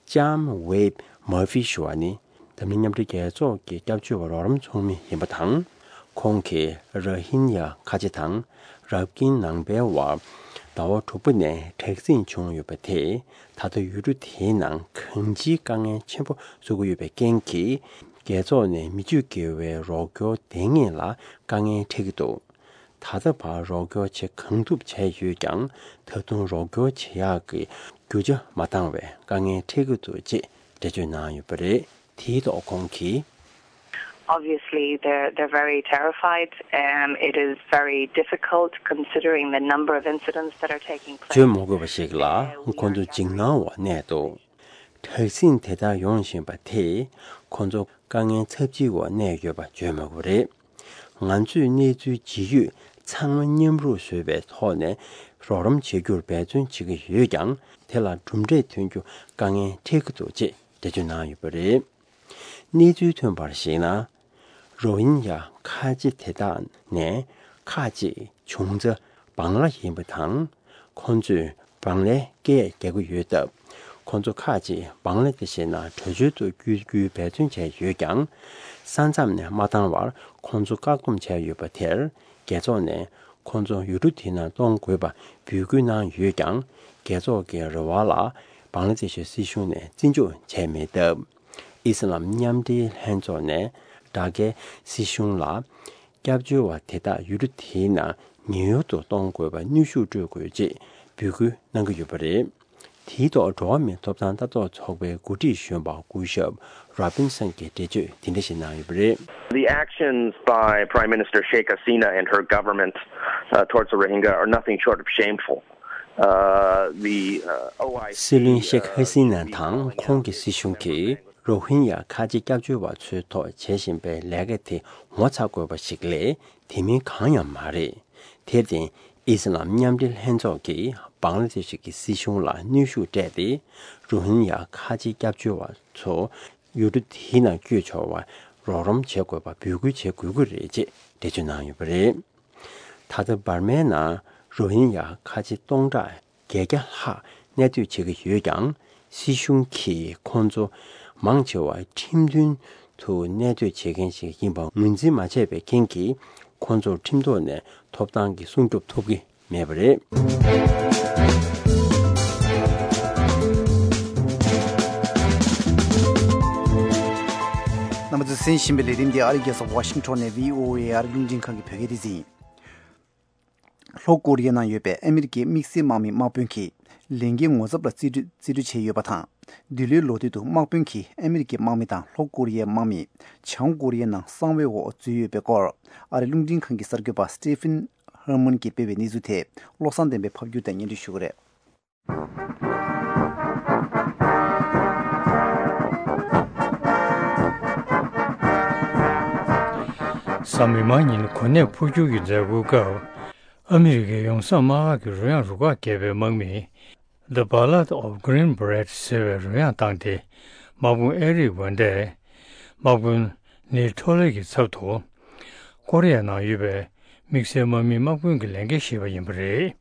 ལྕམ་ཝེབ་མར་ཧྥི་ཞུ་བ་ནི་འཛམ་གླིང་མཉམ་འབྲེལ་རྒྱལ་ཚོགས་ཀྱི་སྐྱབས་བཅོལ་བ་རོགས་རམ་ཚོགས་མི་ཡིན་པ་དང་། ཁོང་གིས་ར་ཧིན་ཡ་ཁ་ཆེ་དང་རབ་ཀིན་ནང་པའི་བར་ཟླ་བ་དྲུག་པ་ནས་དྲག་ཟིང་བྱུང་ཡོད་པ་དེས་ད་ལྟ་ཡུལ་གྲུ་དེའི་ནང་གང་ཅིའི་དཀའ་ངལ་ཆེན་པོ་བཟོ་གི་ཡོད་པའི་རྐྱེན་གྱིས། རྒྱལ་ཚོགས་ནས་མི་སྤྱོད་དགེ་བའི་རོགས་སྐྱོར་འདང་ངེས་ལ་དཀའ་ངལ་འཕྲད་ཀྱི་འདུག་ད་ལྟ་བར་རོགས་སྐྱོར་བྱེད་གང་ཐུབ་བྱས་ཡོད་ཀྱང་། ད་དུང་རོགས་སྐྱོར་བྱེད་ཡག་གི་རྒྱུ་ཆ་མ་འདང་བའི་དཀའ་ངལ་འཕྲད་ཀྱི་འདུག་ཅེས་འགྲེལ་བརྗོད་གནང་ཡོད་པ་རེད། དེའི་ཐོག་ཁོང་གིས། Obviously, they're, they're very terrified, and it is very difficult considering the number of incidents that are taking place. བརྗོད་མ་དགོས་པ་ཞིག་ལ་ཁོང་ཚོ་འཇིགས་སྣང་འོག་གནས་འདུག་དྲག་ཟིང་དེ་ལྟར་ཡོང་བཞིན་པ་དེས་ཁོང་ཚོ་དཀའ་ངལ་ཚབས་ཆེའི་འོག་གནས་ཡོད་པ་བརྗོད་མ་དགོས་པ་རེད། ང་ཚོས་གནས་ཚུལ་ཇི་ཡོད་ཚང་མ་མཉམ་རུབ་བཟོས་པའི་ཐོག་ནས་རོགས་རམ་བྱེད་རྒྱུར་འབད་བརྩོན་བྱེད་ཀྱི་ཡོད་ཀྱང་། དེ་ལ་གྲུབ་འབྲས་ཐོན་རྒྱུ་དཀའ་ངལ་འཕྲད་ཀྱི་འདུག་ཅེས་འགྲེལ་བརྗོད་གནང་ཡོད་པ་རེད། གནས་ཚུལ་ཐོན་པར་གཞིགས་ན། རོ་ཧིན་ཡ་ཁ་ཆེ་དེ་དག་ནས་ཁག་ཅིག་བྱུང་རྩ་བང་ལ་ཡིན་པ་དང་། ཁོང་ཚོས་བང་ལའི་སྐད་རྒྱག་གི་ཡོད་སྟབས། ཁོང་ཚོ་ཁག་ཅིག་བང་ལ་དེ་བཞིན་བྲོས་བྱོལ་དུ་བསྐྱོད་རྒྱུའི་འབད་བརྩོན་བྱས་ཡོད་ཀྱང་། ས་མཚམས་ནས་མ་བཏང་བར་ཁོང་ཚོ་བཀག་སྡོམ་བྱས་ཡོད་པ་དེར། རྒྱལ་ཚོགས་ནས་ཁོང་ཚོ་ཡུལ་གྲུ་དེ་ནང་གཏོང་དགོས་པ་འབོད་སྐུལ་གནང་ཡོད་ཀྱང་། རྒྱལ་ཚོགས་ཀྱི་རེ་བ་ལ་བང་ལ་དེ་ཤི་སྲིད་གཞུང་ནས་བརྩི་འཇོག་བྱས་མེད་སྟབས། ཨི་སི་ལམ་མཉམ་འབྲེལ་ལྷན་ཚོགས་ནས་དྲག་གའི་སྲིད་གཞུང་ལ་སྐྱབས་བཅོལ་བ་དེ་དག་ཡུལ་གྲུ་དེའི་ནང་ཉེན་གཡོལ་དུ་གཏོང་དགོས་པར་གནོན་ཤུགས་སྤྲོད་དགོས་ཅེས་འབོད་སྐུལ་གནང་གི་ཡོད་པ་རེད། དེའི་ཐོག་འགྲོ་བ་མིའི་ཐོབ་ཐང་ལྟ་རྟོག་ཚོགས་པའི་འགོ་ཁྲིད་གཞོན་པ་སྐུ་ཞབས་རོ་བིན་སན་གྱིས་འགྲེལ་བརྗོད་དེ་འདྲ་ཞིག་གནང་ཡོད་པ་རེད། The actions by Prime Minister Sheikh Hasina and her government, uh, towards the Rohingya are nothing short of shameful. Uh, the, uh, O I C, སྲིད་བློན་ཤེག་ཧ་སི་ན་དང་ཁོང་གི་སྲིད་གཞུང་གིས་རོ་ཧིན་ཡ་ཁ་ཆེ་སྐྱབས་བཅོལ་བ་ཚོའི་ཐོག་བྱེད་བཞིན་པའི་ལས་ཀ་དེ་ངོ་ཚ་དགོས་པ་ཞིག་ལས་དེ་མིན་གང་ཡང་མ་རེད། དེར་བརྟེན། ཨི་སི་ལམ་མཉམ་འབྲེལ་ལྷན་ཚོགས་ཀྱིས་བང་ལ་དེ་ཤི་གི་སྲིད་གཞུང་ལ་གནོན་ཤུགས་སྤྲད་དེ། རོ་ཧིན་ཡ་ཁ་ཆེ་སྐྱབས་བཅོལ་བ་ཚོ་ཡུལ་གྲུ་དེའི་ནང་བསྐྱོད་ཆོག་པར་རོགས་རམ་བྱེད་དགོས་པ་འབོད་སྐུལ་བྱེད་དགོས་ཀྱི་རེད་ཅེས་འགྲེལ་བརྗོད་གནང་ཡོད་པ་རེད། ད་ལྟ་འབར་མའི་ནང་རོ་ཧིན་ཡ་ཁ་ཆེ་སྟོང་ཕྲག་བརྒྱད་བརྒྱ་ལྷག་གནས་སྡོད་བྱེད་ཀྱི་ཡོད་ཀྱང་། སྲིད་གཞུང་གིས་ཁོང་ཚོ་མང་ཆེ་བ་ཁྲིམས་མཐུན་དུ་གནས་སྡོད་བྱེད་མཁན་ཞིག་ཡིན་པ་ངོས་འཛིན་མ་བྱས་པའི་རྐྱེན་གྱིས། ཁོང་ཚོར་ཁྲིམས་ཐོག་ནས་ཐོབ་ཐང་གི་སྲུང་སྐྱོབ་ཐོབ་ཀྱི་མེད་པ་རེད། རྣམ་པ་ཚོས་གསན་བཞིན་པའི་ལས་རིམ་འདི་ཨ་རིའི་རྒྱལ་ས་ཝ་ཤིང་ཊོན་ནས་བྷི་ཨོ་ཨེ་ཨ་རིའི་རླུང་འཕྲིན་ཁང་གི་བོད་སྐད་སྡེ་ཚན་ཡིན། ལྷོ་ཀོ་རི་ཡའི་ནང་ཡོད་པའི་ཨ་མི་རི་ཀའི་དམིགས་བསལ་དམག་མི་དམག་དཔོན་གྱིས་ལས་འགན་ངོ་ཚབ་ལ་རྩིས་སྤྲོད་རྩིས་སྤྲོད་བྱས་ཡོད་པ་དང་། འདི་ལོའི་ལོ་དུས་དུ་དམག་དཔོན་གྱིས་ཨ་མི་རི་ཀའི་དམག་མི་དང་ལྷོ་ཀོ་རི་ཡའི་དམག་མི་བྱང་ཀོ་རི་ཡའི་ནང་གསང་བའི་འོག་འཛུལ་ཡོད་པའི་སྐོར། ཨ་རིའི་རླུང་འཕྲིན་ཁང་གི་གསར་འགོད་པ་Stephen Herman གྱིས་སྤེལ་བའི་གནས་ཚུལ་དེ་བློ་བཟང་བསྟན་པས་ཕབ་སྒྱུར་དང་སྙན་སྒྲོན་ཞུ་གི་རེད། གཟའ་མིག་དམར་ཉིན་གོ་གནས་འཕོ་འགྱུར་གྱི་མཛད་སྒོའི་སྐབས། ཨ་མི་རི་ཀའི་ཡོངས་བསམ་དམར་ཁ་གི་རོལ་དབྱངས་རུ་ཁག་བརྒྱབ་པའི་དམག་མིས། The Ballad of Green Beret ཟེར་བའི་རོལ་དབྱངས་བཏང་སྟེ། དམག་དཔོན་ཨེ་རིག་ཝན་ཏས་དམག་དཔོན་ནིལ་ཁྲོ་ལེ་གི་ཚབ་ཏུ། ཀོ་རི་ཡ་ནང་ཡོད་པའི་དམིགས་བསལ་དམག་མིའི་དམག་དཔོན་གྱི་ལས་འགན་བཞེས་པ་ཡིན་པ་རེད།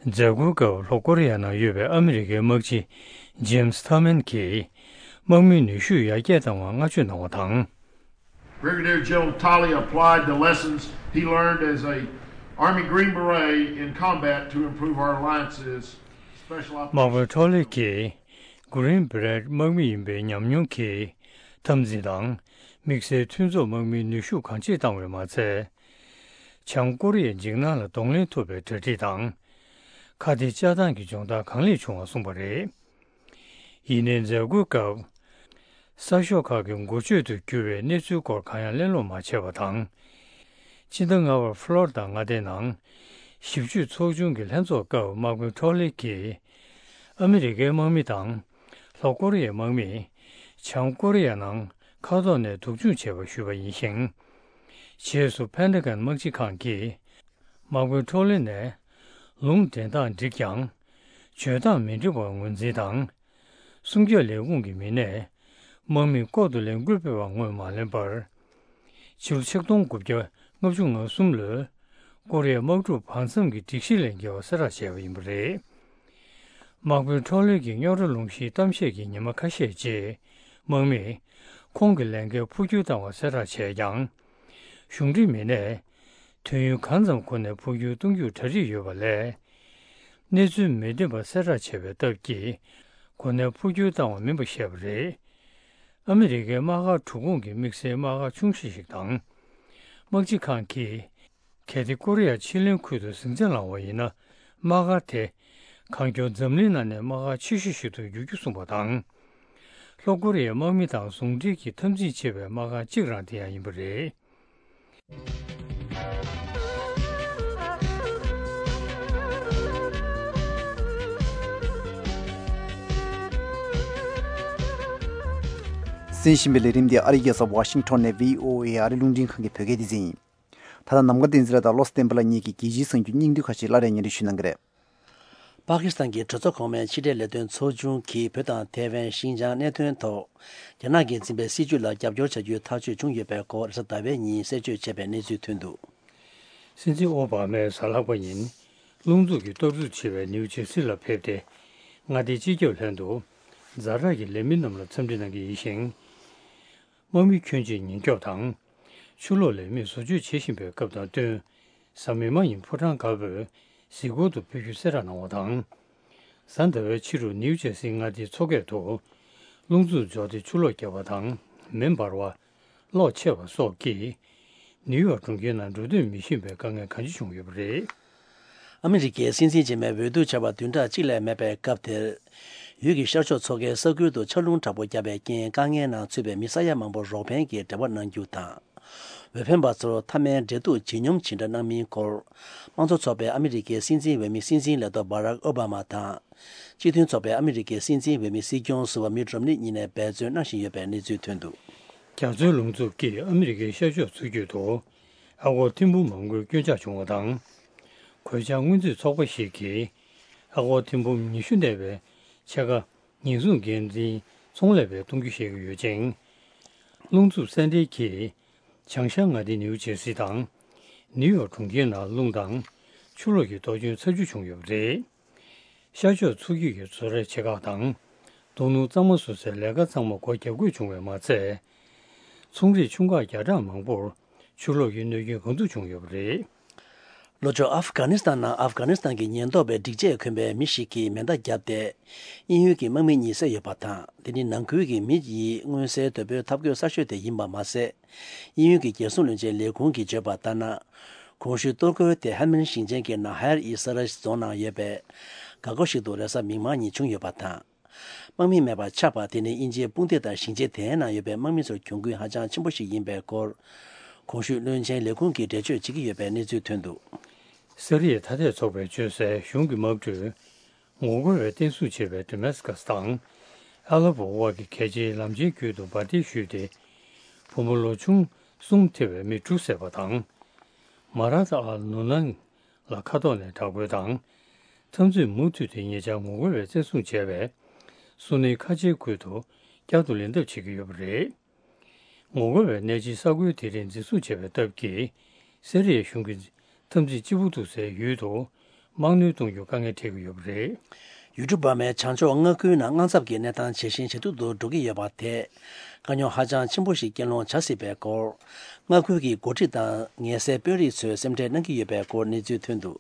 མཛད་སྒོའི་སྐབས་ལྷོ་ཀོ་རི་ཡ་ནང་ཡོད་པའི་ཨ་མི་རི་ཀའི་དམག་སྤྱི་ཇེམ་སི་ཐར་མན་གྱིས་དམག་མིའི་ནུས་ཤུགས་ཡར་རྒྱས་བཏང་བར་བསྔགས་བརྗོད་གནང་བ་དང་། Brigadier General Talley applied the lessons he learned as a Army Green Beret in combat to improve our alliances, special དམག་དཔོན་operations. ཁྲོ་ལེ་གྱིས་Green Beret དམག་མི་ཡིན་པའི་ཉམས་མྱོང་གིས་འཐབ་འཛིང་དང་དམིགས་བསལ་མཐུན་ཚོགས་དམག་མིའི་ནུས་ཤུགས་གང་ཆེ་བཏང་བས་མ་ཚད། བྱང་ཀོ་རི་ཡའི་འཇིགས་སྣང་ལ་གདོང་ལེན་ཐུབ་པའི་གྲ་སྒྲིག་དང་། ཁ་གཏད་བཅག་སྟངས་ཀྱི་སྦྱོང་བརྡར་གང་ལེགས་བྱུང་བ་གསུངས་པ་རེད། ཡིན་ནའི་མཛད་སྒོའི་སྐབས། གསར་ཤོག་ཁག་གི་འགོ་བརྗོད་དུ་གྱུར་བའི་གནས་ཚུལ་སྐོར་གང་ཡང་གླེང་སློང་མ་བྱས་པ་དང་། སྤྱི་ཟླ་ལྔ་པར་ཕློ་རི་ཌ་མངའ་སྡེའི་ནང་། ཞིབ་དཔྱོད་ཚོགས་ཆུང་གི་ལྷན་ཚོགས་སྐབས་དམག་དཔོན་ཁྲོ་ལེ་གྱིས། ཨ་མི་རི་ཀའི་དམག་མི་དང་། ལྷོ་ཀོ་རི་ཡའི་དམག་མིས། བྱང་ཀོ་རི་ཡ་ནང་མཁའ་ཐོག་ནས་སྡུག་སྦྱོང་བྱས་པ་ཞུས་པ་ཡིན་ཞིང་། རྗེས་སུ་ཕན་ཏ་གན་དམག་སྤྱི་ཁང་གིས། དམག་དཔོན་ཁྲོ་ལེ་ནས། ལུང་འདྲེན་སྟངས་འགྲིག་ཀྱང་། བྱོལ་སྟངས་མི་འགྲིག་པར་ངོས་འཛིན་དང་། སྲུང་སྐྱོབ་ལས་ཁུངས་ཀྱི་མི་སྣས། དམག་མིས་ལྐོག་ཏུ་ལས་འགུལ་སྤེལ་བར་ངོས་མ་ལེན་པར། ཕྱི་ལོ་ཆིག་སྟོང་དགུ་བརྒྱ་ལྔ་བཅུ་ང་གསུམ་ལོའི། ཀོ་རི་ཡའི་དམག་འཁྲུག་བར་མཚམས་ཀྱི་སྒྲིག་གཞི་ལས་འགལ་བ་གསལ་བསྒྲགས་བྱས་པ་ཡིན་པ་རེད། དམག་དཔོན་ཁྲོ་ལོད་ཀྱི་རྙོག་དྲ་སློང་གཞིའི་གཏམ་བཤད་ཀྱི་ཉི་མ་ཁ་ཤས་རྗེས། དམག་མིས་ཁོང་གི་ལས་འགན་འཕོ་འགྱུར་བཏང་བ་གསལ་བསྒྲགས་བྱས་ཀྱང་། གཞུང་འབྲེལ་མི་སྣས། དུས་ཡུན་གང་ཙམ་འགོར་ནས་འཕོ་འགྱུར་གཏོང་རྒྱུར་གྲ་སྒྲིག་ཡོད་པ་ལས། གནས་ཚུལ་མི་བདེན་པ་གསལ་བསྒྲགས་བྱས་པའི་སྟབས་ཀྱིས། གོ་གནས་འཕོ་འགྱུར་བཏང་བ་མིན་པ་བཤད་པ་རེད། ཨ་མི་རི་ཀའི་དམག་སྒར་དྲུག་ཁོངས་ཀྱི་དམིགས་བསལ་དམག་སྒར་ཆུང་ཤོས་ཤིག་དང་། དམག་སྤྱི་ཁང་གིས། གལ་ཏེ་ཀོ་རི་ཡ་ཕྱེད་གླིང་ཁུལ་དུ་ཟིང་ཆ་ལངས་པ་ཡིན་ན། དམག་སྒར་དེ། གང་མགྱོགས་འཛམ་གླིང་ནང་ནས་དམག་སྒར་ཆེ་ཤོས་ཤིག་ཏུ་འགྱུར་རྒྱུ་གསུངས་པ་དང་། ལྷོ་ཀོ་རི་ཡའི་དམག་མི་དང་ཟུང་འབྲེལ་གྱིས་འཐབ་འཛིང་བྱེད་པའི་དམག་སྒར་གཅིག་རང་དེ་ཡང་ཡིན་པ་རེད། གསན་བཞིན་པའི་ལས་རིམ་འདི་ཨ་རིའི་རྒྱལ་ས་ཝ་ཤིང་ཊོན་ནས་བྷི་ཨོ་ཨེ་ཨ་རིའི་རླུང་འཕྲིན་ཁང་གི་བོད་སྐད་སྡེ་ཚན་ཡིན། ད་ལྟ་ནམ་མཁའ་བསྟན་འཛིན་ལགས་དང་བློ་བཟང་བསྟན་པ་ལགས་གཉིས་ཀྱིས་རྒྱལ་སྤྱིའི་གསར་འགྱུར་སྙིང་བསྡུས་ཁག་ཅིག་སླར་ཡང་སྙན་སྒྲོན་ཞུ་གནང་གི་རེད། པ་ཀི་སི་ཐན་གྱི་གྲོས་ཚོགས་གོང་མའི་ཕྱི་འབྲེལ་ལས་དོན་ཚོགས་ཆུང་གིས་བོད་དང་ཐའེ་ཝན་ཤིན་ཅང་གནད་དོན་ཐོག་རྒྱ་ནག་གིས་འཛིན་པའི་སྲིད་བྱུས་ལ་རྒྱབ་སྐྱོར་བྱ་རྒྱུའི་ཐག་གཅོད་བྱུང་ཡོད་པའི་སྐོར་རེས་གཟའ་ཟླ་བའི་ཉིན་གསལ་བརྗོད་བྱས་པའི་གནས་ཚུལ་ཐོན་འདུག། སྲིད་འཛིན་ཨོ་བྷ་མས་གཟའ་ལྷག་པ་ཉིན་རླུང་འཚུབ་ཀྱིས་གཏོར་རྒོལ་བྱས་པའི་ནིའུ་ཇེར་སི་ལ་ཕེབས་ཏེ། མངའ་སྡེའི་སྤྱི་ཁྱབ་ལྷན་དུ་ཛ་དྲག་གི་ལས་མི་རྣམས་ལ་འཚམས་འདྲི་གནང་གི་ཡིན་ཞིང་། དམག་མི་ཁྱོན་ཆེ་ཉེན་སྐྱོབ་དང་། ཆུ་ལོག་ལས་མིས་བཟོ་བཅོས་བྱེད་བཞིན་པའི་སྐབས་དང་བསྟུན། གཟའ་མིག་དམར་ཉིན་ཕོ་བྲང་དཀར་པོའི་གཟིགས་སྐོར་དུ་ཕེབས་རྒྱུ་གསལ་བསྒྲགས་གནང་བ་དང་། གཟའ་ཟླ་བའི་ཕྱི་དྲོ་ནིའུ་ཇེར་སིའི་མངའ་སྡེའི་མཚོ་ཁ་དུ། རླུང་འཚུབ་འབྱོར་ཏེ་ཆུ་ལོག་བརྒྱབ་པ་དང་མེ་འབར་བ། གློག་ཆད་པ་སོགས་ཀྱིས། ནིའུ་ཡོག་གྲོང་ཁྱེར་ནང་འགྲོ་སྡོད་མི་ཤེས་པའི་དཀའ་ངལ་གང་ཆེ་བྱུང་ཡོད་པ་རེད། ཨ་མི་རི་ཀའི་སྲིད་འཛིན་རྗེས་མའི་འོས་བསྡུ་བྱ་བ་བདུན་ཕྲག་གཅིག་ལས་མེད་པའི་སྐབས་དེར། ཡུལ་གྱི་ཤར་ཕྱོགས་མཚོ་ཁའི་ས་ཁུལ་དུ་ཆར་རླུང་དྲག་པོ་བརྒྱབ་པའི་རྐྱེན། དཀའ་ངལ་ནང་ཚུད་པའི་མི་ས་ཡ་མང་པོར་རོགས་ཕན་གྱི་འབྲེལ་བ་གནང་རྒྱུ་དང་། འོས་འཕེན་པ་ཚོར་མཐའ་མའི་འབྲེལ་གཏུག་ཇེ་སྙོམས་ཇི་འདྲ་གནང་མིན་སྐོར། དམངས་གཙོ་ཚོགས་པའི་ཨ་མི་རི་ཀའི་སྲིད་འཛིན་འོས་མི་སྲིད་འཛིན་ལས་ཐོག་བྷ་རག་ཨོ་བྷ་མ་དང་། སྤྱི་མཐུན་ཚོགས་པའི་ཨ་མི་རི་ཀའི་སྲིད་འཛིན་འོས་མི་སྲིད་སྐྱོང་ཟུར་པ་མིད་རོམ་ནི་གཉིས་ནས་འབད་བརྩོན་གནང་བཞིན་ཡོད་པའི་གནས་ཚུལ་ཐོན་འདུག། རྒྱ་མཚོའི་རླུང་འཚུབ་ཀྱིས་ཨ་མི་རི་ཀའི་ཤར་ཕྱོགས་མཚོ་རྒྱུད་དུ། ཨ་སྒོར་ཐེར་འབུམ་མང་པོའི་སྐྱོན་ཆག་བྱུང་བ་དང་། གོད་ཆག་སྔོན་རྩིས་ཚོགས་པ་ཞིག་གིས། ཨ་སྒོར་ཐེར་འབུམ་ཉི་ཤུ་གནས་པའི་ཕྱེད་ཀ་ཉེན་སྲུང་འགན་འཛིན་ཚོང་ལས་པས་གཏོང་རྒྱུ་བཤད་ཀྱི་ཡོད་ཅིང་། རླུང་འཚུབ་གསལ་འགྲེལ་གྱིས། བྱང་ཤར་མངའ་སྡེ་ནིའུ་ཇེར་སི་དང་། ནིའུ་ཡོག་གྲོང་ཁྱེར་ནང་རླུང་དང་། ཆུ་ལོག་གི་གཏོར་སྐྱོན་ཚ་རྒྱུ་བྱུང་ཡོད་པ་རེད། ཤར་ཕྱོགས་མཚོ་རྒྱུད་ཀྱི་བཟོ་གྲྭའི་ཆེ་ཁག་དང་། རྡོ་སྣུམ་གཙང་མ་བཟོ་སའི་ལས་ཀ་ཚང་མ་སྒོ་བརྒྱབ་དགོས་བྱུང་བས་མ་ཚད། ཚོང་རིགས་ཆུང་ཁག་བརྒྱ་ཕྲག་མང་པོར་ཆུ་ལོག་གི་གནོད་སྐྱོན་གང་ཐུབ་བྱུང་ཡོད་པ་རེད། ལྷོ་ཕྱོགས་ཨབ་གྷ་ནི་སི་ཐན་ནང་ཨབ་གྷ་ནི་སི་ཐན་གྱི་ཉེན་རྟོག་པའི་སྒྲིག་ཆས་གོན་པའི་མི་ཞིག་གིས་མེ་མདའ་བརྒྱབ་སྟེ། དབྱིན་ཡུལ་གྱི་དམག་མི་གཉིས་བསད་ཡོད་པ་དང་། དེ་ནི་ནང་ཁུལ་གྱི་མི་ཡིས་མངོན་གསལ་དོད་པོས་འཐབ་རྒོལ་གསར་ཤོས་དེ་ཡིན་པ་མ་ཟད། དབྱིན་ཡུལ་གྱི་རྒྱལ་སྲུང་བློན་ཆེན་ལས་ཁུངས་ཀྱིས་བརྗོད་པ་ལྟར་ན། གོང་ཞུས་གཏོར་རྒོལ་དེ་ཧན་ནན་ཞིང་ཆེན་གྱི་ནཱ་ཧེར་ཨི་ས་ར་རྫོང་ནང་ཡོད་པའི་འགག་སྒོ་ཞིག་ཏུ་རེས་གཟའ་མིག་དམར་ཉིན་བྱུང་ཡོད་པ་དང་། དམག་མི་མེད་པར་ཆགས་པ་དེ་ནི་དབྱིན་ཇིའི་དཔུང་སྡེ་དང་ཞིང་ཆེན་དེའི་ནང་ཡོད་པའི་དམག་མི་ཚོར་གྱོང་གུན་ཧ་ཅང་ཆེན་པོ་ཞིག་ཡིན་པའི་སྐོར། གོང་ཞུས་བློན་ཆེན་ལས་ཁུངས་ཀྱིས་འགྲེལ་བརྗོད་བྱེད་ཀྱི་ཡོད་པའི་གནས་ཚུལ་ཐོན་འདུག། སི་རི་ཡའི་ཐ་དད་ཚོགས་པས་བཅོལ་སའི་གཞུང་གི་དམག་གྲུས། ངོ་རྒོལ་བས་བརྟན་སྲུང་བྱེད་པའི་ཌེ་མེ་སི་ཀ་སི་དང་། ཨ་ལ་པོ་དབར་གྱི་གལ་ཆེའི་ལམ་ཆེན་ཁུལ་དུ་འབར་མདེལ་གཞུས་ཏེ། བུ་མོ་ལོ་ཆུང་གསུམ་ཐེ་བའི་མི་དྲུག་བསད་པ་དང་། མ་ར་ཐ་ཨལ་ནུ་ནན་ལ་མཁའ་ཐོག་ནས་དྲག་རྒོལ་དང་། འཐབ་འཛིང་མུ་མཐུད་དེ་ཉེ་ཆར་ངོ་རྒོལ་བས་བཙན་བཟུང་བྱས་པའི། སུན་ནིའི་ཁ་ཆེའི་ཁུལ་དུ་བསྐྱར་དུ་ལེན་ཐབས་བྱེད་ཀྱི་ཡོད་པ་རེད། ངོ་རྒོལ་བས་གནས་ཆེན་ས་ཁུལ་དེ་རིང་འཛིན་བཟུང་བྱས་པའི་སྟབས་ཀྱིས། སི་རི་ཡའི་གཞུང་གིས་འཐབ་འཛིང་ལྕི་པོ་འདུག་སའི་ཡུལ་དུ་དམག་སྣོན་གཏོང་རྒྱུར་དཀའ་ངལ་འཕྲད་ཀྱི་ཡོད་པ་རེད། ཡུལ་གྲུ་འབར་མའི་བྱང་ཕྱོགས་མངའ་ཁུལ་ནང་དངངས་འཚབ་ཀྱི་གནས་སྟངས་ཇེ་ཞན་ཇེ་སྡུག་ཏུ་འགྲོ་གི་ཡོད་པ་དེས། དཀའ་རྙོག་ཧ་ཅང་ཆེན་པོ་ཞིག་རྐྱེན་སློང་བྱ་སྲིད་པའི་སྐོར། མངའ་ཁུལ་གྱི་འགོ་ཁྲིད་དང་ངལ་སེལ་དཔོན་རིགས་ཚོས་སེམས་ཁྲལ་གནང་གི་ཡོད་པའི་སྐོར་གནས་ཚུལ་ཐོན་འདུག།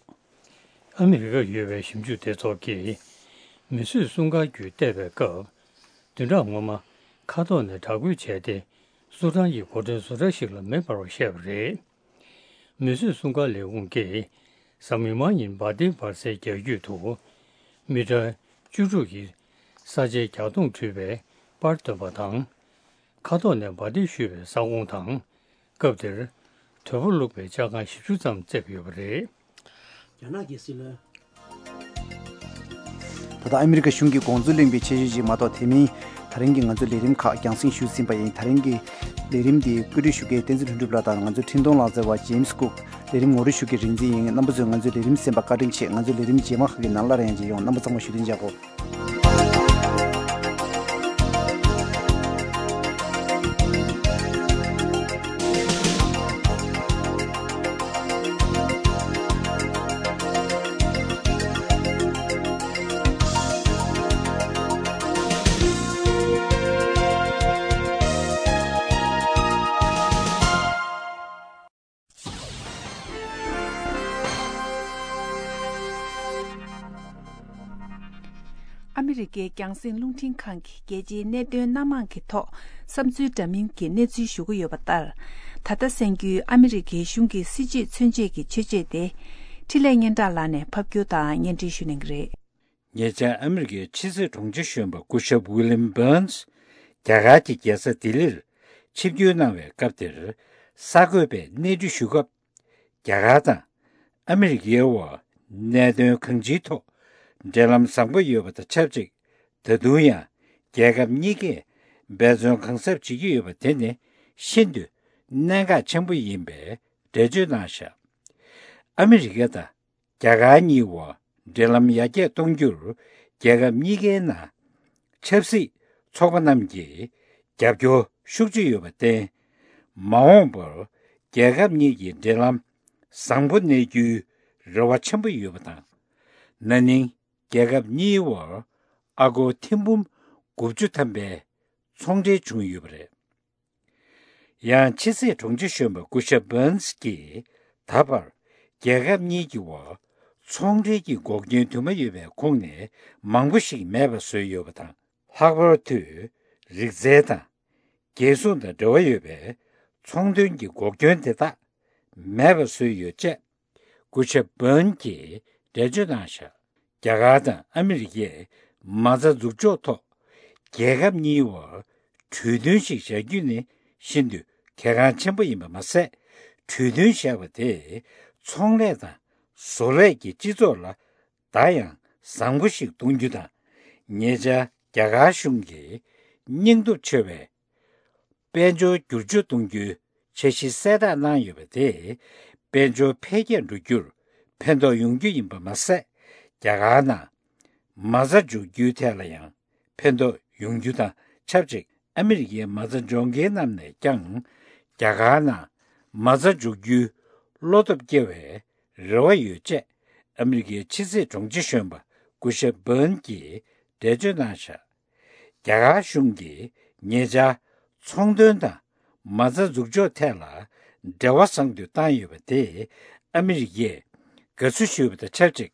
ཨ་མི་རི་ཀར་ཡོད་པའི་ཞིབ་འཇུག་སྡེ་ཚོགས་ཀྱིས། མིས་བཟོས་སྲུང་སྐར་བརྒྱུད་བལྟས་པའི་སྐབས། བདུན་ཕྲག་སྔོན་མ། མཁའ་ཐོག་ནས་དྲག་རྒོལ་བྱས་ཏེ། སུ་ཌན་གྱི་འགོ་ཁྲིད་བཟོ་གྲྭ་ཞིག་ལ་མེ་འབར་བ་བཤད་པ་རེད། མིས་བཟོས་སྲུང་སྐར་ལས་ཁུངས་ཀྱིས། གཟའ་མིག་དམར་ཉིན་འབར་མདེལ་འབར་སའི་རྒྱ་ཁྱོན་དུ། མི་ཊར་བཅུ་དྲུག་གི་ས་ཆའི་རྒྱ་མཐོངས་འཁྲུད་པའི་པར་བཏོན་པ་དང་། མཁའ་ཐོག་ནས་འབར་མདེལ་གཞུས་པའི་ས་ཁོངས་དང་། སྐབས་དེར། དོས་པོ་བླུགས་པའི་ལྕགས་ཁང་བཞི་བཅུ་ཙམ་བཙེམས་ཡོད་པ་རེད། རྒྱ་ནག་གི་སྲིད་བློན། ད་ལྟ་ཨ་མི་རི་ཀ་གཞུང་གི་དགོངས་ཚུལ་གླེང་བའི་ཆེད་ཞུ་ཅིག་མ་གཏོགས་དེ་མིན། ད་རིང་གི་ང་ཚོའི་ལས་རིམ་ཁག་རྒྱང་སྲིང་ཞུས་ཟིན་པ་ཡིན། ད་རིང་གི་ལས་རིམ་འདི་བཀོད་སྒྲིག་ཞུ་མཁན་བསྟན་འཛིན་ལྷུན་གྲུབ་ལགས་དང་ང་ཚོའི་འཕྲིན་གཏོང་ལག་རྩལ་བ་ཇེམ་སི་ཀུག། ལས་རིམ་ངོ་སྤྲོད་ཞུ་མཁན་རིག་འཛིན་ཡིན། རྣམ་པ་ཚོས་ང་ཚོའི་ལས་རིམ་གསན་པར་བཀའ་དྲིན་ཆེ། ང་ཚོའི་ལས་རིམ་རྗེས་མ་ཁག་གི་ནང་སླར་ཡང་མཇལ་ཡོང་། རྣམ་པ་ཚང་མ་བཞུགས་གདན་འཇགས་དགོས། ཨ་མི་རི་ཀའི་རྒྱང་སྲིང་རླུང་འཕྲིན་ཁང་གིས་རྒྱལ་སྤྱིའི་གནད་དོན་སྣ་མང་གི་ཐོག་བསམ་ཚུལ་འདྲ་མིན་གྱི་གནས་ཚུལ་ཞུ་གི་ཡོད་པ་ལྟར། ད་ལྟ་གསན་རྒྱུའི་ཨ་མི་རི་ཀའི་གཞུང་གི་སྲིད་བྱུས་མཚོན་བྱེད་ཀྱི་ཆོས་ཆོས་དེ། འཕྲིན་ལས་སྙན་གྲགས་ལགས་ནས་ཕབ་སྒྱུར་དང་སྙན་སྒྲོན་ཞུ་གནང་གི་རེད། ཉེ་ཆར་ཨ་མི་རི་ཀའི་ཕྱི་སྲིད་དྲུང་ཆེ་གཞོན་པ་སྐུ་ཞབས་ཝི་ལིམ་བྷར་ནས་རྒྱ་གར་གྱི་རྒྱལ་ས་ལྡི་ལིར་ཆིབས་བསྒྱུར་གནང་བའི་སྐབས་དེར། གསར་འགོད་པས་གནས་འདྲི་ཞུ་སྐབས། རྒྱ་གར་དང་ཨ་མི་རི་ཀའི་དབར་གནད་དོན་གང་ཅིའི་ཐོག་འབྲེལ་ལམ་བཟང་པོ་ཡོད་པ་དང་ཆབས་ཅིག་ད་དུང་ཡང་རྒྱལ་ཁབ་གཉིས་ཀས་འབད་བརྩོན་གང་ཟབ་བྱེད་ཀྱི་ཡོད་པ་དེ་ནི་ཤིན་ཏུ་གནད་འགག་ཆེན་པོ་ཡིན་པའི་འགྲེལ་བརྗོད་གནང་བཞག་ཨ་མི་རི་ཀ་དང་རྒྱ་གར་གཉིས་དབར་འབྲེལ་ལམ་ཡར་རྒྱས་གཏོང་རྒྱུར་རྒྱལ་ཁབ་གཉིས་ཀའི་ནང་ཆབ་སྲིད་ཚོགས་པ་རྣམས་ཀྱིས་རྒྱབ་སྐྱོར་ཤུགས་ཆེ་ཡོད་པར་བརྟེན། མ་འོངས་པར་རྒྱལ་ཁབ་གཉིས་ཀྱི་འབྲེལ་ལམ་བཟང་པོ་གནས་རྒྱུའི་རེ་བ་ཆེན་པོ་ཡོད་པ་དང་། ན་ནིང་རྒྱལ་ཁབ་གཉིས་དབར་ཨ་སྒོར་ཐེར་འབུམ་དགུ་བཅུ་ཐམ་པའི་ཚོང་འབྲེལ་བྱུང་ཡོད་པ་རེད། ཡང་ཕྱི་སྲིད་དྲུང་ཆེ་གཞོན་པ་སྐུ་ཞབས་བྷར་ནས་ཀྱིས་ད་བར་རྒྱལ་ཁབ་གཉིས་ཀྱི་དབར་ཚོང་འབྲེལ་གྱི་འགོག་རྐྱེན་དུ་མ་ཡོད་པའི་ཁོངས་ནས་མང་པོ་ཞིག་མེད་པ་བཟོས་ཡོད་པ་དང་། ལྷག་པར་དུ་རིག་རྩལ་དང་རྒྱལ་སྲུང་དང་འབྲེལ་བ་ཡོད་པའི་ཚོང་དོན་གྱི་འགོག་རྐྱེན་དེ་དག་མེད་པ་བཟོས་ཡོད་ཅེས། སྐུ་ཞབས་བྷར་ནས་ཀྱིས་འགྲེལ་བརྗོད་གནང་བཞག་རྒྱ་གར་དང་ཨ་མི་རི་ཀས་མ་རྩ་འཛུགས་ཕྱོགས་ཐོག་རྒྱལ་ཁབ་གཉིས་དབར་གྲོས་མཐུན་ཞིག་བཞག་རྒྱུ་ནི་ཤིན་ཏུ་གལ་འགངས་ཆེན་པོ་ཡིན་པ་མ་ཟད། གྲོས་མཐུན་བཞག་པ་དེས་ཚོང་ལས་དང་བཟོ་ལས་ཀྱི་སྤྱི་ཚོགས་ལ་ད་ཡང་བཟང་པོ་ཞིག་གཏོང་རྒྱུ་དང་། ཉེ་ཆར་རྒྱ་གར་གཞུང་གིས་སྙིང་སྟོབས་ཆེ་བའི་དཔལ་འབྱོར་བསྒྱུར་བཅོས་གཏོང་རྒྱུའི་འཆར་གཞི་གསལ་བསྒྲགས་གནང་ཡོད་པ་དེས་དཔལ་འབྱོར་འཕེལ་རྒྱས་འགྲོ་རྒྱུར་ཕན་ཐོགས་ཡོང་རྒྱུ་ཡིན་པ་མ་ཟད། རྒྱ་གར་ནང་མ་རྩ་འཇོག་རྒྱུའི་ཐད་ལ་ཡང་ཕན་ཐོགས་ཡོང་རྒྱུ་དང་ཆབས་ཅིག་ཨ་མི་རི་ཀའི་མ་རྩ་འཇོག་མཁན་རྣམས་ནས་ཀྱང་རྒྱ་གར་ནང་མ་རྩ་འཇོག་རྒྱུའི་བློ་སྟོབས་སྐྱེ་བའི་རེ་བ་ཡོད་ཅེས་ཨ་མི་རི་ཀའི་ཕྱི་སྲིད་དྲུང་ཆེ་གཞོན་པ་སྐུ་ཞབས་བྷར་ནས་ཀྱིས་འགྲེལ་བརྗོད་གནང་བཞག་རྒྱ་གར་གཞུང་གིས་ཉེ་ཆར་ཚོང་དོན་དང་མ་རྩ་འཛུགས་ཕྱོགས་ཐད་ལ་འབྲེལ་བ་བཟང་དུ་བཏང་ཡོད་པ་དེ་ཨ་མི་རི་ཀས་དགའ་བསུ་ཞུས་པ་དང་ཆབས་ཅིག་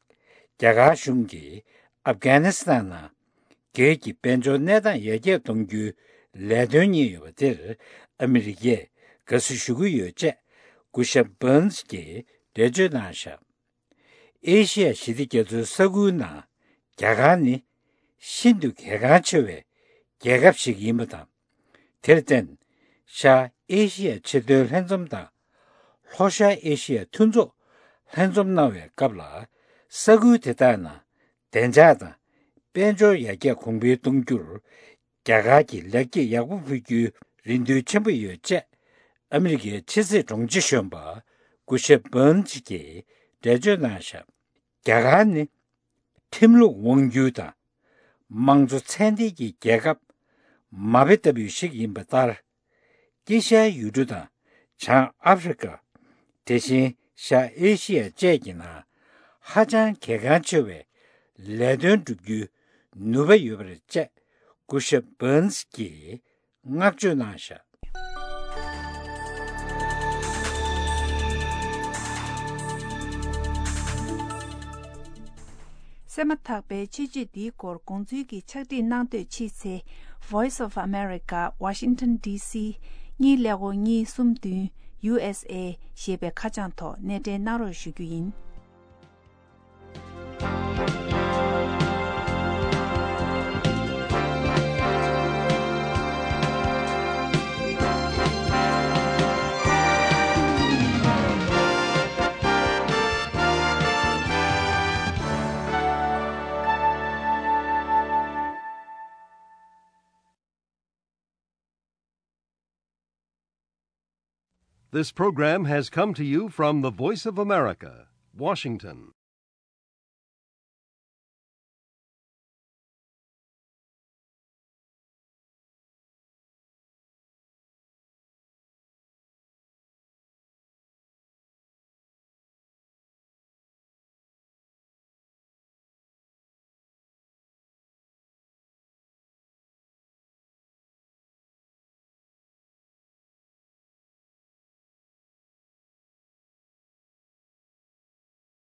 རྒྱ་གར་གཞུང་གིས་ཨབ་གྷ་ནི་སི་ཐན་ནང་སྒེར་གྱི་དཔལ་འབྱོར་གནས་སྟངས་ཡར་རྒྱས་གཏོང་རྒྱུའི་ལས་དོན་གཉེར་ཡོད་པ་དེར་ཨ་མི་རི་ཀས་དགའ་བསུ་ཞུ་གི་ཡོད་ཅེས་སྐུ་ཞབས་བྷར་ནས་ཀྱིས་འགྲེལ་བརྗོད་གནང་བཞག་ཨེ་ཤི་ཡ་ཞི་བདེ་རྒྱ་མཚོའི་ས་ཁུལ་ནང་རྒྱ་གར་ནི་ཤིན་ཏུ་གལ་འགངས་ཆེ་བའི་རྒྱལ་ཁབ་ཞིག་ཡིན་པ་དང་། དེར་བརྟེན། ཤར་ཨེ་ཤི་ཡ་ཕྱིར་ཐོན་ལྷན་འཛོམས་དང་། ལྷོ་ཤར་ཨེ་ཤི་ཡ་མཐུན་ཚོགས་ལྷན་འཛོམས་གནང་བའི་སྐབས་ལ། ས་ཁུལ་དེ་དག་ནང་བདེ་འཇགས་དང་དཔལ་འབྱོར་ཡར་རྒྱས་གོང་འཕེལ་གཏོང་རྒྱུར། རྒྱ་གར་གྱིས་ལེགས་སྐྱེས་ཡག་པོ་ཕུལ་རྒྱུའི་རེ་འདུན་ཆེན་པོ་ཡོད་ཅེས། ཨ་མི་རི་ཀའི་ཕྱི་སྲིད་དྲུང་ཆེ་གཞོན་པ་སྐུ་ཞབས་བྷར་ནས་ཀྱིས་འགྲེལ་བརྗོད་གནང་བཞག་རྒྱ་གར་ནི་ཁྲིམས་ལུགས་དབང་སྒྱུར་དང་། དམངས་གཙོ་ཚད་ལྡན་གྱི་རྒྱལ་ཁབ་མ་དཔེ་ལྟ་བུ་ཞིག་ཡིན་པ་ལྟར། དཀྱིལ་ཤར་ཡུལ་གྲུ་དང་བྱང་ཨ་ཧྥེ་རི་ཀ། དེ་བཞིན་ཤར་ཨེ་ཤི་ཡ་བཅས་ཀྱི་ནང་ཧ་ཅང་གལ་འགངས་ཆེ་བའི་ལས་དོན་བསྒྲུབ་རྒྱུའི་ནུས་པ་ཡོད་པ་རེད་ཅེས་སྐུ་ཞབས་བྷར་ནས་ཀྱིས་བསྔགས་བརྗོད་གནང་བཞག་གསན་མ་ཐག་པའི་ཆོས་བརྒྱུད་འདིའི་སྐོར་དགོངས་ཚུལ་གྱི་ཕྱག་བྲིས་གནང་འདོད་མཆིས་ཚེ། Voice of America, Washington D C, གཉིས་ཀླད་ཀོར་གཉིས་གསུམ་བདུན། U S A ཞེས་པའི་ཁ་བྱང་ཐོག་སྣེ་འདྲེན་གནང་རོགས་ཞུ་རྒྱུ་ཡིན། This program has come to you from the Voice of America, Washington.